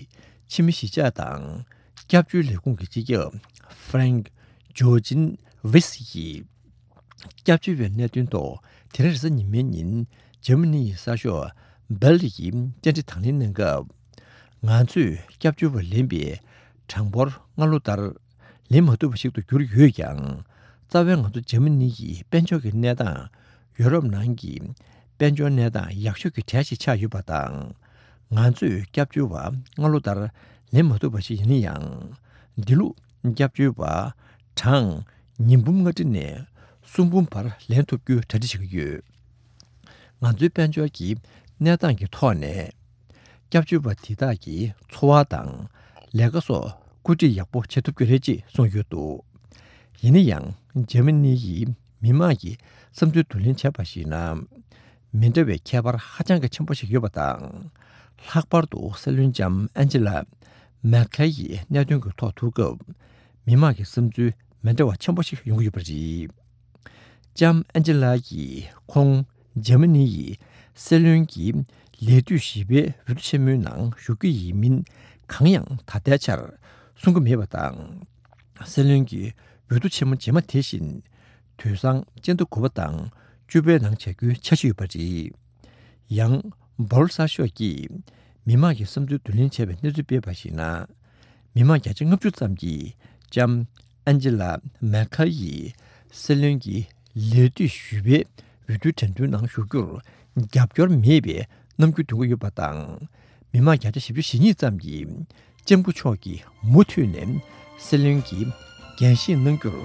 ཕྱི་མི་གཞིས་ཆགས་དང་སྐྱབས་བཅོལ་ལས་ཁུངས་ཀྱི་སྤྱི་ཁྱབ་ཧྥ་རེང་ཇོ་ཅིན་ཝིས་ཡིས། སྐྱབས་བཅོལ་བའི་གནད་དོན་ཐོག་དེ་རིང་རེས་གཟའ་ཉི་མའི་ཉིན་འཇར་མ་ནི་ཡི་གསར་ཤོག་ སྦེལ་ཡིས་བཅར་འདྲི་དང་ལེན་གནང་སྐབས། ང་ཚོས་སྐྱབས་བཅོལ་བ་ལེན་པའི་གྲངས་འབོར་སྔ་ལོ་ལྟར་ལེན་མ་ཐུབ་པ་ཞིག་ཏུ་གྱུར་ཡོད་ཀྱང་། རྩ་བའི་ང་ཚོ་འཇར་མ་ནི་ཡི་དཔལ་འབྱོར་གྱི་གནས་སྟངས་ཡོ་རོབ་ནང་གི་དཔལ་འབྱོར་གནས་སྟངས་ཡག་ཤོས་ཀྱི་གྲས་ཤིག་ཆགས་ཡོད་པ་དང་། ང་ཚོས་སྐྱབས་བཅོལ་བ་སྔ་ལོ་ལྟར་ལེན་མ་ཐུབ་པ་ཞིག་ཡིན་ན་ཡང་། འདི་ལོ་སྐྱབས་བཅོལ་བ་གྲངས་ཉིས་འབུམ་ལྔ་ཁྲི་ནས་སུམ་འབུམ་བར་ལེན་ཐུབ་རྒྱུའི་གྲ་སྒྲིག་བྱེད་ཀྱི་ཡོད། ང་ཚོའི་དཔལ་འབྱོར་གྱི་གནས་སྟངས་ཀྱི་ཐོག་ནས། སྐྱབས་བཅོལ་བ་དེ་དག་གི་འཚོ་བ་དང་ལས་ཀ་སོགས་བཀོད་སྒྲིག་ཡག་པོ་བྱེད་ཐུབ་ཀྱི་རེད་ཅེས་གསུངས་ཡོད་འདུག། ཡིན་ན་ཡང་འཇར་མ་ནི་ཡི་མི་མང་གི་བསམ་ཚུལ་བསྡུ་ལེན་བྱས་པར་གཞིགས་ན། མི་འདྲ་བའི་ཁྱད་པར་ཧ་ཅང་གི་ཆེན་པོ་ཞིག་ཡོད་པ་དང་། ལྷག་པར་དུ་སྲིད་བློན་ལྕམ་ཨན་ཇི་ལ་མེར་ཁེལ་ཡི་གནད་དོན་གྱི་ཐོག་ཐུག་སྐབས། མི་མང་གི་བསམ་ཚུལ་མི་འདྲ་བ་ཆེན་པོ་ཞིག་ཡོང་གི་ཡོད་པ་རེད། ལྕམ་ཨན་ཇི་ལ་ཡིས་ཁོང་འཇར་མ་ནི་ཡི་སྲིད་བློན་གྱི་ལས་དུས་བཞི་པའི་འོས་བསྡུ་ཆེན་མོའི་ནང་ཞུགས་ཀྱི་ཡིན་མིན་གང་ཡང་ད་ལྟའི་ཆར་གསུང་གི་མེད་པ་དང་། སྲིད་བློན་གྱི་འོས་བསྡུ་ཆེན་མོ་རྗེས་མ་དེ་བཞིན་དུས་སང་སྤྱི་ཟླ་དགུ་པ་དང་བཅུ་པའི་ནང་བྱ་རྒྱུའི་འཆར་གཞི་ཡོད་པ་རེད། ཡང་། སྦོལ་སར་ཤོག་གིས་མི་མང་གི་བསམ་ཚུལ་བསྡུ་ལེན་བྱས་པའི་གནས་ཚུལ་སྤེལ་བར་གཞིགས་ན། མི་མང་བརྒྱ་ཆ་ལྔ་བཅུ་ཙམ་གྱིས་ལྕམ་ཨན་ཇི་ལ་མེར་ཁལ་ཡིས་སྲིད་བློན་གྱི་ལས་དུས་བཞི་པའི་འོས་བསྡུའི་འགྲན་བསྡུར་ནང་ཞུགས་རྒྱུར་རྒྱབ་སྐྱོར་མེད་པའི་རྣམ་འགྱུར་འདོན་གྱི་ཡོད་པ་དང་། མི་མང་བརྒྱ་ཆ་བཞི་བཅུ་ཞེ་གཉིས་ཙམ་གྱིས་ལྕམ་སྐུ་མཆོག་གིས་མུ་མཐུད་ནས་སྲིད་བློན་གྱི་འགན་བཞེས་གནང་རྒྱུར་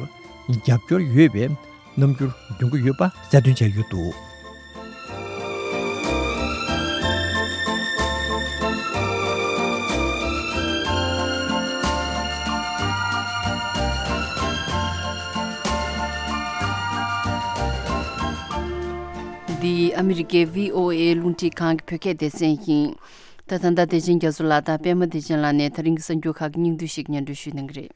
རྒྱབ་སྐྱོར་ཡོད་པའི་རྣམ་འགྱུར་འདོན་གྱི་ཡོད་པ་གསལ་སྟོན་བྱས་ཡོད་འདུག། འདི་ཨ་མི་རི་ཀའི་བྷི་ཨོ་ཨེ་རླུང་འཕྲིན་ཁང་གི་བོད་སྐད་སྡེ་ཚན་ཡིན། ད་ད་ལྟ་བདེ་ཆེན་རྒྱ་མཚོ་ལགས་དང་པད་མ་བདེ་ཆེན་ལགས་ནས་ད་རིང་གི་གསར་འགྱུར་ཁག་གི་སྙིང་བསྡུས་ཤིག་སྙན་སྒྲོན་ཞུ་གནང་གི་རེད།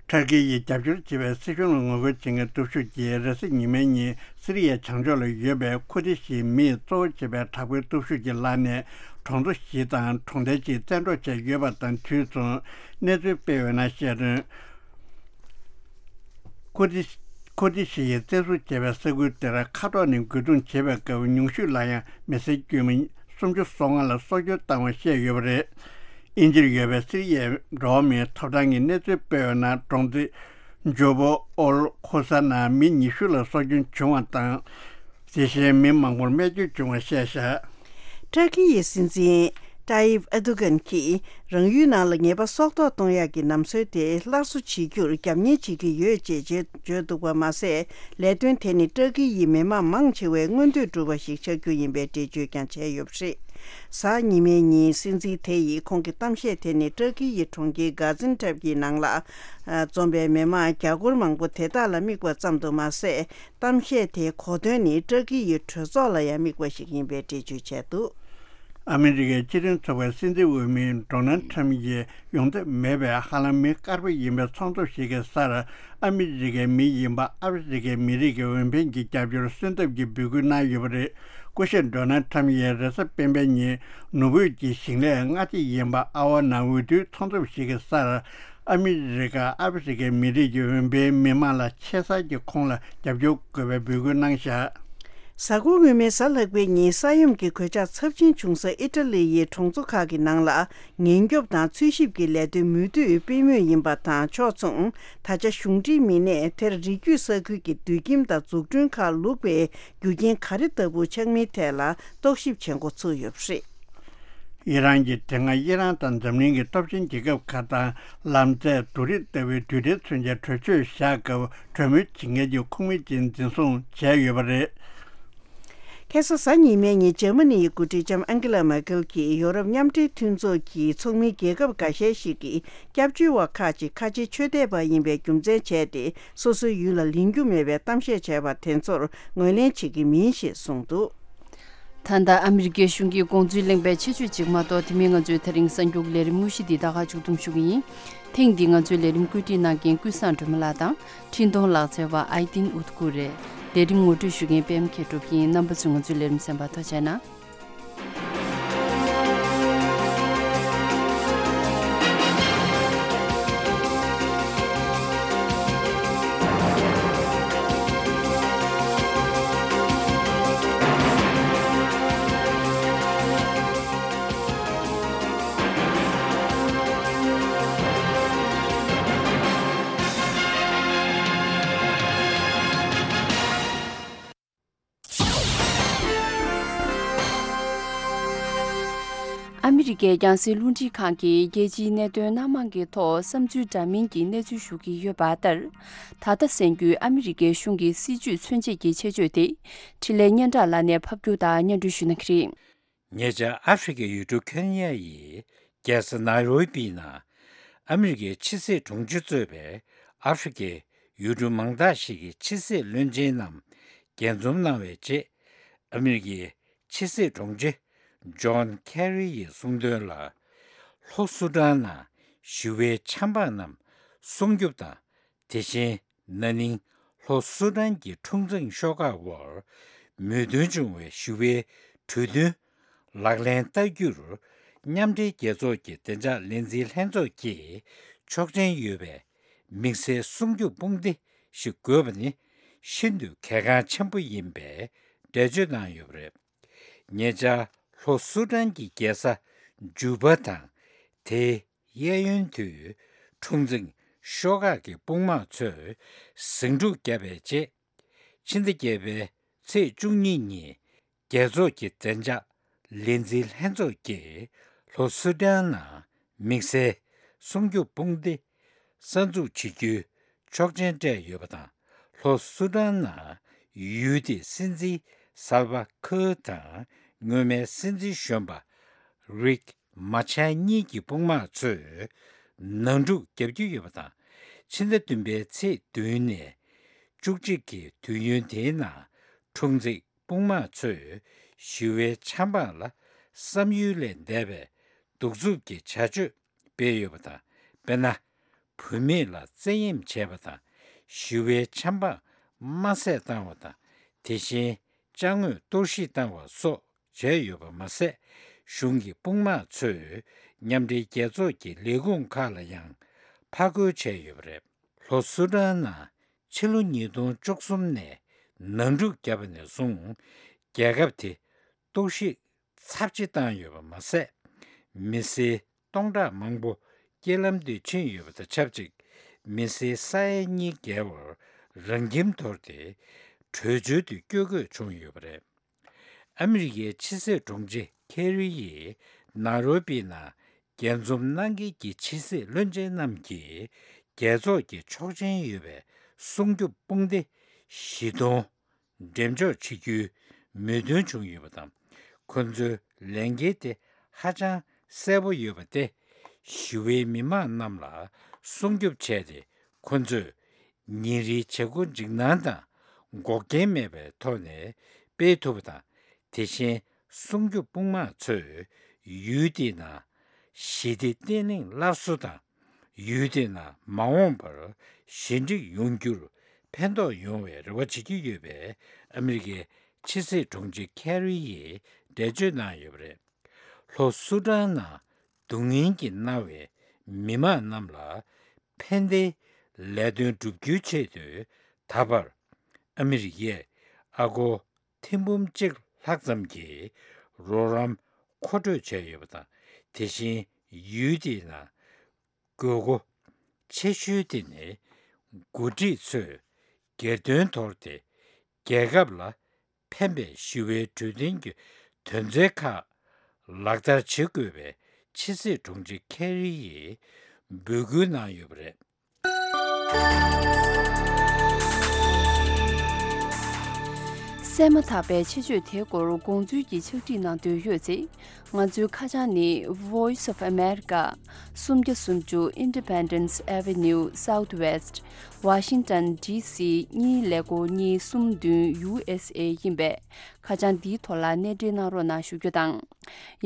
ཏུར་ཀི་ཡིས་རྒྱབ་སྐྱོར་བྱེད་པའི་སྲིད་གཞུང་ལ་ངོ་རྒོལ་བྱེད་མཁན་སྟོབས་ཤུགས་ཀྱིས་རེས་གཟའ་ཉི་མའི་ཉིན་སི་རི་ཡའི་བྱང་ཕྱོགས་ལ་ཡོད་པའི་ཁུར་ཏི་ཞིའི་མིས་གཙོ་བོ་བྱེད་པའི་དྲག་པོའི་སྟོབས་ཤུགས་ཀྱི་ལག་ནས་གྲོང་ཚོ་བཞི་དང་གྲོང་རྡལ་གཅིག་བཙན་འཕྲོག་བྱས་ཡོད་པ་དང་དུས་མཚུངས་གནས་ཚུལ་སྤེལ་ཡོད་ན་བཤད་དོན། ཁུར་ཏི་ཁུར་ཏི་ཞི་ཡིས་བཙན་བཟུང་བྱས་པའི་ས་ཁུལ་དེར་མཁའ་ཐོག་ནས་རྒོལ་རྡུང་བྱེད་པའི་སྐབས་ཉུང་ཤོས་ལ་ཡང་མི་སེར་དཀྱུས་མ་སུམ་ཅུ་སོ་ལྔ་ལ་སྲོག་སྐྱོན་བཏང་བ་བཤད་ཡོད་པ་རེད། དབྱིན་ཇིར་ཡོད་པའི་སི་རི་ཡའི་འགྲོ་བ་མིའི་ཐོབ་ཐང་གི་གནས་ཚུལ་སྤེལ་ཡོད་ན། གྲོང་སྡེ་ཇོ་བོ་ཨོལ་ཁོ་ས་ནང་མི་ཉི་ཤུ་ལ་སྲོག་སྐྱོན་བྱུང་བ་དང་། དེ་བཞིན་མི་མང་པོར་རྨས་སྐྱོན་བྱུང་བ་བཤད་བཞག། ཏུར་ཀི་ཡི་སྲིད་འཛིན་ཏཱ་ཡིབ་ཨེར་དོ་གྷན་གྱིས་རང་ཡུལ་ནང་ལ་ཉེས་པ་སྲོག་ཐོག་གཏོང་ཡག་གི་ལམ་སྲོལ་དེ་སླར་གསོ་བྱེད་རྒྱུར་རྒྱབ་གཉེར་བྱེད་ཀྱི་ཡོད་ཅེས་བརྗོད་བརྗོད་འདུག་པ་མ་ཟད། ལས་དོན་དེ་ནི་ཏུར་ཀི་ཡི་མི་མང་མང་ཆེ་བའི་མངོན་འདོད་སྒྲུབ་པ་ཞིག་ཆགས་རྒྱུ་ཡིན་པའི་འགྲེལ་བརྗོད་ཀྱང་བྱས་ཡོད་པ་རེད། གཟའ་ཉི་མའི་ཉིན་སྲིད་འཛིན་དེ་ཡིས་ཁོང་གི་གཏམ་བཤད་དེ་ནི་ཏུར་ཀི་ཡི་གྲོང་ཁྱེར་གྷ་ཛིན་ཐེབ་ཀྱི་ནང་ལ་འཛོམས་པའི་མི་མང་རྒྱ་སྒོར་མང་པོ་དེ་དག་ལ་དམིགས་པ་ཙམ་དུ་མ་ཟད། གཏམ་བཤད་དེའི་གོ་དོན་ནི་ཏུར་ཀི་ཡི་གྲོས་ཚོགས་ལ་ཡང་དམིགས་པ་ཞིག་ཡིན་པའི་འགྲེལ་བརྗོད་བྱས་འདུག། ཨ་མི་རི་ཀའི་སྤྱི་མཐུན་ཚོགས་པའི་སྲིད་འཛིན་འོས་མི་ཌོ་ནལ་ཁྲམ་ཡིས་ཡོང་འདོད་མེད་པའི་ཧ་ལམ་མི་དཀར་པོ་ཡིན་པའི་ཚོགས་འདུ་ཞིག་གི་སར་ཨ་མི་རི་ཀའི་མི་ཡིན་པ་ཨ་ཧྥེ་རི་ཀའི་མི་རིགས་ཀྱི་འོས་འཕེན་གྱི་རྒྱབ་སྐྱོར་གསོལ་འདེབས་ཀྱི་འབོད་སྐུལ་གནང་ཡོད་པ་རེད། སྐུ་ཞབས་ཌོ་ནལ་ཁྲམ་ཡིས་རེས་གཟའ་སྤེན་པའི་ཉིན་ནོར་བུ་ཡི་ཞིང་ལས་སྔ་ཕྱི་ཡིན་པ་ཨ་ཝ་ནང་འོས་བསྡུའི་ཚོགས་འདུ་ཞིག་གི་སར། ཨ་མི་རི་ཀ་ཨ་ཧྥེ་རི་ཀའི་མི་རིགས་ཀྱི་འོས་འཕེན་མི་མང་ལ་ཆེ་ས་ཀྱི་ཁོང་ལ་རྒྱབ་སྐྱོར་དགོས་པའི་འབོད་སྐུལ་གནང་བཞག། གཟའ་འཁོར་སྔོན་མའི་གཟའ་ལྷག་པའི་ཉིན་ས་ཡོམ་གྱི་གོད་ཆག་ཚབས་ཆེན་བྱུང་ས་ཨི་ཊ་ལི་ཡི་གྲོང་ཚོ་ཁག་གི་ནང་ལ་ཉེན་སྐྱོབ་དང་འཚོལ་ཞིབ་ཀྱི་ལས་དོན་མུ་མཐུད་སྤེལ་མུས་ཡིན་པ་དང་ཕྱོགས་མཚུངས། ད་ཆ་གཞུང་འབྲེལ་མི་སྣས་དེར་རི་རྒྱུད་ས་ཁུལ་གྱི་སྡོད་ཁྱིམ་དང་འཛུགས་སྐྲུན་ཁག་ལུག་པའི་རྒྱུ་རྐྱེན་ག་རེ་ལྟ་བུ་ཆགས་མིན་ཐད་ལ་རྟོག་ཞིབ་བྱེད་འགོ་ཚུགས་ཡོད་པ་རེད། ཨི་རན་གྱིས་དེ་སྔ་ཨི་རན་དང་འཛམ་གླིང་གི་སྟོབས་ཆེན་རྒྱལ་ཁབ་ཁག་དང་ལམ་རྩེད་བསྡུར་རིས་ལྟ་བུའི་རྡུལ་ཕྲན་མཚོན་ཆའི་གྲོས་ཆོད་བཞག་སྐབས། གྲོས་མོལ་བྱེད་མཁན་གྱི་ཁོངས་མི་ཅིག་འཛིན་བཟུང་བྱས་ཡོད་པ་རེད། ཁ་སང་གཟའ་ཉི་མའི་ཉིན་འཇར་མ་ནི་ཡི་འགོ་ཁྲིད་ལྕམ་ཨན་ཀེ་ལ་མེར་ཀེལ་གྱིས་ཡོ་རོབ་མཉམ་འབྲེལ་མཐུན་ཚོགས་ཀྱི་ཚོགས་མི་རྒྱལ་ཁབ་འགའ་ཤས་ཤིག་གིས་སྐྱབས་བཅོལ་བ་ཁག་ཅིག་ཁ་ཆེའི་ཆོས་དད་པ་ཡིན་པའི་རྒྱུ་མཚན་བྱས་ཏེ། སོ་སོའི་ཡུལ་ལ་ལེན་རྒྱུ་མེད་པའི་གཏམ་བཤད་བྱས་པ་དེ་ཚོར་ངོས་ལེན་བྱེད་ཀྱི་མིན་ཞེས་གསུངས་འདུག། ད་ལྟ་ཨ་མི་རི་ཀའི་གཞུང་གི་དགོངས་ཚུལ་གླེང་བའི་ཆེད་བརྗོད་ཅིག་མ་གཏོགས། དེ་མིན་ང་ཚོའི་ད་རིང་གསར་འགྱུར་ལས་རིམ་དངོས་གཞི་འདི་ད་ག་མཇུག་བསྡོམས་ཞུ་གི་ཡིན། ཐེངས་འདིའི་ང་ཚོའི་ལས་རིམ་བཀོད་སྒྲིག་གནང་མཁན་ཀུན་བཟང་སྒྲོལ་མ་ལགས་དང་། འཕྲིན་གཏོང་ལག་རྩལ་བ་ཨའི་ཏིན་ཨུད་ཀུ་རེད། ལས་རིམ་ངོ་སྤྲོད་ཞུ་མཁན་པད་མ་མཁས་གྲུབ་ཡིན། རྣམ་པ་ཚོས་ང་ཚོའི་ལས་རིམ་གསན་པར་ཐུགས་རྗེ་གནང་། ཨ་མི་རི་ཀའི་རྒྱང་སྲིང་རླུང་འཕྲིན་ཁང་གིས་རྒྱལ་སྤྱིའི་གནད་དོན་སྣ་མང་གི་ཐོག་བསམ་ཚུལ་འདྲ་མིན་གྱི་གནས་ཚུལ་ཞུ་གི་ཡོད་པ་ལྟར། ད་ལྟ་གསན་རྒྱུའི་ཨ་མི་རི་ཀའི་གཞུང་གི་སྲིད་བྱུས་མཚོན་བྱེད་ཀྱི་ཆེད་བརྗོད་དེ། འཕྲིན་ལས་སྙན་གྲགས་ལགས་ནས་ཕབ་སྒྱུར་དང་སྙན་སྒྲོན་ཞུ་གནང་གི་རེད། ཉེ་ཆར་ཨ་ཧྥེ་རི་ཁའི་ཡུལ་གྲུ་ཁེན་ཡ་ཡི་རྒྱལ་ས་ནཱི་རོ་པི་ནང་ཨ་མི་རི་ཀའི་ཕྱི་སྲིད་དྲུང་ཆེ་གཙོས་པའི་ཨ་ཧྥེ་རི་ཁའི་ཡུལ་གྲུ་མང་དག་ཞིག་གི་ཕྱི་སྲིད་བློན་ཆེན་རྣམས་རྒྱས་འཛོམས་གནང་བའི་རྗེས། ཨ་མི་རི་ཀའི་ཕྱི་སྲིད་དྲུང་ཆེ་ཇོན་ཁེ་རི་ཡིས་གསུངས་དོན་ལ། ལྷོ་སུ་ཌན་ནང་ཞི་བའི་ཆབ་འབངས་རྣམས་སྲུང་སྐྱོབ་དང་། དེ་བཞིན་ན་ནིང་ལྷོ་སུ་ཌན་གྱི་འཁྲུག་འཛིང་ཤོག་ཁག་འོག་མོས་མཐུན་བྱུང་བའི་ཞི་བའི་གྲོས་མཐུན་ལག་ལེན་བསྟར་རྒྱུར། མཉམ་འབྲེལ་རྒྱལ་ཚོགས་ཀྱི་བདེ་འཇགས་ལས་འཛིན་ལྷན་ཚོགས་ཀྱིས་ཆོག་མཆན་ཡོད་པའི་དམིགས་བསལ་སྲུང་སྐྱོབ་དཔུང་སྡེ་ཞིག་དགོས་པ་ནི་ཤིན་ཏུ་གལ་འགངས་ཆེན་པོ་ཡིན་པའི་འགྲེལ་བརྗོད་གནང་ཡོད་པ་རེད། ཉེ་ཆར་ལྷོ་སུ་ཌན་གྱི་རྒྱལ་ས་ཇུ་པ་དང་དེའི་གཡས་གཡོན་དུ་འཁྲུག་འཛིང་ཤོག་ཁག་གི་དཔུང་དམག་ཚོས་ཟིང་འཁྲུག་བརྒྱབ་པའི་རྗེས། ཕྱི་ཟླ་བརྒྱད་པའི་ཚེས་བཅུ་གཉིས་ཉིན་རྒྱལ་ཚོགས་ཀྱི་བདེ་འཇགས་ལས་འཛིན་ལྷན་ཚོགས་ཀྱིས་ལྷོ་སུ་ཌན་ནང་དམིགས་བསལ་སྲུང་སྐྱོབ་དཔུང་སྡེ་གསར་འཛུགས་བྱེད་རྒྱུའི་ཆོག་མཆན་སྤྲད་ཡོད་པ་དང་། ལྷོ་སུ་ཌན་ནང་ཡུལ་དེའི་སྲིད་འཛིན་སལ་ཝ་ཁིར་དང་སྔོན་མའི་སྲིད་འཛིན་གཞོན་པ་རིག་མ་ཆར་གཉིས་ཀྱི་དཔུང་དམག་ཚོས་ནང་འཁྲུག་བརྒྱབ་ཀྱི་ཡོད་པ་དང་། ཕྱི་ཟླ་བདུན་པའི་ཚེས་བདུན་ནས་བཅུ་གཅིག་གི་དུས་ཡུན་དེའི་ནང་འཁྲུག་འཛིང་དཔུང་དམག་ཚོས་ཞི་བའི་ཆབ་འབངས་ལ་བསམ་ཡུལ་ལས་འདས་པའི་གདུག་རྩུབ་ཀྱི་བྱ་སྤྱོད་སྤེལ་ཡོད་པ་དང་། དཔེར་ན། བུད་མེད་ལ་བཙན་གཡེམ་བྱས་པ་དང་། ཞི་བའི་ཆབ་འབངས་དམར་བསད་བཏང་བ་དང་། དེ་བཞིན་ཅ་དངོས་གཏོར་བཤིག་བཏང་བ་སོགས་བྱས་ཡོད་པ་མ་ཟད། གཞུང་གི་དཔུང་དམག་ཚོས་མཉམ་འབྲེལ་རྒྱལ་ཚོགས་ཀྱི་ལས་ཁུངས་ཁག་ལ་ཡང་ཕར་རྒོལ་བྱས་ཡོད་པ་རེད། ལྷོ་སུ་ཌན་ནང་ཕྱི་ལོ་ཉིས་སྟོང་བཅུ་གསུམ་ནས་ནང་འཁྲུག་བརྒྱབ་པ་ནས་བཟུང་རྒྱལ་ཁབ་དེ་གཏོར་བཤིག་ཚབས་ཆེ་བཏང་ཡོད་པ་མ་ཟད། མི་སེར་སྟོང་ཕྲག་མང་པོ་རྐྱེན་ལམ་དུ་ཕྱིན་ཡོད་པ་དང་ཆབས་ཅིག་མི་སེར་ས་ཡ་གཉིས་བརྒལ་བར་རང་ཁྱིམ་དོར་ཏེ་བྲོས་བྱོལ་དུ་བསྐྱོད་དགོས་བྱུང་ཡོད་པ་རེད། ཨ་མི་རི་ཀའི་ཕྱི་སྲིད་དྲུང་ཆེ་ཁེ་རི་ཡིས་ནཱ་རོ་པི་ནང་རྒྱས་འཛོམས་གནང་མཁན་གྱི་ཕྱི་སྲིད་བློན་ཆེན་རྣམས་ཀྱིས་རྒྱལ་ཚོགས་ཀྱི་ཆོག་མཆན་ཡོད་པའི་སྲུང་སྐྱོབ་དཔུང་སྡེ་བཞི་སྟོང་འགྲེམས་འཇོག་བྱེད་རྒྱུའི་མོས་མཐུན་བྱུང་ཡོད་པ་དང་། ཁོ་ཚོའི་ལས་འགན་དེ་ཧ་ཅང་གསལ་པོ་ཡོད་པ་སྟེ། ཞི་བའི་མི་མང་རྣམས་ལ་སྲུང་སྐྱོབ་བྱས་ཏེ། ཁོ་ཚོས་ཉིན་རེའི་བྱེད་སྒོ་འཇིགས་སྣང་དང་འགོག་རྐྱེན་མེད་པའི་ཐོག་ནས་སྤེལ་ཐུབ་པ་དང་། དེ་བཞིན་སྲུང་སྐྱོབ་དཔུང་དམག་ཚོས་ཡུལ་དེའི་ནང་ཞི་བདེ་བརྟན་ལྷིང་སླར་གསོ་དང་། ཡུལ་དེའི་ནང་མ་འོངས་པར་ཞི་འགྲིག་ཡོང་རྒྱུར་ཕན་ཐོགས་ཡོང་བའི་རེ་བ་བྱེད་ཀྱི་ཡོད་པའི་ཨ་མི་རི་ཀའི་ཕྱི་སྲིད་དྲུང་ཆེ་ཁེ་རི་ཡིས་འགྲེལ་བརྗོད་གནང་ཡོད་པ་རེད། ལྷོ་སུ་ཌན་ནང་སྡུག་བསྔལ་གྱིས་མནར་བའི་མི་མང་རྣམས་ལ་ཕན་བདེའི་ལས་དོན་བསྒྲུབ་རྒྱུའི་ཆེད་དུ། ད་བར་ཨ་མི་རི་ཀས་ཨ་སྒོར་ཐེར་འབུམ་གཅིག་ལྷག་ཙམ་གྱི་རོགས་རམ་མཁོ་སྤྲོད་བྱས་ཡོད་པ་དང་། དེ་བཞིན་ཡུལ་དེའི་ནང་དགོས་མཁོ་ཆེ་ཤོས་དེ་ནི་འགོ་ཁྲིད་ཚོས་སྒེར་དོན་དོར་ཏེ། རྒྱལ་ཁབ་ལ་ཕན་པའི་ཞི་བའི་གྲོས་མཐུན་གྱི་དོན་ཚན་ཁག་ལག་བསྟར་བྱེད་དགོས་པའི་ཕྱི་སྲིད་དྲུང་ཆེ་ཁེ་རི་ཡིས་འབོད་སྐུལ་གནང་ཡོད་པ་རེད། གསན་མ་ཐག་པའི་ཆེད་བརྗོད་དེའི་སྐོར་དགོངས་ཚུལ་གྱི་ཕྱག་བྲིས་གནང་འདོད་ཡོད་ཚེ། ང་ཚོའི་ཁ་བྱང་ནི། Voice of America, སུམ་བརྒྱ་སུམ་ཅུ་Independence Avenue Southwest, Washington D C གཉིས་ཀླད་ཀོར་གཉིས་གསུམ་བདུན། U S A ཡིན་པས། ཁ་བྱང་འདིའི་ཐོག་ལ་གནས་འབྲེལ་གནང་རོགས་གནང་ཞུ་རྒྱུ་དང་།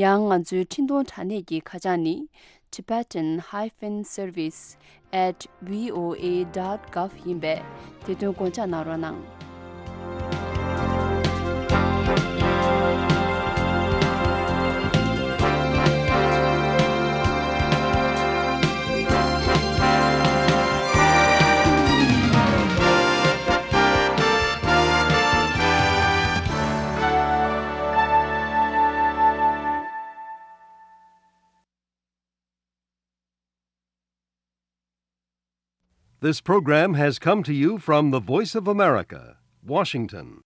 ཡང་ང་ཚོའི་འཕྲིན་གཏོང་དྲ་གནས་ཀྱི་ཁ་བྱང་ནི། Tibetan hyphen service at V O A dot gov ཡིན་པས། དེ་དོན་དགོངས་འཇགས་གནང་རོགས་གནང་། This program has come to you from the Voice of America, Washington.